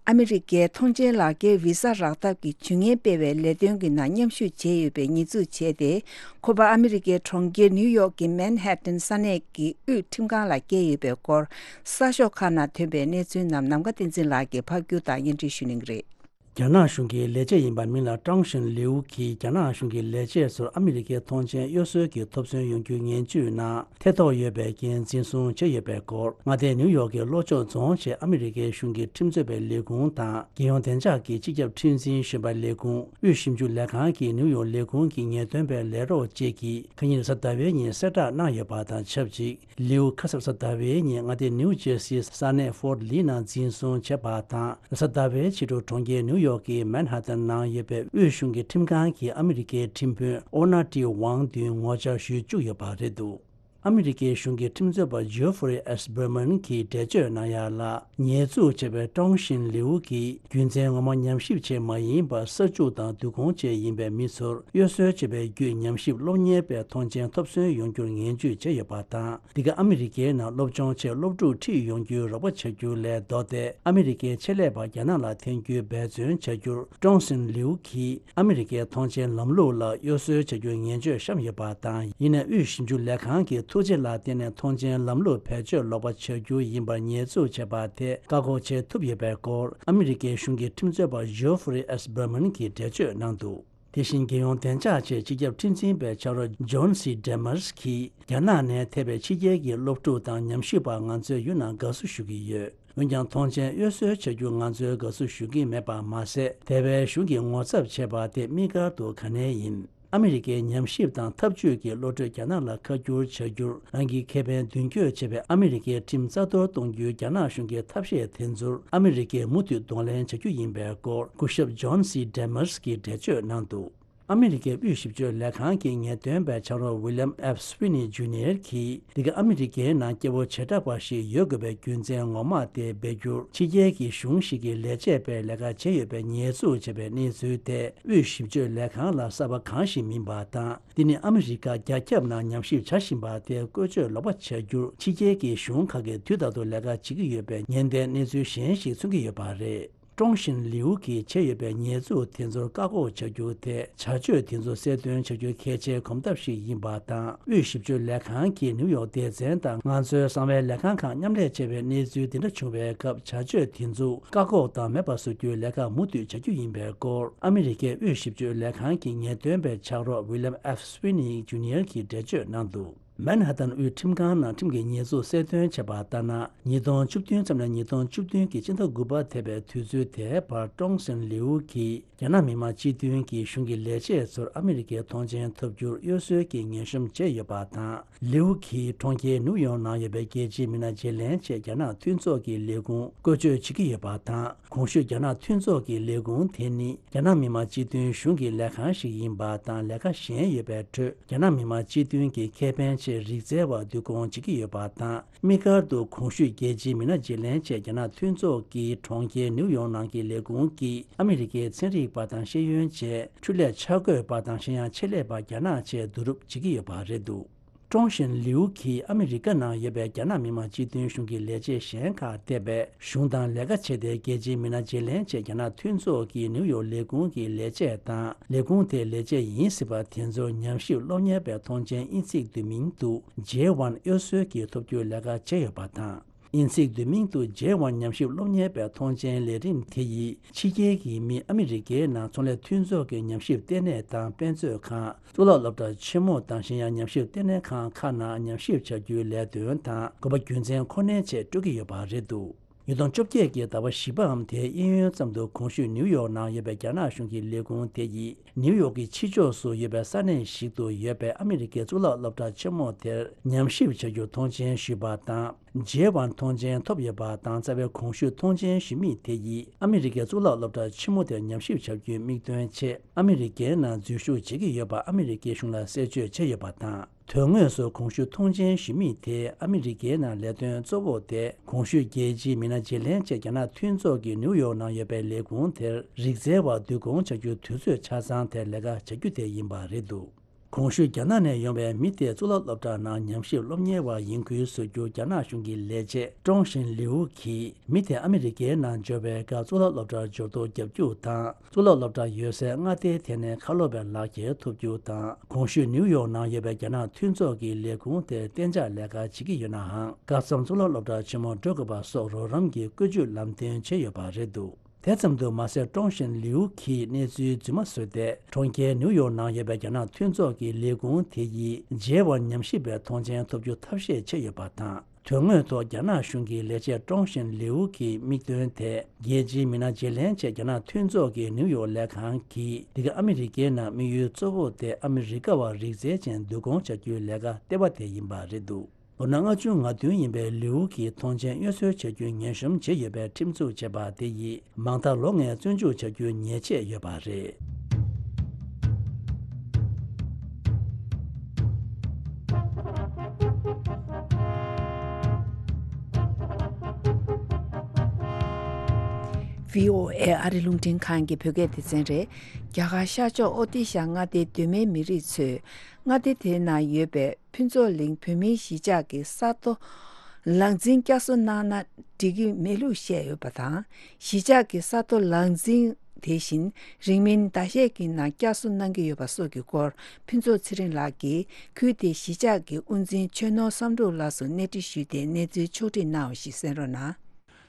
ཨ་མི་རི་ཀའི་ཐོངས་མཆན་ལག་འཁྱེར་བི་ས་རག་ཐབས་ཀྱི་ཇུས་ངན་སྤེལ་བའི་ལས་དོན་གྱི་ནང་མཉམ་ཞུགས་བྱས་ཡོད་པའི་ཉེས་འཛུགས་བྱས་ཏེ། ཁོ་པ་ཨ་མི་རི་ཀའི་གྲོང་ཁྱེར་ནིའུ་ཡོག་གི་མན་ཧེ་ཏན་ས་གནས་ཀྱི་དབུས་ཁྲིམས་ཁང་ལ་བསྐྱལ་ཡོད་པའི་སྐོར། གསར་ཤོག་ཁག་ནང་ཐོན་པའི་གནས་ཚུལ་རྣམས་ནམ་མཁའ་བསྟན་འཛིན་ལགས་ཀྱིས་ཕབ་སྒྱུར་དང་སྙན་སྒྲོན་ཞུ་གནང་གི་རེད། རྒྱ་ནག་གཞུང་གི་ལས་བྱེད་ཡིན་པ་མིང་ལ་ཀྲང་ཞིན་ལིའུ་གིས་རྒྱ་ནག་གཞུང་གི་ལས་བྱེད་ཚོར་ཨ་མི་རི་ཀའི་མཐོང་མཆན་གཡོ་ཟོལ་གྱི་ཐོབ་ཚོད་ཡོང་རྒྱུའི་ངན་ཇུས་ནང་ཐེ་གཏོགས་ཡོད་པའི་རྐྱེན་འཛིན་བཟུང་བྱས་ཡོད་པའི་སྐོར། མངའ་སྡེ་ནིའུ་ཡོག་གི་ལྷོ་ཕྱོགས་རྫོང་བཅས་ཨ་མི་རི་ཀའི་གཞུང་གི་ཁྲིམས་རྩོད་པའི་ལས་ཁུངས་དང་། རྒྱལ་ཡོངས་བདེ་འཇགས་ཀྱི་སྤྱི་ཁྱབ་ཁྲིམས་འཛིན་གཞོན་པ་ལས་ཁུངས། དབུས་ཞིབ་འཇུག་ལས་ཁང་གི་ནིའུ་ཡོག་ལས་ཁུངས་ཀྱི་ངེས་སྟོན་པའི་ལས་རོགས་བཅས་ཀྱིས་ཁ་ཉིན་རེས་གཟའ་ཟླ་བའི་ཉིན་གསལ་བསྒྲགས་གནང་ཡོད་པ་དང་ཆབས་ཅིག་ལིའུ་ཁ་སང་རེས་གཟའ་ཟླ་བའི་ཉིན་མངའ་སྡེ་ནིའུ་ཇེར་སིའི་ས་གནས་ཧྥོར་ལི་ནང་འཛིན་བཟུང་བྱས་པ་དང་། རེས་གཟའ་ཟླ་བའི་ཕྱི་དྲོ་གྲོང་ཁྱེར་ནིའུ་ཡོག་གི་མན་ཧ་ཏན་ནང་ཡོད་པའི་དབུས་གཞུང་གི་ཁྲིམས་ཁང་གིས་ཨ་མི་རི་ཀའི་ཁྲིམས་དཔོན་ཨོ་ན་ཏི་ཝང་མདུན་ངོ་བཅར་ཞུ་བཅུག་ཡོད་པ་རེད་འདུག་ཨ་མི་རི་ཀའི་གཞུང་གི་ཁྲིམས་རྩོད་པ་ཇོ་ཧྥུ་རི་ཨེས་བྷར་མན་གྱིས་འགྲེལ་བརྗོད་གནང་ཡ་ལ། ཉེས་འཛུགས་བྱས་པའི་ཀྲོང་ཞིན་ལིའུ་གིས་རྒྱུ་མཚན་ངོ་མ་ཉམས་ཞིབ་བྱས་མ་ཡིན་པར་གསར་འཇུག་དང་བསྡུ་སྐོང་བཅས་ཡིན་པའི་མི་ཚོར་གཡོ་ཟོལ་བྱས་པའི་བརྒྱུད་ཉམས་ཞིབ་སློབ་གཉེར་པའི་མཐོང་མཆན་ཐོབ་སོན་ཡོང་རྒྱུར་ངན་ཇུས་བྱས་ཡོད་པ་དང་། འདི་ག་ཨ་མི་རི་ཀའི་ནང་སློབ་སྦྱོང་ཆེད་སློབ་ཕྲུག་ཁྲིད་ཡོང་རྒྱུའི་རོགས་པ་བྱ་རྒྱུ་ལས་ལྡོག་སྟེ། ཨ་མི་རི་ཀའི་ཆེད་ལས་པ་རྒྱ་ནག་ལ་འཐེན་རྒྱུའི་འབད་བརྩོན་བྱ་རྒྱུར་ཀྲོང་སིན་ལིའུ་གིས་ཨ་མི་རི་ཀའི་མཐོང་མཆན་ལམ་ལུགས་ལ་གཡོ་ཟོལ་བྱ་རྒྱུའི་ངན་བརྗོད་བཤམས་ཡོད་པ་དང་། ཡིན་ནའི་དབུས་ཞིབ་འཇུག་ལས་ཁང་གིས་ཐུགས་རྗེ་ལ་བརྟེན་ནས་མཐོང་མཆན་ལམ་ལུགས་བེད་སྤྱོད་ལོག་པ་བྱ་རྒྱུ་ཡིན་པར་ཉེས་འཛུགས་བྱས་པ་དེ་བཀག་འགོག་བྱེད་ཐུབ་ཡོད་པའི་སྐོར། ཨ་མི་རི་ཀའི་གཞུང་གི་ཁྲིམས་རྩོད་པ་ཇོ་ཧྥུ་རི་ཨེས་བྷར་མན་གྱིས་འགྲེལ་བརྗོད་གནང་འདུག་དེ་བཞིན་རྒྱལ་ཡོངས་བདེ་འཇགས་ཆེད་སྤྱི་ཁྱབ་ཁྲིམས་འཛིན་པའི་ཕྱག་རོགས་ཇོན་སི་ཌེ་མར་སི་གིས། རྒྱ་ནག་ནས་ཐེ་བའི་ཕྱི་རྒྱལ་གྱི་སློབ་ཕྲུག་དང་ཉམས་ཞིབ་པ་ང་ཚོས་ཡུན་རིང་དགའ་བསུ་ཞུ་གི་ཡོད། འོན་ཀྱང་མཐོང་མཆན་གཡོ་ཟོལ་བྱ་རྒྱུ་ང་ཚོས་དགའ་བསུ་ཞུ་གི་མེད་པ་མ་ཟད། ཐེ་བའི་གཞུང་གིས་ངོ་ཚབ་བྱས་པ་དེ་དམིགས་བཀར་དུ་ག་ནས་ཡིན། ཨ་མི་རི་ཀའི་ཉམས་ཞིབ་དང་འཐབ་ཇུས་ཀྱི་བློ་གྲོས་རྒྱ་ནག་ལ་ཁ་བསྒྱུར་བྱ་རྒྱུར་རང་གི་ཁེ་ཕན་མདུན་སྐྱོད་བྱེད་པའི་ཨ་མི་རི་ཀའི་ཁྲིམས་རྩ་གཏོར་གཏོང་རྒྱུའི་རྒྱ་ནག་གཞུང་གི་ཐབས་ཤེས་དེ་ཚོར་ཨ་མི་རི་ཀས་མུ་མཐུད་གདོང་ལེན་བྱ་རྒྱུ་ཡིན་པའི་སྐོར་སྐུ་ཞབས་ཇོན་སི་ཌེ་མར་སི་གིས་འགྲེལ་བརྗོད་གནང་འདུག་ཨ་མི་རི་ཀའི་དབུས་ཞིབ་དཔྱོད་ལས་ཁང་གི་ངེས་སྟོན་པའི་ཕྱག་རོགས་ཝི་ལི་ཡམ་ཨེཕ་སི་ཝི་ནི་ཇུ་ནི་ཡར་གྱིས། འདི་ག་ཨ་མི་རི་ཀའི་ནང་སྐྱེ་བོ་བྱེ་བྲག་པ་ཞིག་ཡོད་དགོས་པའི་རྒྱུ་མཚན་ངོ་མ་དེ་སྦས་རྒྱུར། ཕྱི་རྒྱལ་གྱི་གཞུང་ཞིག་གི་ལས་བྱེད་པའི་ལས་ཀ་བྱས་ཡོད་པའི་ཉེས་འཛུགས་བྱས་པའི་གནས་ཚུལ་དེ། དབུས་ཞིབ་དཔྱོད་ལས་ཁང་ལ་གསར་པ་གང་ཞིག་མིན་པ་དང་། འདི་ནི་ཨ་མི་རི་ཀ་རྒྱ་ཁྱབ་ནང་ཉམས་ཞིབ་བྱ་བཞིན་པ་དེ་བཀོལ་སྤྱོད་ལོག་པ་བྱ་རྒྱུར། ཕྱི་རྒྱལ་གྱི་གཞུང་ཁག་གིས་དུས་རྟག་ཏུ་ལས་ཀ་བྱེད་ཀྱི་ཡོད་པའི་ཉེན་བརྡའི་གནས་ཚུལ་གཞན་ཞིག་མཚོན་གྱི་ཡོད་པ་རེད། ཀྲོང་ཞིན་ལིའུ་གིས་བྱས་ཡོད་པའི་ཉེས་འཛུགས་དེ་ཚོར་བཀག་འགོག་བྱ་རྒྱུ་དེ། བྱ་སྤྱོད་དེ་ཚོ་གསལ་སྟོན་བྱ་རྒྱུ་གལ་ཆེའི་གོམ་སྟབས་ཤིག་ཡིན་པ་དང་། དབུས་ཞིབ་དཔྱོད་ལས་ཁང་གིས་ནིའུ་ཡོག་སྡེ་ཚན་དང་ང་ཚོའི་གསང་བའི་ལས་ཁང་ཁག་མཉམ་ལས་བྱས་པའི་གནས་ཚུལ་འདི་འདྲ་བྱུང་བའི་སྐབས། བྱ་སྤྱོད་དེ་ཚོ་བཀག་འགོག་དང་མེད་པ་བཟོ་རྒྱུའི་ལས་ཀ་མུ་མཐུད་བྱ་རྒྱུ་ཡིན་པའི་སྐོར། ཨ་མི་རི་ཀའི་དབུས་ཞིབ་དཔྱོད་ལས་ཁང་གི་ངེས་སྟོན་པའི་ཕྱག་རོགས་ཝི་ལི་ཡམ་ཨེཕ་སི་ཝི་ནི་ཇུ་ནི་ཡར་གྱིས་འགྲེལ་བརྗོད་གནང་འདུག་མན་ཧ་ཏན་དབུས་ཁྲིམས་ཁང་ནང་ཁྲིམས་ཀྱི་ཉེས་འཛུགས་གསལ་སྟོན་བྱས་པ་ལྟར་ན། ཉིས་སྟོང་བཅུ་བདུན་ཙམ་ནས་ཉིས་སྟོང་བཅུ་བདུན་གྱི་ཕྱི་ཟླ་དགུ་པ་ཐེ་བའི་དུས་ཚོད་དེའི་བར་ཀྲོང་སིན་ལིའུ་གིས་རྒྱ་ནག་མི་དམངས་སྤྱི་མཐུན་གྱི་གཞུང་གི་ལས་བྱེད་ཚོར་ཨ་མི་རི་ཀའི་མཐོང་མཆན་ཐོབ་རྒྱུར་གཡོ་ཟོལ་གྱི་ངན་གཤོམ་བྱས་ཡོད་པ་དང་། ལིའུ་གིས་གྲོང་ཁྱེར་ནིའུ་ཡོག་ནང་ཡོད་པའི་རྒྱལ་སྤྱིའི་མི་སྣ་བརྗེ་ལེན་ཆེད་རྒྱ་ནག་མཐུན་ཚོགས་ཀྱི་ལས་ཁུངས་བཀོལ་སྤྱོད་བྱེད་ཀྱི་ཡོད་པ་དང་། གོང་ཞུས་རྒྱ་ནག་མཐུན་ཚོགས་ཀྱི་ལས་ཁུངས་དེ་ནི་རྒྱ་ནག་མི་དམངས་སྤྱི་མཐུན་གཞུང་གི་ལས་ཁང་ཞིག་ཡིན་པ་དང་། ལས་ཀ་གཞན་ཡོད་པའི་ཁྲོད། རྒྱ་ནག་མི་དམངས་སྤྱི་མཐུན་གྱི་ཁེ་ཕན་ཆེད་རིག་རྩལ་བ་བསྡུ་སྐོང་བྱེད་ཀྱི་ཡོད་པ་དང་། དམིགས་བཀར་དུ་གོང་ཞུས་རྒྱལ་སྤྱིའི་མི་སྣ་བརྗེ་ལེན་ཆེད་རྒྱ་ནག་མཐུན་ཚོགས་ཀྱི་གྲོང་ཁྱེར་ནིའུ་ཡོག་ནང་གི་ལས་ཁུངས་ཀྱིས་ཨ་མི་རི་ཀའི་ཚན་རིག་པ་དང་ཤེས་ཡོན་བཅས། འཕྲུལ་ལས་འཆར་འགོད་པ་དང་གཞན་ཡང་ཆེད་ལས་པ་རྒྱ་ནག་བཅས་བསྡུ་རུབ་བྱེད་ཀྱི་ཡོད་པ་རེད་འདུག་ཀྲོང་ཞིན་ལིའུ་གིས་ཨ་མི་རི་ཀ་ནང་ཡོད་པའི་རྒྱ་ནག་མི་དམངས་སྤྱི་མཐུན་གཞུང་གི་ལས་བྱེད་གཞན་ཁག་འདེམས་པའི་གཞུང་དང་ལས་ཀ་བྱས་ཏེ། རྒྱལ་སྤྱིའི་མི་སྣ་བརྗེ་ལེན་ཆེད་རྒྱ་ནག་མཐུན་ཚོགས་ཀྱི་ནིའུ་ཡོག་ལས་ཁུངས་ཀྱི་ལས་བྱེད་དང་། ལས་ཁུངས་དེའི་ལས་བྱེད་ཡིན་སྲིད་པ་དེ་ཚོར་ཉམས་ཞིབ་སློབ་གཉེར་པའི་མཐོང་མཆན་དབྱིན་ཚིག་བསྡུས་མིང་དུ་ཇེ་ཝན་གཡོ་ཟོལ་གྱིས་ཐོབ་རྒྱུའི་ལས་ཀ་བྱས་ཡོད་པ་དང་། དབྱིན་ཚིག་བསྡུས་མིང་དུ་ཇེ་ཝན་ཉམས་ཞིབ་སློབ་གཉེར་པའི་མཐོང་མཆན་ལས་རིམ་དེ་ཡིས་ཕྱི་རྒྱལ་གྱི་མི་ཨ་མི་རི་ཀའི་ནང་ཚོང་ལས་མཐུན་ཚོགས་ཀྱི་ཉམས་ཞིབ་ལྟེ་གནས་དང་དཔེ་མཛོད་ཁང་། གཙུག་ལག་སློབ་གྲྭ་ཆེན་མོ་དང་གཞན་ཡང་ཉམས་ཞིབ་ལྟེ་གནས་ཁང་ཁག་ནང་ཉམས་ཞིབ་བྱ་རྒྱུའི་ལས་དོན་དང་དགོས་པ་རྒྱུ་མཚན་ཁོ་ནའི་ཆེད་སྤྲོད་ཀྱི་ཡོད་པ་རེད་འདུག་ཉིས་སྟོང་བཅོ་བརྒྱད་ཀྱི་ཟླ་བ་བཞི་པའམ་དེའི་གཡས་གཡོན་ཙམ་དུ་གོང་ཞུས་ནིའུ་ཡོག་ནང་ཡོད་པའི་རྒྱ་ནག་གཞུང་གི་ལས་ཁུངས་དེ་ཡིས་ནིའུ་ཡོག་གི་ཕྱི་ཕྱོགས་སུ་ཡོད་པའི་ས་གནས་ཤིག་ཏུ་ཡོད་པའི་ཨ་མི་རི་ཀའི་གཙུག་ལག་སློབ་གྲྭ་ཆེན་མོ་དེར་ཉམས་ཞིབ་བྱ་རྒྱུར་མཐོང་མཆན་ཞུས་པ་དང་། ཇེ་ཝན་མཐོང་མཆན་ཐོབ་ཡོད་པ་དང་། རྩ་བའི་གོང་ཞུས་མཐོང་མཆན་ཞུ་མི་དེ་ཡིས་ཨ་མི་རི་ཀའི་གཙུག་ལག་སློབ་གྲྭ་ཆེན་མོ་དེར་ཉམས་ཞིབ་བྱ་རྒྱུའི་དམིགས་དོན་ཆེད་ཨ་མི་རི་ཀའི་ནང་འཛུལ་ཞུགས་བྱེད་ཀྱི་ཡོད་པ་ཨ་མི་རི་ཀའི་གཞུང་ལ་གསལ་བརྗོད་བྱས་ཡོད་པ་དང་། དོན་དངོས་སུ་གོང་ཞུས་མཐོང་མཆན་ཞུ་མི་དེ་ཨ་མི་རི་ཀའི་ནང་ལས་དོན་གཙོ་བོ་དེ་གོང་ཞུས་རྒྱལ་སྤྱིའི་མི་སྣ་བརྗེ་ལེན་ཆེད་རྒྱ་ནག་མཐུན་ཚོགས་ཀྱི་ནིའུ་ཡོག་ནང་ཡོད་པའི་ལས་ཁུངས་དེར་རིག་རྩལ་བ་བསྡུ་སྐོང་བྱ་རྒྱུའི་དུས་ཚོད་ཆ་ཚང་དེར་ལས་ཀ་བྱ་རྒྱུ་དེ་ཡིན་པ་རེད་འདུག་གོང་ཞུས་རྒྱ་ནག་ནས་ཡོང་བའི་མི་དེ་གཙུག་ལག་སློབ་གྲྭ་ནང་ཉམས་ཞིབ་སློབ་གཉེར་བ་ཡིན་ཁུལ་བཟོ་རྒྱུ་རྒྱ་ནག་གཞུང་གི་ལས་བྱེད་ཀྲོང་ཞིན་ལིའུ་གིས་མི་དེ་ཨ་མི་རི་ཀའི་ནང་འབྱོར་བའི་སྐབས་གཙུག་ལག་སློབ་གྲྭར་འབྱོར་ཐོ་རྒྱག་རྒྱུ་དང་། གཙུག་ལག་སློབ་གྲྭ་ཡོད་སའི་མངའ་སྡེའི་ཐད་ནས་ཁ་ལོ་བའི་ལག་འཁྱེར་ཐོབ་རྒྱུ་དང་། གོང་ཞུས་ནིའུ་ཡོག་ནང་ཡོད་པའི་རྒྱ་ནག་མཐུན་ཚོགས་ཀྱི་ལས་ཁུངས་དེར་གཏན་འཇགས་ལས་ཀ་བྱེད་ཀྱི་ཡོད་ནའང་། སྐབས་མཚམས་གཙུག་ལག་སློབ་གྲྭ་ཆེན་མོར་འགྲོ་དགོས་པ་སོགས་རོགས་རམ་གྱི་བཀོད་ཇུས་ལམ་སྟོན་བྱས་ཡོད་པ་རེད་འདུག་དེ་ཙམ་དུ་མ་ཟད། ཀྲོང་ཞིན་ལིའུ་གིས་གནས་ཚུལ་རྫུན་མ་བཟོས་ཏེ། གྲོང་ཁྱེར་ནིའུ་ཡོག་ནང་ཡོད་པའི་རྒྱ་ནག་མཐུན་ཚོགས་ཀྱི་ལས་ཁུངས་དེ་ཡིས་མཇལ་བར་ཉམས་ཞིབ་པའི་ཐོངས་མཆན་ཐོབ་རྒྱུ་ཐབས་ཤེས་བྱས་ཡོད་པ་དང་། དོན་དངོས་ཐོག་རྒྱ་ནག་གཞུང་གི་ལས་བྱེད་ཀྲོང་ཞིན་ལིའུ་གི་དམིགས་དོན་དེ། རྒྱལ་སྤྱིའི་མི་སྣ་བརྗེ་ལེན་ཆེད་རྒྱ་ནག་མཐུན་ཚོགས་ཀྱི་ནིའུ་ཡོག་ལས་ཁང་གིས། འདི་ག་ཨ་མི་རི་ཀའི་ནང་དམིགས་ཡུལ་གཙོ་བོ་དེ་ཨ་མི་རི་ཀ་བ་རིག་རྩལ་ཅན་བསྡུ་སྐོང་བྱ་རྒྱུའི་ལས་ཀ་ལྟེ་བ་དེ་ཡིན་པ་རེད་འདུག་ལོ་ན་ལྔ་བཅུ་ང་བདུན་ཡིན་པའི་ལིའུ་གིས་ཐོངས་མཆན་གཡོ་ཟོལ་བྱ་རྒྱུའི་ཉེས་གཤོམ་བྱས་ཡོད་པའི་ཁྲིམས་འཛུགས་བྱས་པ་དེ་ཡིས་མང་མཐའ་ལོ་ལྔའི་བཙོན་འཇུག་བྱ་རྒྱུའི་ཉེས་ཆད་ཡོད་པ་རེད། བྷི་ཨོ་ཨེ་ཨ་རི་རླུང་འཕྲིན་ཁང་གི་བོད་སྐད་སྡེ་ཚན་རེད། རྒྱ་གར་ཤར་ཕྱོགས་ཨོ་ཏི་ཤ་མངའ་སྡེའི་གདོད་མའི་མི་རིགས་ཚོས་མངའ་སྡེ་དེའི་ནང་ཡོད་པའི་ཕུན་ཚོགས་གླིང་བོད་མིའི་གཞིས་ཆགས་ཀྱི་ས་རྡོ་ལག་འཛིན་བསྐྱར་གསོ་གནང་ན་འགྲིག་གི་མེད་ལུགས་བཤད་ཡོད་པ་དང་། གཞིས་ཆགས་ཀྱི་ས་རྡོ་ལག་འཛིན་དེ་བཞིན་རིང་མིན་ཟླ་ཤས་ཀྱི་ནང་བསྐྱར་གསོ་གནང་གི་ཡོད་པ་སོགས་ཀྱི་སྐོར། ཕུན་ཚོགས་ཚེ་རིང་ལགས་ཀྱིས་ཁུལ་དེའི་གཞིས་ཆགས་ཀྱི་དབུ་འཛིན་ཆོས་ནོར་བསམ་འགྲུབ་ལགས་སུ་གནས་འདྲི་ཞུས་ཏེ་གནས་ཚུལ་ཕྱོགས་བསྒྲིགས་གནང་བ་ཞིག་གསན་རོགས་གནང་།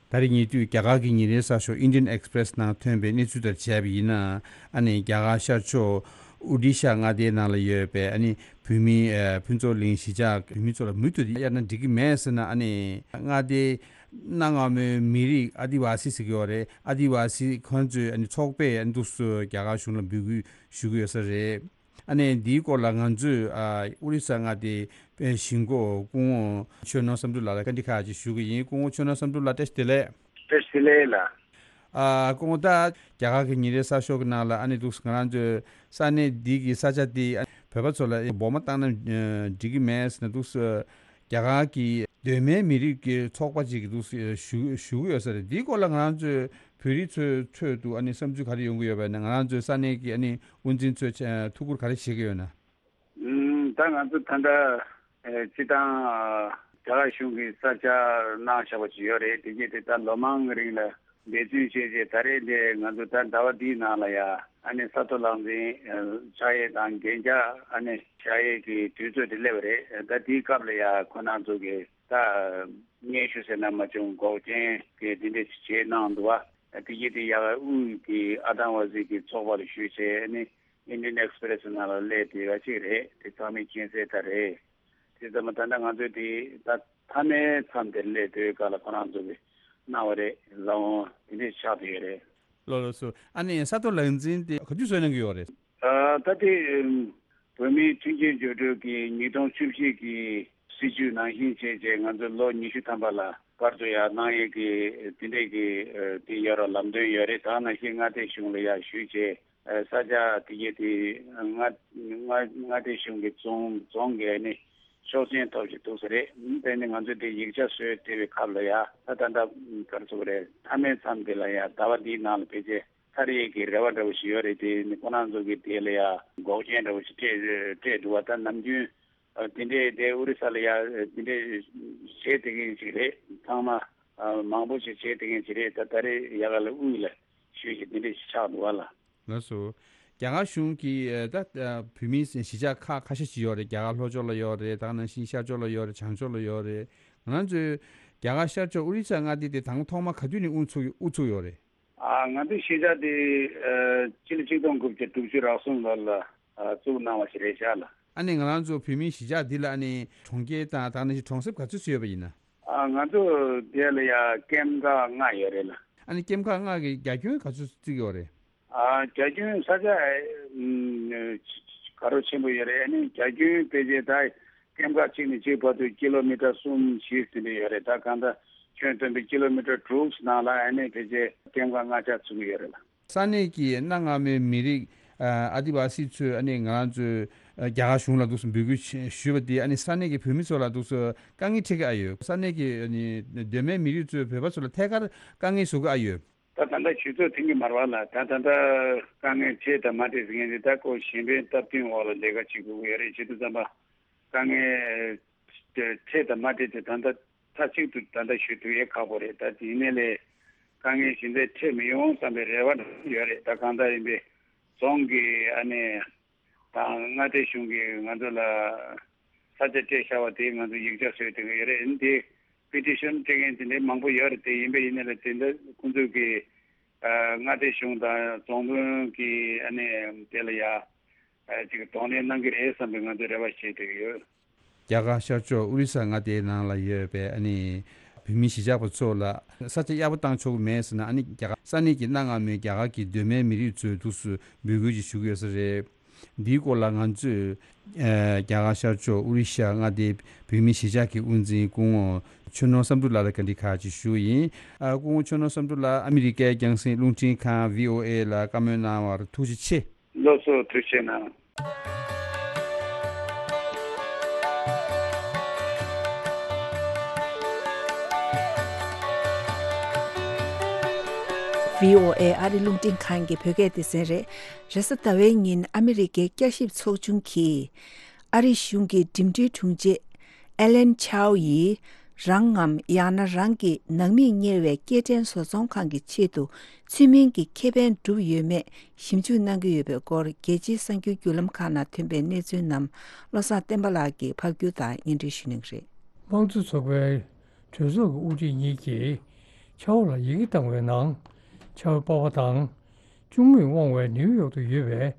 ད་རེས་ཉེ་དུས་རྒྱ་གར་གྱི་ཉིན་རེའི་གསར་ཤོག་Indian Express ནང་ཐོན་པའི་གནས་ཚུལ་ལྟར་བྱས་པ་ཡིན་ན། ཨ་ནི་རྒྱ་གར་ཤར་ཕྱོགས་ཨོ་ཌི་ཤ་མངའ་སྡེའི་ནང་ལ་ཡོད་པའི་ཨ་ནི་བོད་མི་ཨ་ཕུན་ཚོགས་གླིང་གཞིས་ཆགས་བོད་མི་ཚོ་ལ་མུ་མཐུད་དེ་གཡར་ན་འགྲིག་གི་མེད་ཟེར་ན། ཨ་ནི་མངའ་སྡེའི་གནའ་སྔ་མོའི་མི་རིགས་ཨ་དི་ཝ་སི་ཟེར་གྱི་ཡོད་རེད། ཨ་དི་ཝ་སི་ཁོང་ཚོའི་ཨ་ནི་ཚོགས་པས་ཨ་ནི་འདུག་སེ་རྒྱ་གར་གཞུང་ལ་འབོད་སྐུལ་ཞུ་གི་ཡོད་ས་རེད། ཨ་ནི་འདིའི་སྐོར་ལ་ང་ཚོས་ཨ་ཨོ་རི་ས་མངའ་སྡེའི་གཞིས་འགོ་སྐུ་ངོ་ཆོས་ནོར་བསམ་འགྲུབ་ལགས་ལ་བཀའ་འདྲི་ཁག་ཅིག་ཞུ་གི་ཡིན། སྐུ་ངོ་ཆོས་ནོར་བསམ་འགྲུབ་ལགས། བཀྲ་ཤིས་བདེ་ལེགས། བཀྲ་ཤིས་བདེ་ལེགས་ལགས། ཨ་སྐུ་ངོ། ད་རྒྱ་གར་གྱི་ཉིན་རེའི་གསར་ཤོག་གི་ནང་ལ་ཨ་ནི་འདུག་ང་རང་ཚོའི་ས་གནས་འདི་གི་ས་ཆ་འདི་བོད་པ་ཚོ་ལ་འབོར་མ་བཏང་ན་འགྲིག་གི་མེད་ཟེར་ནས་འདུག་སེ་རྒྱ་གར་གྱི་གདོད་མའི་མི་རིགས་ཀྱི་ཚོགས་པ་ཅིག་གིས་འདུག་སེ་ཞུ་ཞུ་གི་ཡོད་ས་རེད། འདིའི་སྐོར་ལ་ང་རང་ཚོའི་བོད་རིགས་ཚོའི་ཁྲོད་དུ་ཨ་ནི་བསམ་ཚུལ་ག་རེ་ཡོང་གི་ཡོད་པ་ཡིན་ན། ང་རང་ཚོའི་ས་གནས་ཀྱི་ཨ་ནི་དབུ་འཛིན་ཚོས་ཐུགས་ཁུར་ག་རེ་བཞེས་ཀྱི་ཡོད་ན། ཨུམ། ད་ང་ཚོ་ད་ལྟ་ཨེ་སྤྱི་བཏང་ཨ་རྒྱ་གར་གཞུང་གིས་ས་ཆ་གནང་བཞག་པ་ཅིག་ཡོད་རེད། དེ་རྗེས་དེ་ད་ལོ་མང་གི་རིང་ལ་འབད་བརྩོན་བྱས་རྗེས་ད་རེས་འདི་ང་ཚོ་ད་ཟླ་བ་འདིའི་ནང་ལ་ཡ་ཨ་ནི་ས་རྡོ་ལག་འཛིན་ཨ་ཕྱག་གཡས་དང་རྒྱན་ཆ་ཨ་ནི་ཕྱག་གཡས་ཀྱི་དུས་ཚོད་དེ་སླེབས་པ་རེད། ད་དེའི་སྐབས་ལ་ཡ་ཁོ་རང་ཚོ་གིས་ད་སྙན་ཞུ་ཟེར་ན་མ་བྱུང་འགོག་རྐྱེན་གྱི་འདི་འདྲ་ཞིག་བྱས་གནང་འདུག་བ། དེ་རྗེས་དེ་ཡ་དབུས་ཀྱི་ཨ་ཏང་ཝ་སི་གི་ཚོགས་པ་ལ་ཞུས་བྱས་ཨ་ནི། Indian Express ནང་ལ་སླེབས་བསྡད་པ་ཅིག་རེད། དེ་ཚང་མས་མཁྱེན་གསལ་ལྟར་རེད། དེ་ཚང་མ་ད་ལྟ་ང་ཚོས་དེ་ད་མཐའ་མའི་མཚམས་དེར་སླེབས་དུས་སྐབས་ལ་ཁོ་རང་ཚོ་གིས་གནང་བ་རེད། ལག་འོང་དེ་འདྲས་ཆགས་བསྡད་ཡོད་རེད། ལགས་ལགས་སོ། ཨ་ནི་ས་རྡོ་ལག་འཛིན་དེ་ག་དུས་བཟོས་གནང་གི་ཡོད་རེད། ཨ་ད་དེ་ཨམ་བོད་མིའི་མཐུན་རྐྱེན་སྦྱོར་སྒྲིག་གི་ཉིས་སྟོང་བཅུ་བཞི་གི་སྲིད་བྱུས་ནང་བཞིན་བྱས་རྗེས་ང་ཚོ་ལོ་ཉི་ཤུ་ཐམ་པ་ལ་བར་དུ་ཡར་གནང་ཡས་ཀྱི་དེ་འདྲས་ཀྱི་ཨ་དེ་ཡོད་ར་ལམ་སྟོན་ཡོད་རེད། ད་ནང་བཞིན་མངའ་སྡེ་གཞུང་ལ་ཡར་ཞུས་བྱས། ཨ་ས་ཆ་དེ་གའི་དེ་མངའ་མངའ་མངའ་སྡེ་གཞུང་གི་རྫོང་རྫོང་གི་ཨ་ནི་ཆོག་མཆན་ཐོབ་ཅིག་འདུག་ས་རེད། དེ་ནི་ང་ཚོས་དེ་ཡིག་ཆ་བཟོས་བསྡད་པའི་སྐབས་ལ་ཡ་ད་ད་ལྟ་ག་རེ་ཟེར་དགོས་རེད། མཐའ་མའི་མཚམས་དེ་ལ་ཡ་ཟླ་བ་འདིའི་ནང་ལ་ཕལ་ཆེར་ཚར་ཡས་ཀྱི་རེ་བ་འདྲ་བོ་ཞིག་ཡོད་རེད། དེ་ནི་ཁོ་རང་ཚོ་གི་དེ་ལ་ཡ་འགོག་རྐྱེན་འདྲ་བོ་ཞིག་སྤྲད་སྤྲད་འདུག་བ། ད་ནམ་རྒྱུན་ཨ་དེ་འདྲས་དེ་ཨོ་རི་ས་ལ་ཡ་དེ་འདྲས་བྱས་བསྡད་མཁན་ཞིག་རེད། ཚང་མ་ཨ་མང་པོ་ཞིག་བྱས་བསྡད་མཁན་ཞིག་རེད། ད་ད་རེས་ཡ་ག་ལ་དབུས་ལ་ཞུས་ཞིག་དེ་འདྲས་ཞིག་ཆགས་འདུག་བ་ལ། ལགས་སོ། རྒྱ་གར་གཞུང་གིས་ཨ་ད་ཨ་བོད་མིའི་གཞིས་ཆགས་ཁག་ཁ་ཤས་ཤིག་ཡོད་རེད། རྒྱ་གར་ལྷོ་ཕྱོགས་ལ་ཡོད་རེད། ད་ག་ནང་བཞིན་ཤར་ཕྱོགས་ལ་ཡོད་རེད། བྱང་ཕྱོགས་ལ་ཡོད་རེད། ང་རང་ཚོའི་རྒྱ་གར་ཤར་ཕྱོགས་ཨོ་རི་ས་མངའ་སྡེ་དེ་དང་ཐོག་མ་ག་དུས་ནས་དབུ་ཚུགས་དབུ་ཚུགས་ཡོད་རེད། ཨ་ང་ཚོའི་གཞིས་ཆགས་དེ་ཨ་སྤྱི་ལོ་ཆིག་སྟོང་དགུ་བརྒྱ་དྲུག་ཅུ་རེ་གསུམ་ལོ་ལ་ཨ་བཙུགས་གནང་བ་ཞིག་རེད་ཤག་ལ། ཨ་ནི་ང་རང་ཚོ་བོད་མིའི་གཞིས་ཆགས་འདི་ལ་ཨ་ནི་གྲོང་ཁྱེར་དང་ད་ག་ནང་བཞིན་གྲོང་གསེབ་ག་ཚོད་ཙམ་ཡོད་པ་ཡིན་ན། ཨ་ང་ཚོ་དེ་ལ་ཡ་ཀེམ་ཁག་ལྔ་ཡོད་རེད་ལ། ཨ་ནི་ཀེམ་ཁག་ལྔ་གི་རྒྱ་ཁྱོན་ག་ཚོད་ཙམ་ཡོད་རེད། ཨ་རྒྱ་ཁྱོན་ས་ཆ་ཨ་ཨམ་ག་རོ་ཆེན་པོ་ཡོད་རེད། ཨ་ནི་རྒྱ་ཁྱོན་ཕལ་ཆེར་ད་ཀེམ་ཁག་གཅིག་ནས་གཅིག་བར་དུ་ཀི་ལོ་མི་ཊར་གསུམ་བཞི་དེ་འདྲ་ཡོད་རེད། ད་གང་ལྟར་ཁྱོན་བསྡོམས་པའི་ཀི་ལོ་མི་ཊར་དྲུག་ནང་ལ་ཨ་ནི་ཕལ་ཆེར་ཀེམ་ཁག་ལྔ་ཆ་ཚུད་ཀྱི་ཡོད་རེད་ལ། ས་གནས་ཀྱི་གནའ་སྔ་མོའི་མི་རིགས་ཨ་ཨ་དི་ཝ་སི་ཚོས་ཨ་ནི་ང་རང་ཚོའི་ཨ་རྒྱ་གར་གཞུང་ལ་འདུག་སེ་འབོད་སྐུལ་ཞུས་པ་དེ་ཨ་ནི་ས་གནས་ཀྱི་བོད་མི་ཚོ་ལ་འདུག་སེ་དཀའ་ངལ་འཕྲད་ཀྱི་ཨ་ཡོད། ས་གནས་ཀྱི་ཨ་ནི་གདོད་མའི་མི་རིགས་ཚོས་བོད་པ་ཚོ་ལ་ཐད་ཀར་དཀའ་ངལ་བཟོ་གི་ཨ་ཡོད། ད་ད་ལྟ་ཞུ་ཚོད་ཐོན་གྱི་མ་རེད་བ་ལ། ད་ད་ལྟ་དཀའ་ངལ་འཕྲད་དང་མ་འཕྲད་ཟེར་མཁན་དེ་ད་ཁོ་གཞན་ཕན་སྟབས་བསྟུན་འོག་ལ་ལས་ཀ་བྱེད་དགོས་ཀྱི་ཡོད་རེད། བྱེད་དུས་ཙམ་པ་དཀའ་ངལ་འཕྲད་དང་མ་འཕྲད་དེ་ད་ལྟ་མཐའ་གཅིག་ཏུ་ད་ལྟ་ཞུ་ཐུབ་ཡས་ཁག་པོ་རེད། ད་དེ་ཡིན་ནའི་ལས་དཀའ་ངལ་གཞན་དག་འཕྲད་མི་ཡོང་བསམ་པའི་རེ་བ་ཡོད་རེད། ད་གང་ལྟར་ཡིན་པའི་རྫོང་གི་ཨ་ནི་དང་མངའ་སྡེ་གཞུང་གིས་ང་ཚོ་ལ་ས་ཆ་སྤྲད་བཞག་པ་དེ་ང་ཚོ་ཡིག་ཆ་བཟོས་བསྡད་ཀྱི་ཡོད་རེད། འདི་པི་ཊི་ཤན་སྤྲད་མཁན་དེ་འདྲའི་མང་པོ་ཡོད་རེད། དེ་ཡིན་པ་ཡིན་ན་ལ་དེ་འདྲ་ཁོང་ཚོས་ཀྱི་ མངའ་སྡེ་གཞུང་དང་རྫོང་དཔོན་གྱིས་ཨ་ནི་དེ་ལ་ཡ་ཅིག་གདོང་ལེན་གནང་གི་རེད་བསམ་པའི་ང་ཚོས་རེ་བ་བྱེད་བསྡད་ཀྱི་ཡོད། རྒྱ་གར་ཤར་ཕྱོགས་ཨོ་རི་ས་མངའ་སྡེའི་ནང་ལ་ཡོད་པའི་ཨ་ནི་བོད་མི་གཞིས་ཆགས་པ་ཚོ་ལ་ས་ཆ་གཡར་པོ་བཏང་ཆོག་གི་མེད་ཟེར་ན། ཨ་ནི་རྒྱ་གར་ས་གནས་ཀྱི་གནའ་སྔ་མོའི་རྒྱ་གར་གྱི་གདོད་མའི་མི་རིགས་ཚོས་འདུག་སེ་འབོད་སྐུལ་ཅིག་ཞུ་གི་ཡོད་ས་རེད། འདིའི་སྐོར་ལ་ང་ཚོས་ཨ་རྒྱ་གར་ཤར་ཕྱོགས་ཨོ་རི་ཤ་མངའ་སྡེའི་བོད་མི་གཞིས་ཆགས་ཀྱི་དབུ་འཛིན་སྐུ་ངོ་ཆོས་ནོར་བསམ་གྲུབ་ལགས་ལ་བཀའ་འདྲི་ཁག་ཅིག་ཞུས་ཡིན། ཨ་སྐུ་ངོ་ཆོས་ནོར་བསམ་གྲུབ་ལགས། ཨ་མི་རི་ཀའི་རྒྱང་སྲིང་རླུང་འཕྲིན་ཁང་བྷི་ཨོ་ཨེ་ལ་བཀའ་མོལ་གནང་བར་ཐུགས་རྗེ་ཆེ། ལགས་སོ། ཐུགས་རྗེ་གནང་། བྷི་ཨོ་ཨེ་ཨ་རི་རླུང་འཕྲིན་ཁང་གི་བོད་སྐད་སྡེ་ཚན་རེད། རེས་གཟའ་ཟླ་བའི་ཉིན་ཨ་མི་རི་ཀའི་བསྐྱར་ཞིབ་ཚོགས་ཆུང་གིས་ཨ་རི་གཞུང་གི་འགྲིམ་འགྲུལ་དྲུང་ཆེ་ཨེ་ལན་ཆའོ་ཡིས་རང་ངམ་ཡང་ན་རང་གི་ནང་མིས་གཉེར་བའི་སྐྱེལ་འདྲེན་བཟོ་ཚོང་ཁང་གི་ཆེད་དུ་ཚུལ་མིན་གྱི་ཁེ་ཕན་བསྒྲུབས་ཡོད་མེད་ཞིབ་འཇུག་གནང་གི་ཡོད་པའི་སྐོར། རྒྱལ་སྤྱིའི་གསར་འགྱུར་བརྒྱུད་ལམ་ཁག་ནང་ཐོན་པའི་གནས་ཚུལ་རྣམས་བློ་བཟང་བསྟན་པ་ལགས་ཀྱིས་ཕབ་སྒྱུར་དང་སྙན་སྒྲོན་ཞུ་གནང་གི་རེད། དམངས་གཙོ་ཚོགས་པའི་གྲོས་ཚོགས་ཀྱི་དབུ་ཁྲིད་གཉིས་ཀྱིས་ཆའོ་ལ་ཡི་གེ་བཏང་བའི་ནང་། ཆའོ་པ་ཕ་དང་། གཅུང་མོས་དབང་བའི་ནིའུ་ཡོག་ཏུ་ཡོད་པའི་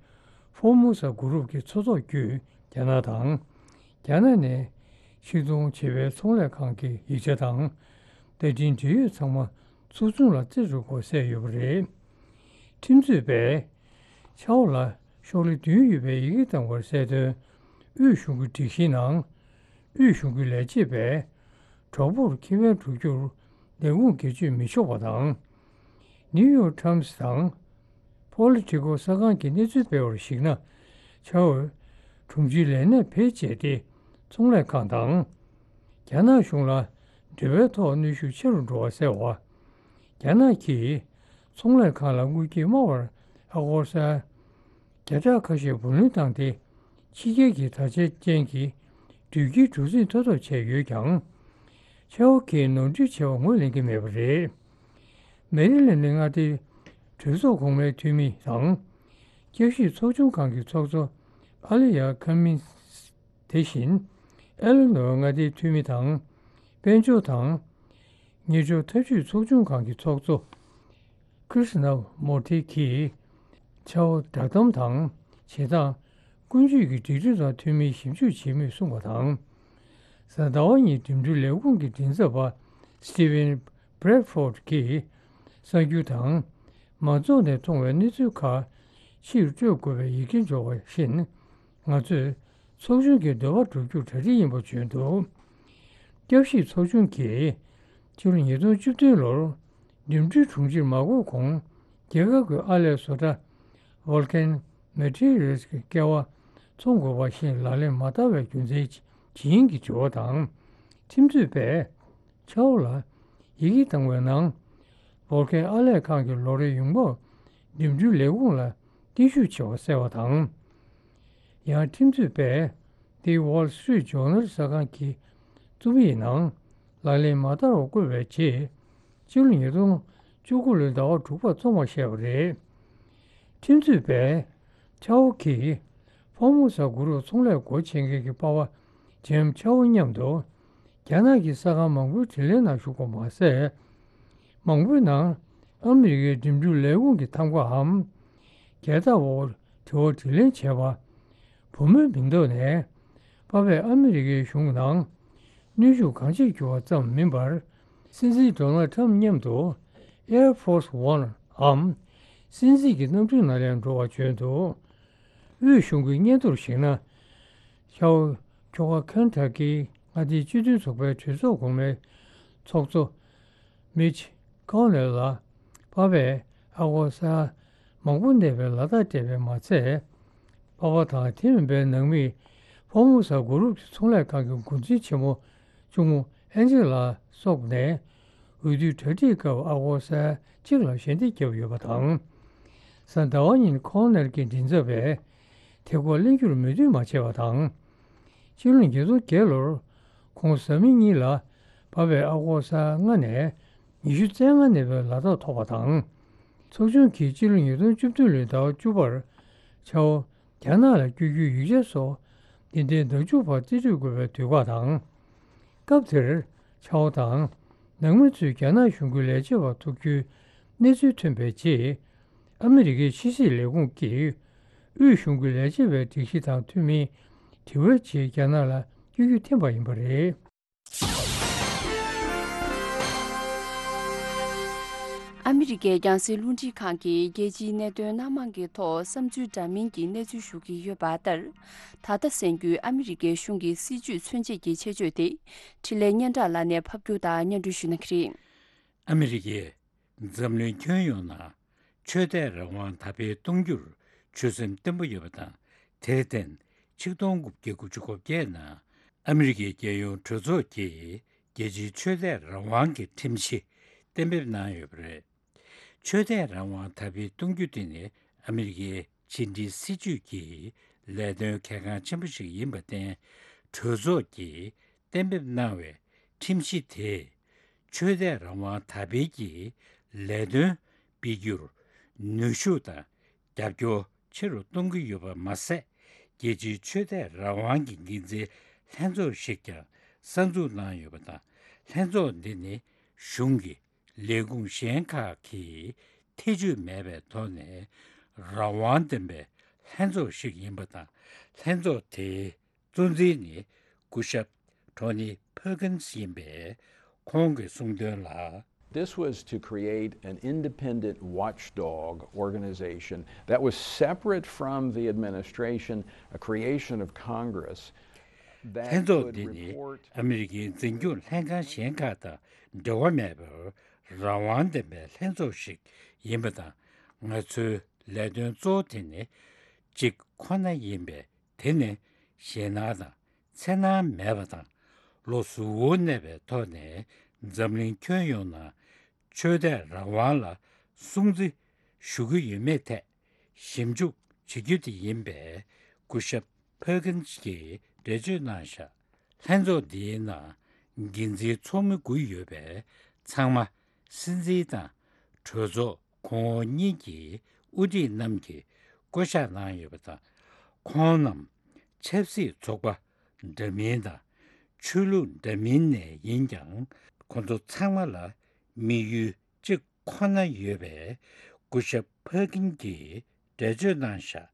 ཧྥོར་མུ་ས་གུ་རུབ་ཀྱི་མཚོ་ཐོག་བརྒྱུད་རྒྱ་ནག་དང་། རྒྱ་ནག་ནས་ཕྱིར་གཏོང་བྱེད་པའི་ཚོང་ལས་ཁང་གི་ཡིག་ཆ་དང་། བརྡ་འཕྲིན་འབྲེལ་ཡོད་ཚང་མ་ཚོགས་ཆུང་ལ་རྩིས་སྤྲོད་དགོས་གསལ་ཡོད་པ་རེད། ཁྲིམས་རྩོད་པས་ཆའོ་ལ་ཤོག་ལྷེ་བདུན་ཡོད་པའི་ཡི་གེ་བཏང་བར་གསལ་དོན། དབུས་གཞུང་གི་སྒྲིག་གཞིའི་ནང་། དབུས་གཞུང་གི་ལས་བྱེད་པས་གྲོགས་པོར་ཁེ་ཕན་སྒྲུབ་རྒྱུར་ལས་ཁུངས་སྒེར་གཅོད་མི་ཆོག་པ་དང་། ནིའུ་ཡོག་ཊའིམ་སི་དང་པོ་ལི་ཊི་ཀོ་གསར་ཁང་གི་གནས་ཚུལ་སྤེལ་བར་གཞིགས་ན། ཆའོ་དྲུང་ཆེའི་ལས་གནས་བེད་སྤྱད་དེ་ཚོང་ལས་ཁང་དང་། རྒྱ་ནག་གཞུང་ལ་འབྲེལ་བའི་ཐོག་གནོན་ཤུགས་ཆེ་རུ་འགྲོ་བ་སེལ་བ། རྒྱ་ནག་གིས་ཚོང་ལས་ཁང་ལ་དངུལ་གྱིས་དམའ་བར་ཨ་སྒོར་སར་བརྒྱ་ཕྲག་ཁ་ཤས་བུ་ལོན་བཏང་སྟེ། ཕྱི་རྒྱལ་གྱི་དྲ་རྒྱ་ཅན་གྱི་སྦྲུལ་གྱི་གྲུ་གཟིངས་ཐོབ་ཐབས་བྱས་ཡོད་ཀྱང་། ཆའོ་གིས་ནོར་འཁྲུལ་བྱས་པ་ངོས་ལེན་གྱི་མེད་པ་རེད། མེ་རི་ལན་ནི་མངའ་སྡེའི་གྲོས་ཚོགས་གོང་མའི་འཐུས་མི་དང་། བསྐྱར་ཞིབ་ཚོགས་ཆུང་ཁང་གི་ཚོགས་གཙོ་ཨ་ལི་ཡ་ཁ་མིན་སི། དེ་བཞིན་ཨེ་ལི་ནོར་མངའ་སྡེའི་འཐུས་མི་དང་། དཔལ་འབྱོར་དང་། ཉེར་སྦྱོར་འཐབ་ཇུས་ཚོགས་ཆུང་ཁང་གི་ཚོགས་གཙོ་ཀྲི་ཤི་ན་མོར་ཐི་གིས་ཆའོ་བསྒྲགས་གཏམ་དང་བྱེད་སྟངས། ཀུན་སྤྱོད་ཀྱི་སྒྲིག་ཁྲིམས་དང་མཐུན་མིན་ཞིབ་འཇུག་བྱེད་མུས་གསུངས་པ་དང་། གཟའ་ཟླ་བ་ཉིན་འགྲིམ་འགྲུལ་ལས་ཁུངས་ཀྱི་མགྲིན་ཚབ་པ་སི་ཊི་ཝན་བྷི་རེད་ཕོར་ཌི་གིས་གསར་འགྱུར་དང་མང་ཚོགས་ནས་མཐོང་བའི་གནས་ཚུལ་ཁག་ཕྱིར་སྤྲོད་དགོས་པའི་ཡི་གེ་འབྱོར་བ་བཞིན། ང་ཚོས་ཚོགས་ཆུང་གི་འདོད་པ་སྒྲུབ་རྒྱུར་གྲ་སྒྲིག་ཡིན་པ་བརྗོད་འདུག་བསྐྱར་ཞིབ་ཚོགས་ཆུང་གིས་ཕྱི་ལོ་ཉིས་སྟོང་བཅུ་བདུན་ལོར་འགྲིམ་འགྲུལ་དྲུང་ཆེར་མ་བསྐོས་གོང་རྒྱལ་ཁབ་ཀྱི་ཨར་ལས་བཟོ་གྲྭ་Vulcan Materials གི་སྐལ་བ་འཚོང་དགོས་པ་བཞིན་ལག་ལེན་མ་བསྟར་བའི་རྒྱུ་མཚན་ཇི་ཡིན་གྱི་དྲི་བ་དང་། ཁྲིམས་རྩོད་པས་ཆའོ་ལ་ཡི་གེ་བཏང་བའི་ནང་། Vulcan ཨར་ལས་ཁང་གི་ལོ་རེའི་ཡོང་འབབ་འགྲིམ་འགྲུལ་ལས་ཁུངས་ལ་གཏིང་ཤུགས་ཆེ་བ་གསལ་བ་དང་། ཡང་ཁྲིམས་རྩོད་པས་The Wall Street Journal གསར་ཁང་གི་རྩོམ་ཡིག་ནང་ལག་ལེན་མ་བསྟར་བར་བཀོད་པའི་རྗེས། སྤྱི་ལོ་ཉིས་སྟོང་བཅུ་དགུ་ལོའི་ཟླ་བ་དྲུག་པར་བཙོང་བར་བཤད་པ་རེད། ཁྲིམས་རྩོད་པས་ཆའོ་གིས་ཧྥོར་མུ་ས་གུ་རུབ་ཚོང་ལས་སྒོ་ཕྱེ་མཁན་གྱི་པ་ཕ་ཇེམ་ཆའོ་མཉམ་དུ་རྒྱ་ནག་གི་གསར་ཁང་མང་པོའི་དྲི་ལན་ནང་ཞུགས་པ་མ་ཟད། མང་པོའི་ནང་ཨ་མི་རི་ཀའི་འགྲིམ་འགྲུལ་ལས་ཁུངས་ཀྱི་ཐམ་ཀའམ་རྒྱལ་དར་འོག་དྲི་བ་དྲིས་ལན་བྱས་པ། བུ་མོའི་མིང་ཐོག་ནས་པ་ཕས་ཨ་མི་རི་ཀའི་གཞུང་ནང་གནོན་ཤུགས་གང་ཆེ་བསྒྱུར་བ་ཙམ་མིན་པར། སྲིད་འཛིན་ཌོ་ནལ་ཁྲམ་མཉམ་དུ་Air Force One འམ་སྲིད་འཛིན་གྱི་གནམ་གྲུའི་ནང་ལ་འགྲོ་བ་བརྗོད་འདུག་དབུས་གཞུང་གི་སྙན་ཐོར་གཞིགས་ན། ཤའོ་ཁྱོ་ག་ཁན་ཐ་ཀི་མངའ་སྡེའི་སྤྱི་མཐུན་ཚོགས་པའི་གྲོས་ཚོགས་གོང་མའི་ཚོགས་གཙོ་མིཆ་ཀོ་ནེལ་ལ་པ་ཕས་ཨ་སྒོར་ས་མང་པོ་གནས་པའི་ལག་རྟགས་སྤྲད་པས་མ་ཚད། པ་ཕ་དང་དེ་མིན་པའི་ནང་མིས་ཧྥོར་མུ་ས་གུ་རུབ་ཀྱི་ཚོང་ལས་ཁང་གི་འགོ་འཛིན་ཆེན་མོ་གཅུང་མོ་ཨན་ཇེ་ལ་སོགས་ནས་འོས་བསྡུའི་གྲ་སྒྲིག་སྐབས་ཨ་སྒོར་ས་གཅིག་ལ་ཞལ་འདེབས་བརྒྱབ་ཡོད་པ་དང་། གཟའ་ཟླ་བ་ཉིན་ཁོང་ནར་གྱི་མགྲིན་ཚབ་པས་དེ་སྐོར་གླེང་རྒྱུར་མོས་མཐུན་མ་བྱས་པ་དང་། སྤྱི་ལོ་ཉིས་སྟོང་བརྒྱད་ལོར་ཁོང་བཟའ་མི་གཉིས་ལ་པ་ཕས་ཨ་སྒོར་ས་ལྔ་ནས་ཉི་ཤུ་རྩ་ལྔ་གནས་པའི་ལག་རྟགས་ཐོབ་པ་དང་། ཚོགས་ཆུང་གིས་སྤྱི་ལོ་ཉིས་སྟོང་བཅུ་བདུན་ལོའི་ཟླ་བ་བཅུ་པར་ཆའོ་རྒྱ་ནག་ལ་བསྐྱོད་རྒྱུའི་ཡིག་ཆ་སོགས་འདི་ཟླའི་ཟླ་མཇུག་བར་རྩིས་སྤྲོད་དགོས་པའི་དུས་བཀག་དང་། སྐབས་དེར་ཆའོ་དང་ནང་མི་ཚོས་རྒྱ་ནག་གཞུང་གི་ལས་བྱེད་པ་ཐུག་རྒྱུའི་ གནས་ཚུལ་ཐོན་པའི་རྗེས། ཨ་མི་རི་ཀའི་ཕྱི་སྲིད་ལས་ཁུངས་ཀྱིས་དབུས་གཞུང་གི་ལས་བྱེད་པའི་སྒྲིག་གཞི་དང་མཐུན་མིན་དྲི་བའི་ཆེད་རྒྱ་ནག་ལ་སྐྱོན་བརྗོད་འཐེན་པ་ཡིན་པ་རེད། ཨ་མི་རི་ཀའི་རྒྱང་སྲིང་རླུང་འཕྲིན་ཁང་གིས་རྒྱལ་སྤྱིའི་གནད་དོན་སྣ་མང་གི་ཐོག་བསམ་ཚུལ་འདྲ་མིན་གྱི་གནས་ཚུལ་ཞུ་གི་ཡོད་པ་ལྟར། ད་ལྟ་གསན་རྒྱུའི་ཨ་མི་རི་ཀའི་གཞུང་གི་སྲིད་བྱུས་མཚོན་བྱེད་ཀྱི་ཆེད་བརྗོད་དེ། འཕྲིན་ལས་སྙན་གྲགས་ལགས་ནས་ཕབ་སྒྱུར་དང་སྙན་སྒྲོན་ཞུ་གནང་གི་རེད། ཨ་མི་རི་ཀས་འཛམ་གླིང་ཁྱོན་ཡོངས་ནང་ཆོས་དད་རང་དབང་དར་སྤེལ་གཏོང་རྒྱུར་ཆོད་སེམས་བརྟན་པོ་ཡོད་པ་དང་། དེར་བརྟེན་ཆིག་སྟོང་དགུ་བརྒྱ་དགུ་བཅུ་གོ་བརྒྱད་ནང་ཨ་མི་རི་ཀའི་རྒྱལ་ཡོངས་གྲོས་ཚོགས་ཀྱིས་རྒྱལ་སྤྱིའི་ཆོས་དད་རང་དབང་གི་ཁྲིམས་གཞི་གཏན་འབེབས་གནང་ཡོད་པ་རེད། ཆོས་དད་རང་དབང་དར་སྤེལ་གཏོང་རྒྱུ་དེ་ནི་ཨ་མི་རི་ཀའི་ཕྱི་འབྲེལ་སྲིད་ཇུས་ཀྱི་ལས་དོན་གལ་འགངས་ཆེན་པོ་ཞིག་ཡིན་པར་བརྟེན། གྲོས་ཚོགས་ཀྱིས་གཏན་འབེབས་གནང་བའི་ཁྲིམས་གཞི་དེས་ཆོས་དད་རང་དབང་དར་སྤེལ་གྱི་ལས་དོན་སྤེལ་རྒྱུར་ནུས་ཤུགས་དང་རྒྱབ་སྐྱོར་ཆེ་རུ་གཏོང་གི་ཡོད་པ་མ་ཟད། རྒྱལ་སྤྱིའི་ཆོས་དད་རང་དབང་གི་འགན་འཛིན་ལྷན་ཚོགས་ཤིག་ཀྱང་གསར་འཛུགས་གནང་ཡོད་པ་དང་། ལྷན་ཚོགས་འདི་ནི་གཞུང་གི་ལས་ཁུངས་གཞན་ཁག་གིས་ཐེ་བྱུས་མེད་པའི་ཐོག་ནས་རང་དབང་ལྡན་པའི་ལྷན་ཚོགས་ཤིག་ཡིན་པ་དང་། ལྷན་ཚོགས་དེའི་གཙོ་འཛིན་ནི་སྐུ་ཞབས་ཊོ་ནི་ཕར་ཀིན་སི་ཡིན་པས། ཁོང་གིས་གསུངས་དོན་ལ། This was to create an independent watchdog organization that was separate from the administration, a creation of Congress that could report. ལྷན་ཚོགས་འདི་ནི་ཨ་མི་རི་ཀའི་འཛིན་སྐྱོང་ལྷན་ཁང་གཞན་ཁག་དང་འབྲེལ་བ་མེད་པར་རང་དབང་ལྡན་པའི་ལྷན་ཚོགས་ཤིག་ཡིན་པ་དང་། ང་ཚོའི་ལས་དོན་གཙོ་བོ་དེ་ནི་གཅིག་ཁོ་ན་ཡིན་པས། དེ་ནི་ཞེད་སྣང་དང་འཚེར་སྣང་མེད་པ་དང་། བློ་གཟུ་བོར་གནས་པའི་ཐོག་ནས་འཛམ་གླིང་ཁྱོན་ཡོངས་ནང་ཆོས་དད་རང་དབང་ལ་སྲུང་བརྩི་ཞུ་གི་ཡོད་མེད་ཐད་ཞིབ་འཇུག་བྱེད་རྒྱུ་དེ་ཡིན་པས། སྐུ་ཞབས་ཕར་ཀིན་སི་གིས་འགྲེལ་བརྗོད་གནང་བཞག་ལྷན་ཚོགས་འདིའི་ནང་འགན་འཛིན་ཚོགས་མི་དགུ་ཡོད་པས། ཚང་མ་སྲིད་འཛིན་དང་གྲོས་ཚོགས་གོང་འོག་གཉིས་ཀྱི་དབུ་ཁྲིད་རྣམས་ཀྱིས་བསྐོ་གཞག་གནང་ཡོད་པ་དང་། ཁོང་རྣམས་ཆབ་སྲིད་ཚོགས་པ་འདྲ་མིན་དང་ཆོས་ལུགས་འདྲ་མིན་ནས་ཡིན་ཀྱང་། ཁོང་ཚོ་ཚང་མ་ལ་དམིགས་ཡུལ་གཅིག་ཁོ་ན་ཡོད་པའི་སྐུ་ཞབས་ཕར་ཀིན་གྱིས་འགྲེལ་བརྗོད་གནང་བཞག་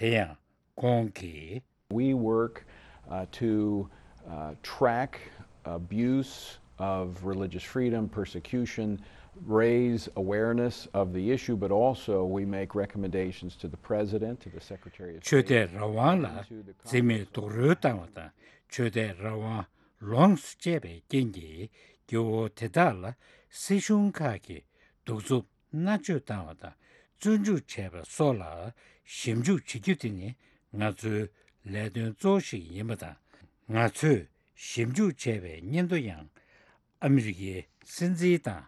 དེ་ཡང་ཁོང་གིས། We work, uh, to, uh, track abuse of religious freedom, persecution, raise awareness of the issue, but also we make recommendations to the president, to the secretary of state. ཆོས་དད་རང་དབང་ལ་འཛེམ་མེད་རྡོག་རོལ་བཏང་བ་དང་། ཆོས་དད་རང་དབང་ལོངས་སུ་སྤྱད་པའི་རྐྱེན་གྱིས་སྐྱེ་བོ་དེ་དག་ལ་སྲིད་གཞུང་ཁག་གིས་གདུག་རྩུབ་མནར་གཅོད་བཏང་བ་དང་བཙོན་འཇུག་བྱས་པ་སོགས་ལ་ཞིབ་འཇུག་བྱེད་རྒྱུ་དེ་ནི་ང་ཚོའི་ལས་དོན་གཙོ་བོ་ཞིག་ཡིན་པ་དང་། ང་ཚོས་ཞིབ་འཇུག་བྱས་པའི་སྙན་ཐོ་ཡང་ཨ་མི་རི་ཀའི་སྲིད་འཛིན་དང་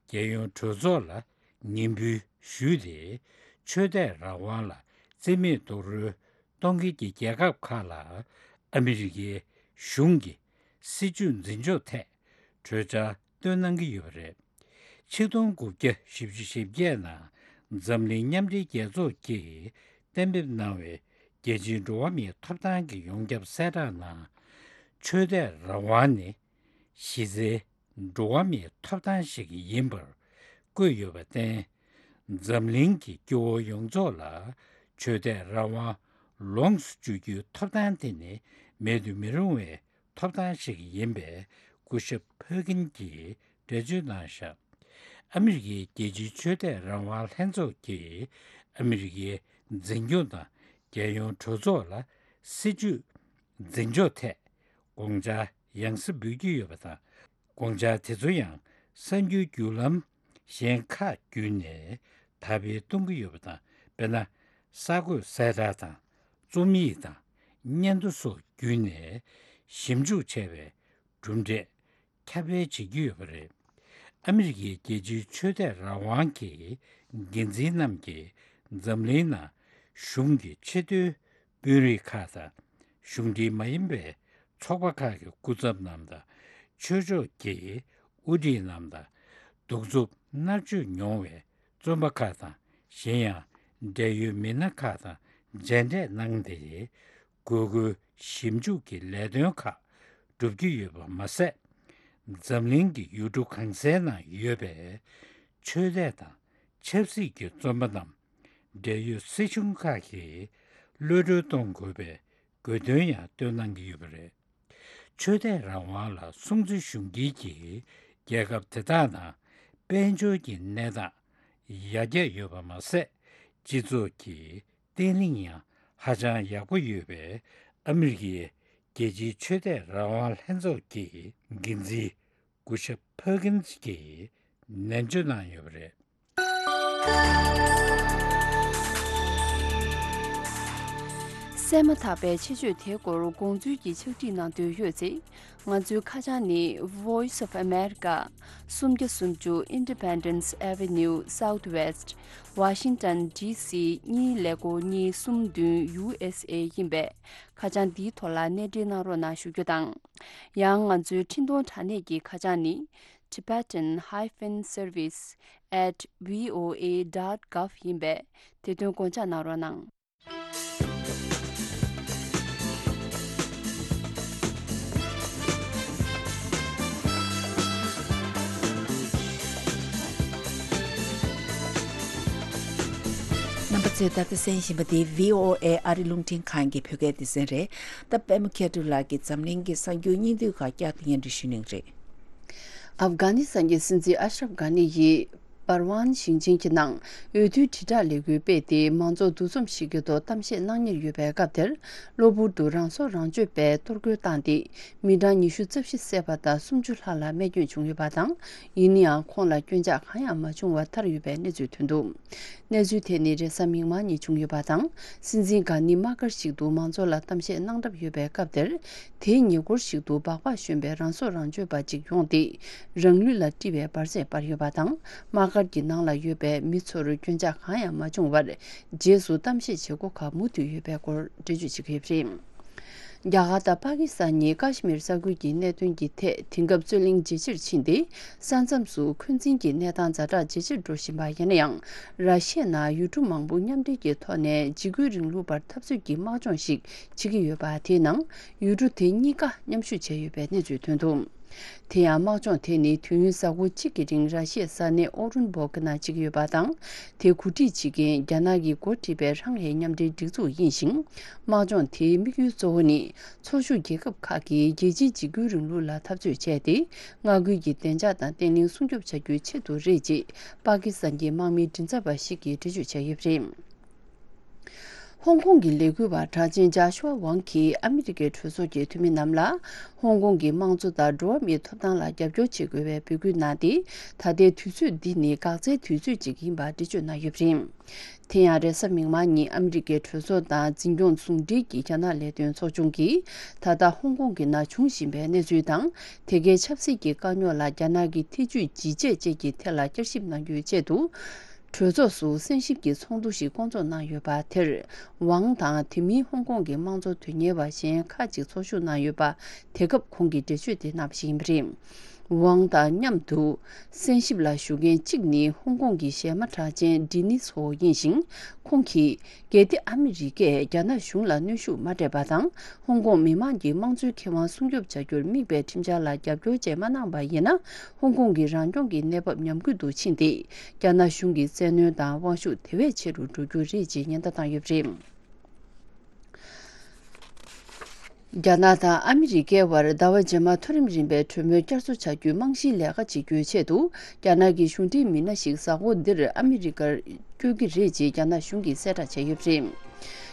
རྒྱལ་ཡོངས་གྲོས་ཚོགས་ལ་ངན་འབུལ་ཞུས་ཏེ། ཆོས་དད་རང་དབང་ལ་བརྩི་མེད་རྡོག་རོལ་གཏོང་མཁན་གྱི་རྒྱལ་ཁབ་ཁག་ལ་ཨ་མི་རི་ཀའི་གཞུང་གི་སྲིད་བྱུས་འཛིན་ཕྱོགས་ཐད་གྲོས་འཆར་བཏོན་གནང་གི་ཡོད་པ་རེད། ཆིག་སྟོང་དགུ་བརྒྱ་བཞི་བཅུ་ཞེ་བརྒྱད་ནང་འཛམ་གླིང་མཉམ་འབྲེལ་རྒྱལ་ཚོགས་ཀྱིས་གཏན་འབེབས་གནང་བའི་རྒྱལ་སྤྱིའི་འགྲོ་བ་མིའི་ཐོབ་ཐང་གི་ཡོངས་ཁྱབ་གསལ་བསྒྲགས་ནང་། ཆོས་དད་རང་དབང་ནི་གཞི་རྩའི་འགྲོ་བ་མིའི་ཐོབ་ཐང་ཞིག་ཡིན་པར་བཀོད་ཡོད་པར་བརྟེན། འཛམ་གླིང་གི་སྐྱེ་བོ་ཡོངས་རྫོགས་ལ་ཆོས་དད་རང་དབང་ལོངས་སུ་སྤྱོད་རྒྱུའི་ཐོབ་ཐང་དེ་ནི་མེད་དུ་མི་རུང་བའི་ཐོབ་ཐང་ཞིག་ཡིན་པའི་སྐུ་ཞབས་ཕར་ཀིན་གྱིས་འགྲེལ་བརྗོད་གནང་བཞག་ཨ་མི་རི་ཀའི་རྒྱལ་སྤྱིའི་ཆོས་དད་རང་དབང་ལྷན་ཚོགས་ཀྱིས་ཨ་མི་རི་ཀའི་འཛིན་སྐྱོང་དང་རྒྱལ་ཡོངས་གྲོས་ཚོགས་ལ་སྲིད་བྱུས་འཛིན་ཕྱོགས་ཐད་དགོངས་འཆར་ཡང་སེ་འབུལ་གྱི་ཡོད་པ་དང་། དགོངས་འཆར་དེ་ཚོ་ཡང་གསར་འགྱུར་བརྒྱུད་ལམ་གཞན་ཁག་བརྒྱུད་ནས་དར་སྤེལ་གཏོང་གི་ཡོད་པ་དང་། དཔེར་ན། གསར་འགོད་གསལ་བསྒྲགས་དང་རྩོམ་ཡིག་དང་སྙན་ཐོ་སོགས་བརྒྱུད་ནས་ཞིབ་འཇུག་བྱས་པའི་གྲུབ་འབྲས་ཁྱབ་སྤེལ་བྱེད་ཀྱི་ཡོད་པ་རེད། ཨ་མི་རི་ཀའི་རྒྱལ་སྤྱིའི་ཆོས་དད་རང་དབང་གི་འགན་འཛིན་རྣམས་ཀྱིས་འཛམ་གླིང་ནང་གཞུང་གི་ཆེས་མཐོའི་དཔོན་རིགས་ཁག་དང་། གཞུང་འབྲེལ་མ་ཡིན་པའི་ཚོགས་པ་ཁག་གི་སྐུ་ཚབ་རྣམས་དང་། ཆོས་ཕྱོགས་ཀྱི་དབུ་ཁྲིད་རྣམས་དང་། གདུག་རྩུབ་མནར་གཅོད་མྱོང་བའི་བཙོན་པ་ཁག་དང་། གཞན་ཡང་འབྲེལ་ཡོད་མི་སྣ་ཁག་དང་མཇལ་འཕྲད་གནང་སྟེ། དགོས་མཁོའི་ཞིབ་འཇུག་གི་ལས་དོན་ཁག་བསྒྲུབ་ཀྱི་ཡོད་པ་མ་ཟད། འཛམ་གླིང་གི་ཡུལ་གྲུ་གང་སའི་ནང་ཡོད་པའི་ཆོས་དད་དང་ ཆབ་སྲིད་ཀྱི་བཙོན་པ་རྣམས་འབྲེལ་ཡོད་སྲིད་གཞུང་ཁག་གིས་གློད་གྲོལ་གཏོང་དགོས་པའི་དགོས་འདུན་ཡང་བཏོན་གནང་གི་ཡོད་པ་རེད། ཆོས་དད་རང་དབང་ལ་སྲུང་བརྩི་ཞུ་མཁན་གྱི་རྒྱལ་ཁབ་དེ་དག་ནང་དཔལ་འབྱོར་གྱི་གནས་སྟངས་ཡར་རྒྱས་ཡོད་པ་མ་ཟད། སྤྱི་ཚོགས་ཀྱི་བརྟན་ལྷིང་ཡང་ཧ་ཅང་ཡག་པོ་ཡོད་པའི་ཨ་མི་རི་ཀའི་རྒྱལ་སྤྱིའི་ཆོས་དད་རང་དབང་ལྷན་ཚོགས་ཀྱི་འགན་འཛིན་གུ་ཤ་ཕར་ཀིན་སི་གྱིས་ནན་བརྗོད་གནང་ཡོད་པ་རེད། གསན་མ་ཐག་པའི་ཆེད་བརྗོད་དེའི་སྐོར་དགོངས་ཚུལ་གྱི་ཕྱག་བྲིས་གནང་འདོད་ཡོད་ཚེ། ང་ཚོའི་ཁ་བྱང་ནི། Voice of America། སུམ་བརྒྱ་སུམ་ཅུ་Independence Avenue Southwest། Washington D C གཉིས་ཀླད་ཀོར་གཉིས་གསུམ་བདུན། U S A ཡིན་པས། ཁ་བྱང་འདིའི་ཐོག་ལ་གནས་འབྲེལ་གནང་རོགས་གནང་ཞུ་རྒྱུ་དང་། ཡང་ང་ཚོའི་འཕྲིན་གཏོང་དྲ་གནས་ཀྱི་ཁ་བྱང་ནི། Tibetan hyphen service at V O A dot gov ཡིན་པས། དེ་དོན་དགོངས་འཇགས་གནང་རོགས་གནང་། རྣམ་པ་ཚོས་ད་ལྟ་གསན་བཞིན་པ་འདི་V O A ཨ་རི་རླུང་འཕྲིན་ཁང་གི་བོད་སྐད་སྡེ་ཚན་རེད། ད་པད་མ་མཁས་གྲུབ་ལགས་ཀྱིས་འཛམ་གླིང་གི་གསར་འགྱུར་སྙིང་བསྡུས་ཁག་བསྐྱར་དུ་སྙན་སྒྲོན་ཞུ་གནང་གི་རེད། ཨབ་གྷ་ནི་སི་ཐན་གྱི་སྲིད་འཛིན་ཨ་ཤ་རབ་གྷ་ནི་ཡིས་པར་ཝན་ཞིང་ཆེན་གྱི་ནང་འོས་བསྡུའི་དྲིལ་བསྒྲགས་ལས་འགུལ་སྤེལ་ཏེ། མང་ཚོགས་འདུ་འཛོམས་ཤིག་གི་ཐོག་གཏམ་བཤད་གནང་གཉེར་ཡོད་པའི་སྐབས་དེར། གློ་བུར་དུ་རང་སྲོག་རང་གཅོད་པའི་གཏོར་རྒོལ་བཏང་སྟེ། མི་གྲངས་ཉི་ཤུ་རྩ་བཞི་བསད་པ་དང་། སུམ་ཅུ་ལྷག་ལ་རྨས་སྐྱོན་བྱུང་ཡོད་པ་དང་། ཡིན་ན་ཡང་ཁོང་ལ་སྐྱོན་ཆག་གང་ཡང་མ་བྱུང་བར་ཐར་ཡོད་པའི་གནས་ཚུལ་ཐོན་འདུག། གནས་ཚུལ་དེ་ནི་རེས་གཟའ་མིག་དམར་ཉིན་བྱུང་ཡོད་པ་དང་། སྲིད་འཛིན་གྷ་ནི་དམག་སྒར་ཞིག་ཏུ་མང་ཚོགས་ལ་གཏམ་བཤད་གནང་གྲབས་ཡོད་པའི་སྐབས་དེར། དེའི་ཉེ་འཁོར་ཞིག་ཏུ་སྦག་སྦག་ཞོན་པའི་རང་སྲོག་རང་གཅོད་པ་གཅིག་ཡོང་སྟེ། རང་ལུས་ལ་དཀྲིས་པའི་འབར་རྫས་སྤར་ཡོད་པ་དང་། དམག་སྒར་གྱི་ནང་ལ་ཡོད་པའི་མི་ཚོར་སྐྱོན་ཆག་གང་ཡང་མ་བྱུང་བར། རྗེས་སུ་གཏམ་བཤད་བྱེད་སྒོ་ཁག་མུ་མཐུད་ཡོད་པའི་སྐོར་འགྲེལ་བརྗོད་བྱེད་ཀྱི་ཡོད་པ་རེད། རྒྱ་གར་དང་པ་ཀི་སི་ཐན་གཉིས་ཀ་ཤི་མིར་ས་ཁུལ་གྱི་གནད་དོན་གྱི་ཐད་དེང་སྐབས་རྩོད་གླེང་ཇེ་ཆེར་ཕྱིན་ཏེ། ས་མཚམས་སུ་འཁོན་འཛིན་གྱི་གནས་སྟངས་ཛ་དྲག་ཇེ་ཆེར་འགྲོ་བཞིན་པ་ཡིན་ན་ཡང་། ར་ཤི་ཡའི་ནང་ཡུལ་གྲུ་མང་པོ་མཉམ་འབྲེལ་གྱི་ཐོག་ནས་འཇིགས་སྐུལ་རིང་ལུགས་པར་འཐབ་རྩོད་ཀྱི་དམག་སྦྱོང་ཞིག་བྱེད་ཀྱི་ཡོད་པ། དེའི་ནང་ཡུལ་གྲུ་དེ་གཉིས་ཀ་མཉམ་ཞུགས་བྱས་ཡོད་པའི་གནས་ཚུལ་ཐོན་འདུག། དེ་ཡང་དམག་སྦྱོང་དེ་ནི་དུས་ཡུན་གཟའ་འཁོར་གཅིག་གི་རིང་ར་ཤི་ཡའི་ས་གནས་ཨོ་རུན་བྷོག་གི་ནང་བྱེད་ཀྱི་ཡོད་པ་དང་། དེ་གོ་སྒྲིག་བྱེད་མཁན་རྒྱ་ནག་གིས་འགོ་ཁྲིད་པའི་ཧྲང་ཧའེ་མཉམ་འབྲེལ་སྒྲིག་འཛུགས་ཡིན་ཞིང་། དམག་སྦྱོང་དེའི་དམིགས་ཡུལ་གཙོ་བོ་ནི། ཚོགས་ཞུགས་རྒྱལ་ཁབ་ཁག་གིས་རྒྱལ་སྤྱིའི་འཇིགས་སྐུལ་རིང་ལུགས་ལ་འཐབ་རྩོད་བྱས་ཏེ། མངའ་ཁུལ་གྱི་བདེ་འཇགས་དང་བརྟན་ལྷིང་སྲུང་སྐྱོབ་བྱ་རྒྱུའི་ཆེད་དུ་རེད་ཅེས་པ་ཀི་སི་ཐན་གྱི་དམག་མིའི་མགྲིན་ཚབ་པ་ཞིག་གིས་འགྲེལ་བརྗོད་བྱས་ཡོད་པ་རེད། ཧོང་ཀོང་གི་ལས་འགུལ་བ་གྲགས་ཅན་ཇཱ་ཤུ་ཝ་ཝང་གིས་ཨ་མི་རི་ཀའི་གྲོས་ཚོགས་ཀྱི་འཐུས་མི་རྣམས་ལ། ཧོང་ཀོང་གི་དམངས་གཙོ་དང་འགྲོ་བ་མིའི་ཐོབ་ཐང་ལ་རྒྱབ་སྐྱོར་བྱེད་དགོས་པའི་འབོད་སྐུལ་གནང་སྟེ། ད་ལྟའི་དུས་ཚོད་འདི་ནི་འགག་རྩའི་དུས་ཚོད་ཅིག་ཡིན་པ་འགྲེལ་བརྗོད་གནང་ཡོད་པ་རེད། དེ་ཡང་རེས་གཟའ་མིག་དམར་ཉིན་ཨ་མི་རི་ཀའི་གྲོས་ཚོགས་དང་འཛིན་སྐྱོང་ཟུང་འབྲེལ་གྱི་རྒྱ་ནག་ལས་དོན་ཚོགས་ཆུང་གིས། ད་ལྟ་ཧོང་ཀོང་གི་ནང་འབྱུང་བཞིན་པའི་གནས་ཚུལ་དང་། དེ་གའི་ཆབ་སྲིད་ཀྱི་དཀའ་རྙོག་ལ་རྒྱ་ནག་གི་ཐེ་ཇུས་ཇི་བྱས་བཅས་ཀྱི་ཐད་ལ་བསྐྱར་ཞིབ་གནང་རྒྱུའི་ཆེད་དུ། གྲོས་ཚོགས་སུ་གསན་ཞིབ་ཀྱི་ཚོགས་འདུ་ཞིག་བསྐོང་ཚོགས་གནང་ཡོད་པ་དེར། ཝང་དང་དེ་མིན་ཧོང་ཀོང་གི་དམངས་གཙོ་དོན་གཉེར་བ་གཞན་ཁག་ཅིག་ཚོགས་ཞུགས་གནང་ཡོད་པ། དེ་སྐབས་ཁོང་གིས་འགྲེལ་བརྗོད་དེ་གནང་བ་ཞིག་ཡིན་པ་རེད། ཝང་དང་མཉམ་དུ་གསན་ཞིབ་ལ་ཞུགས་མཁན་གཅིག་ནི་ཧོང་ཀོང་གི་གཞས་མ་གྲགས་ཅན་ཌི་ནིས་ཧོ་ཡིན་ཞིང་། ཁོང་གིས། གལ་ཏེ་ཨ་མི་རི་ཀས་རྒྱ་ནག་གཞུང་ལ་གནོན་ཤུགས་མ་སྤྲད་པ་དང་། ཧོང་ཀོང་མི་མང་གི་དམངས་གཙོའི་ཁེ་དབང་སྲུང་སྐྱོབ་བྱ་རྒྱུར་དམིགས་པའི་ཁྲིམས་འཆར་ལ་རྒྱབ་སྐྱོར་བཅས་མ་གནང་པ་ཡིན་ན། ཧོང་ཀོང་གི་རང་སྐྱོང་གི་གནས་བབ་ཉམས་རྒུད་དུ་ཕྱིན་ཏེ། རྒྱ་ནག་གཞུང་གི་བཙན་གནོན་དང་དབང་ཤུགས་དེ་བས་ཆེ་རུ་འགྲོ་རྒྱུ་རེད་ཅེས་ཉེན་བརྡ་བཏང་ཡོད་པ་རེད། རྒྱ་ནག་དང་ཨ་མི་རི་ཀའི་དབར་ཟླ་བ་རྗེས་མ་མཐོ་རིམ་རིམ་པའི་གྲོས་མོལ་བསྐྱར་གསོ་བྱ་རྒྱུའི་རྨང་གཞིའི་ལས་ཀ་བྱེད་རྒྱུའི་ཆེད་དུ། རྒྱ་ནག་གི་གཞུང་འབྲེལ་མི་སྣ་ཞིག་གཟའ་འཁོར་འདིར་ཨ་མི་རི་ཀར་བསྐྱོད་ཀྱི་རེད་ཅེས་རྒྱ་ནག་གཞུང་གིས་གསལ་བསྒྲགས་བྱས་ཡོད་པ་རེད།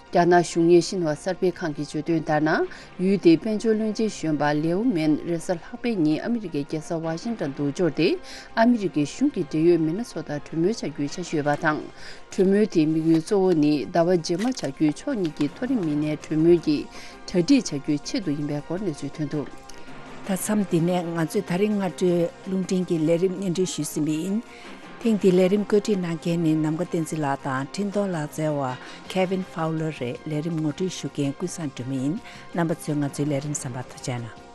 རྒྱ་ནག་གཞུང་གཉེར་ཤིན་ཧྭ་གསར་སྤེལ་ཁང་གིས་བརྗོད་དོན་ལྟར་ན། ཡུལ་དེའི་དཔལ་འབྱོར་བློན་ཆེན་གཞོན་པ་ལེའུ་མེན་རེས་གཟའ་ལྷག་པའི་ཉིན་ཨ་མི་རི་ཀའི་རྒྱལ་ས་ཝ་ཤིང་ཊོན་དུ་འབྱོར་ཏེ། ཨ་མི་རི་ཀའི་གཞུང་གི་འབྲེལ་ཡོད་མི་སྣ་ཚོ་དང་གྲོས་མོལ་བྱ་རྒྱུའི་འཆར་གཞི་ཡོད་པ་དང་། གྲོས་མོལ་དེའི་དམིགས་ཡུལ་གཙོ་བོ་ནི་ཟླ་བ་རྗེས་མ་བྱ་རྒྱུའི་ཕྱོགས་གཉིས་ཀྱི་མཐོ་རིམ་མི་སྣའི་གྲོས་མོལ་གྱི་གྲ་སྒྲིག་བྱ་རྒྱུའི་ཆེད་དུ་ཡིན་པའི་སྐོར་གནས་ཚུལ་ཐོན་འདུག། ད་མཚམས་འདི་ནས་ང་ཚོས་ད་རིང་སྔ་དྲོའི་རླུང་འཕྲིན་གྱི་ལས་རིམ་སྙན་སྒྲོན་ཞུས་ཟིན་པ་ཡིན། ཐེངས་འདིའི་ལས་རིམ་བཀོད་སྒྲིག་གནང་མཁན་ནི་ནམ་མཁའ་བསྟན་འཛིན་ལགས་དང་འཕྲིན་གཏོང་ལག་རྩལ་བ་Kevin Fowler རེད། ལས་རིམ་ངོ་སྤྲོད་ཞུ་མཁན་ཀུན་བཟང་སྒྲོལ་མ་ཡིན། རྣམ་པ་ཚོས་ང་ཚོའི་ལས་རིམ་གསན་པར་ཐུགས་རྗེ་གནང་།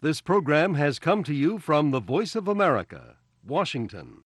This program has come to you from the Voice of America, Washington.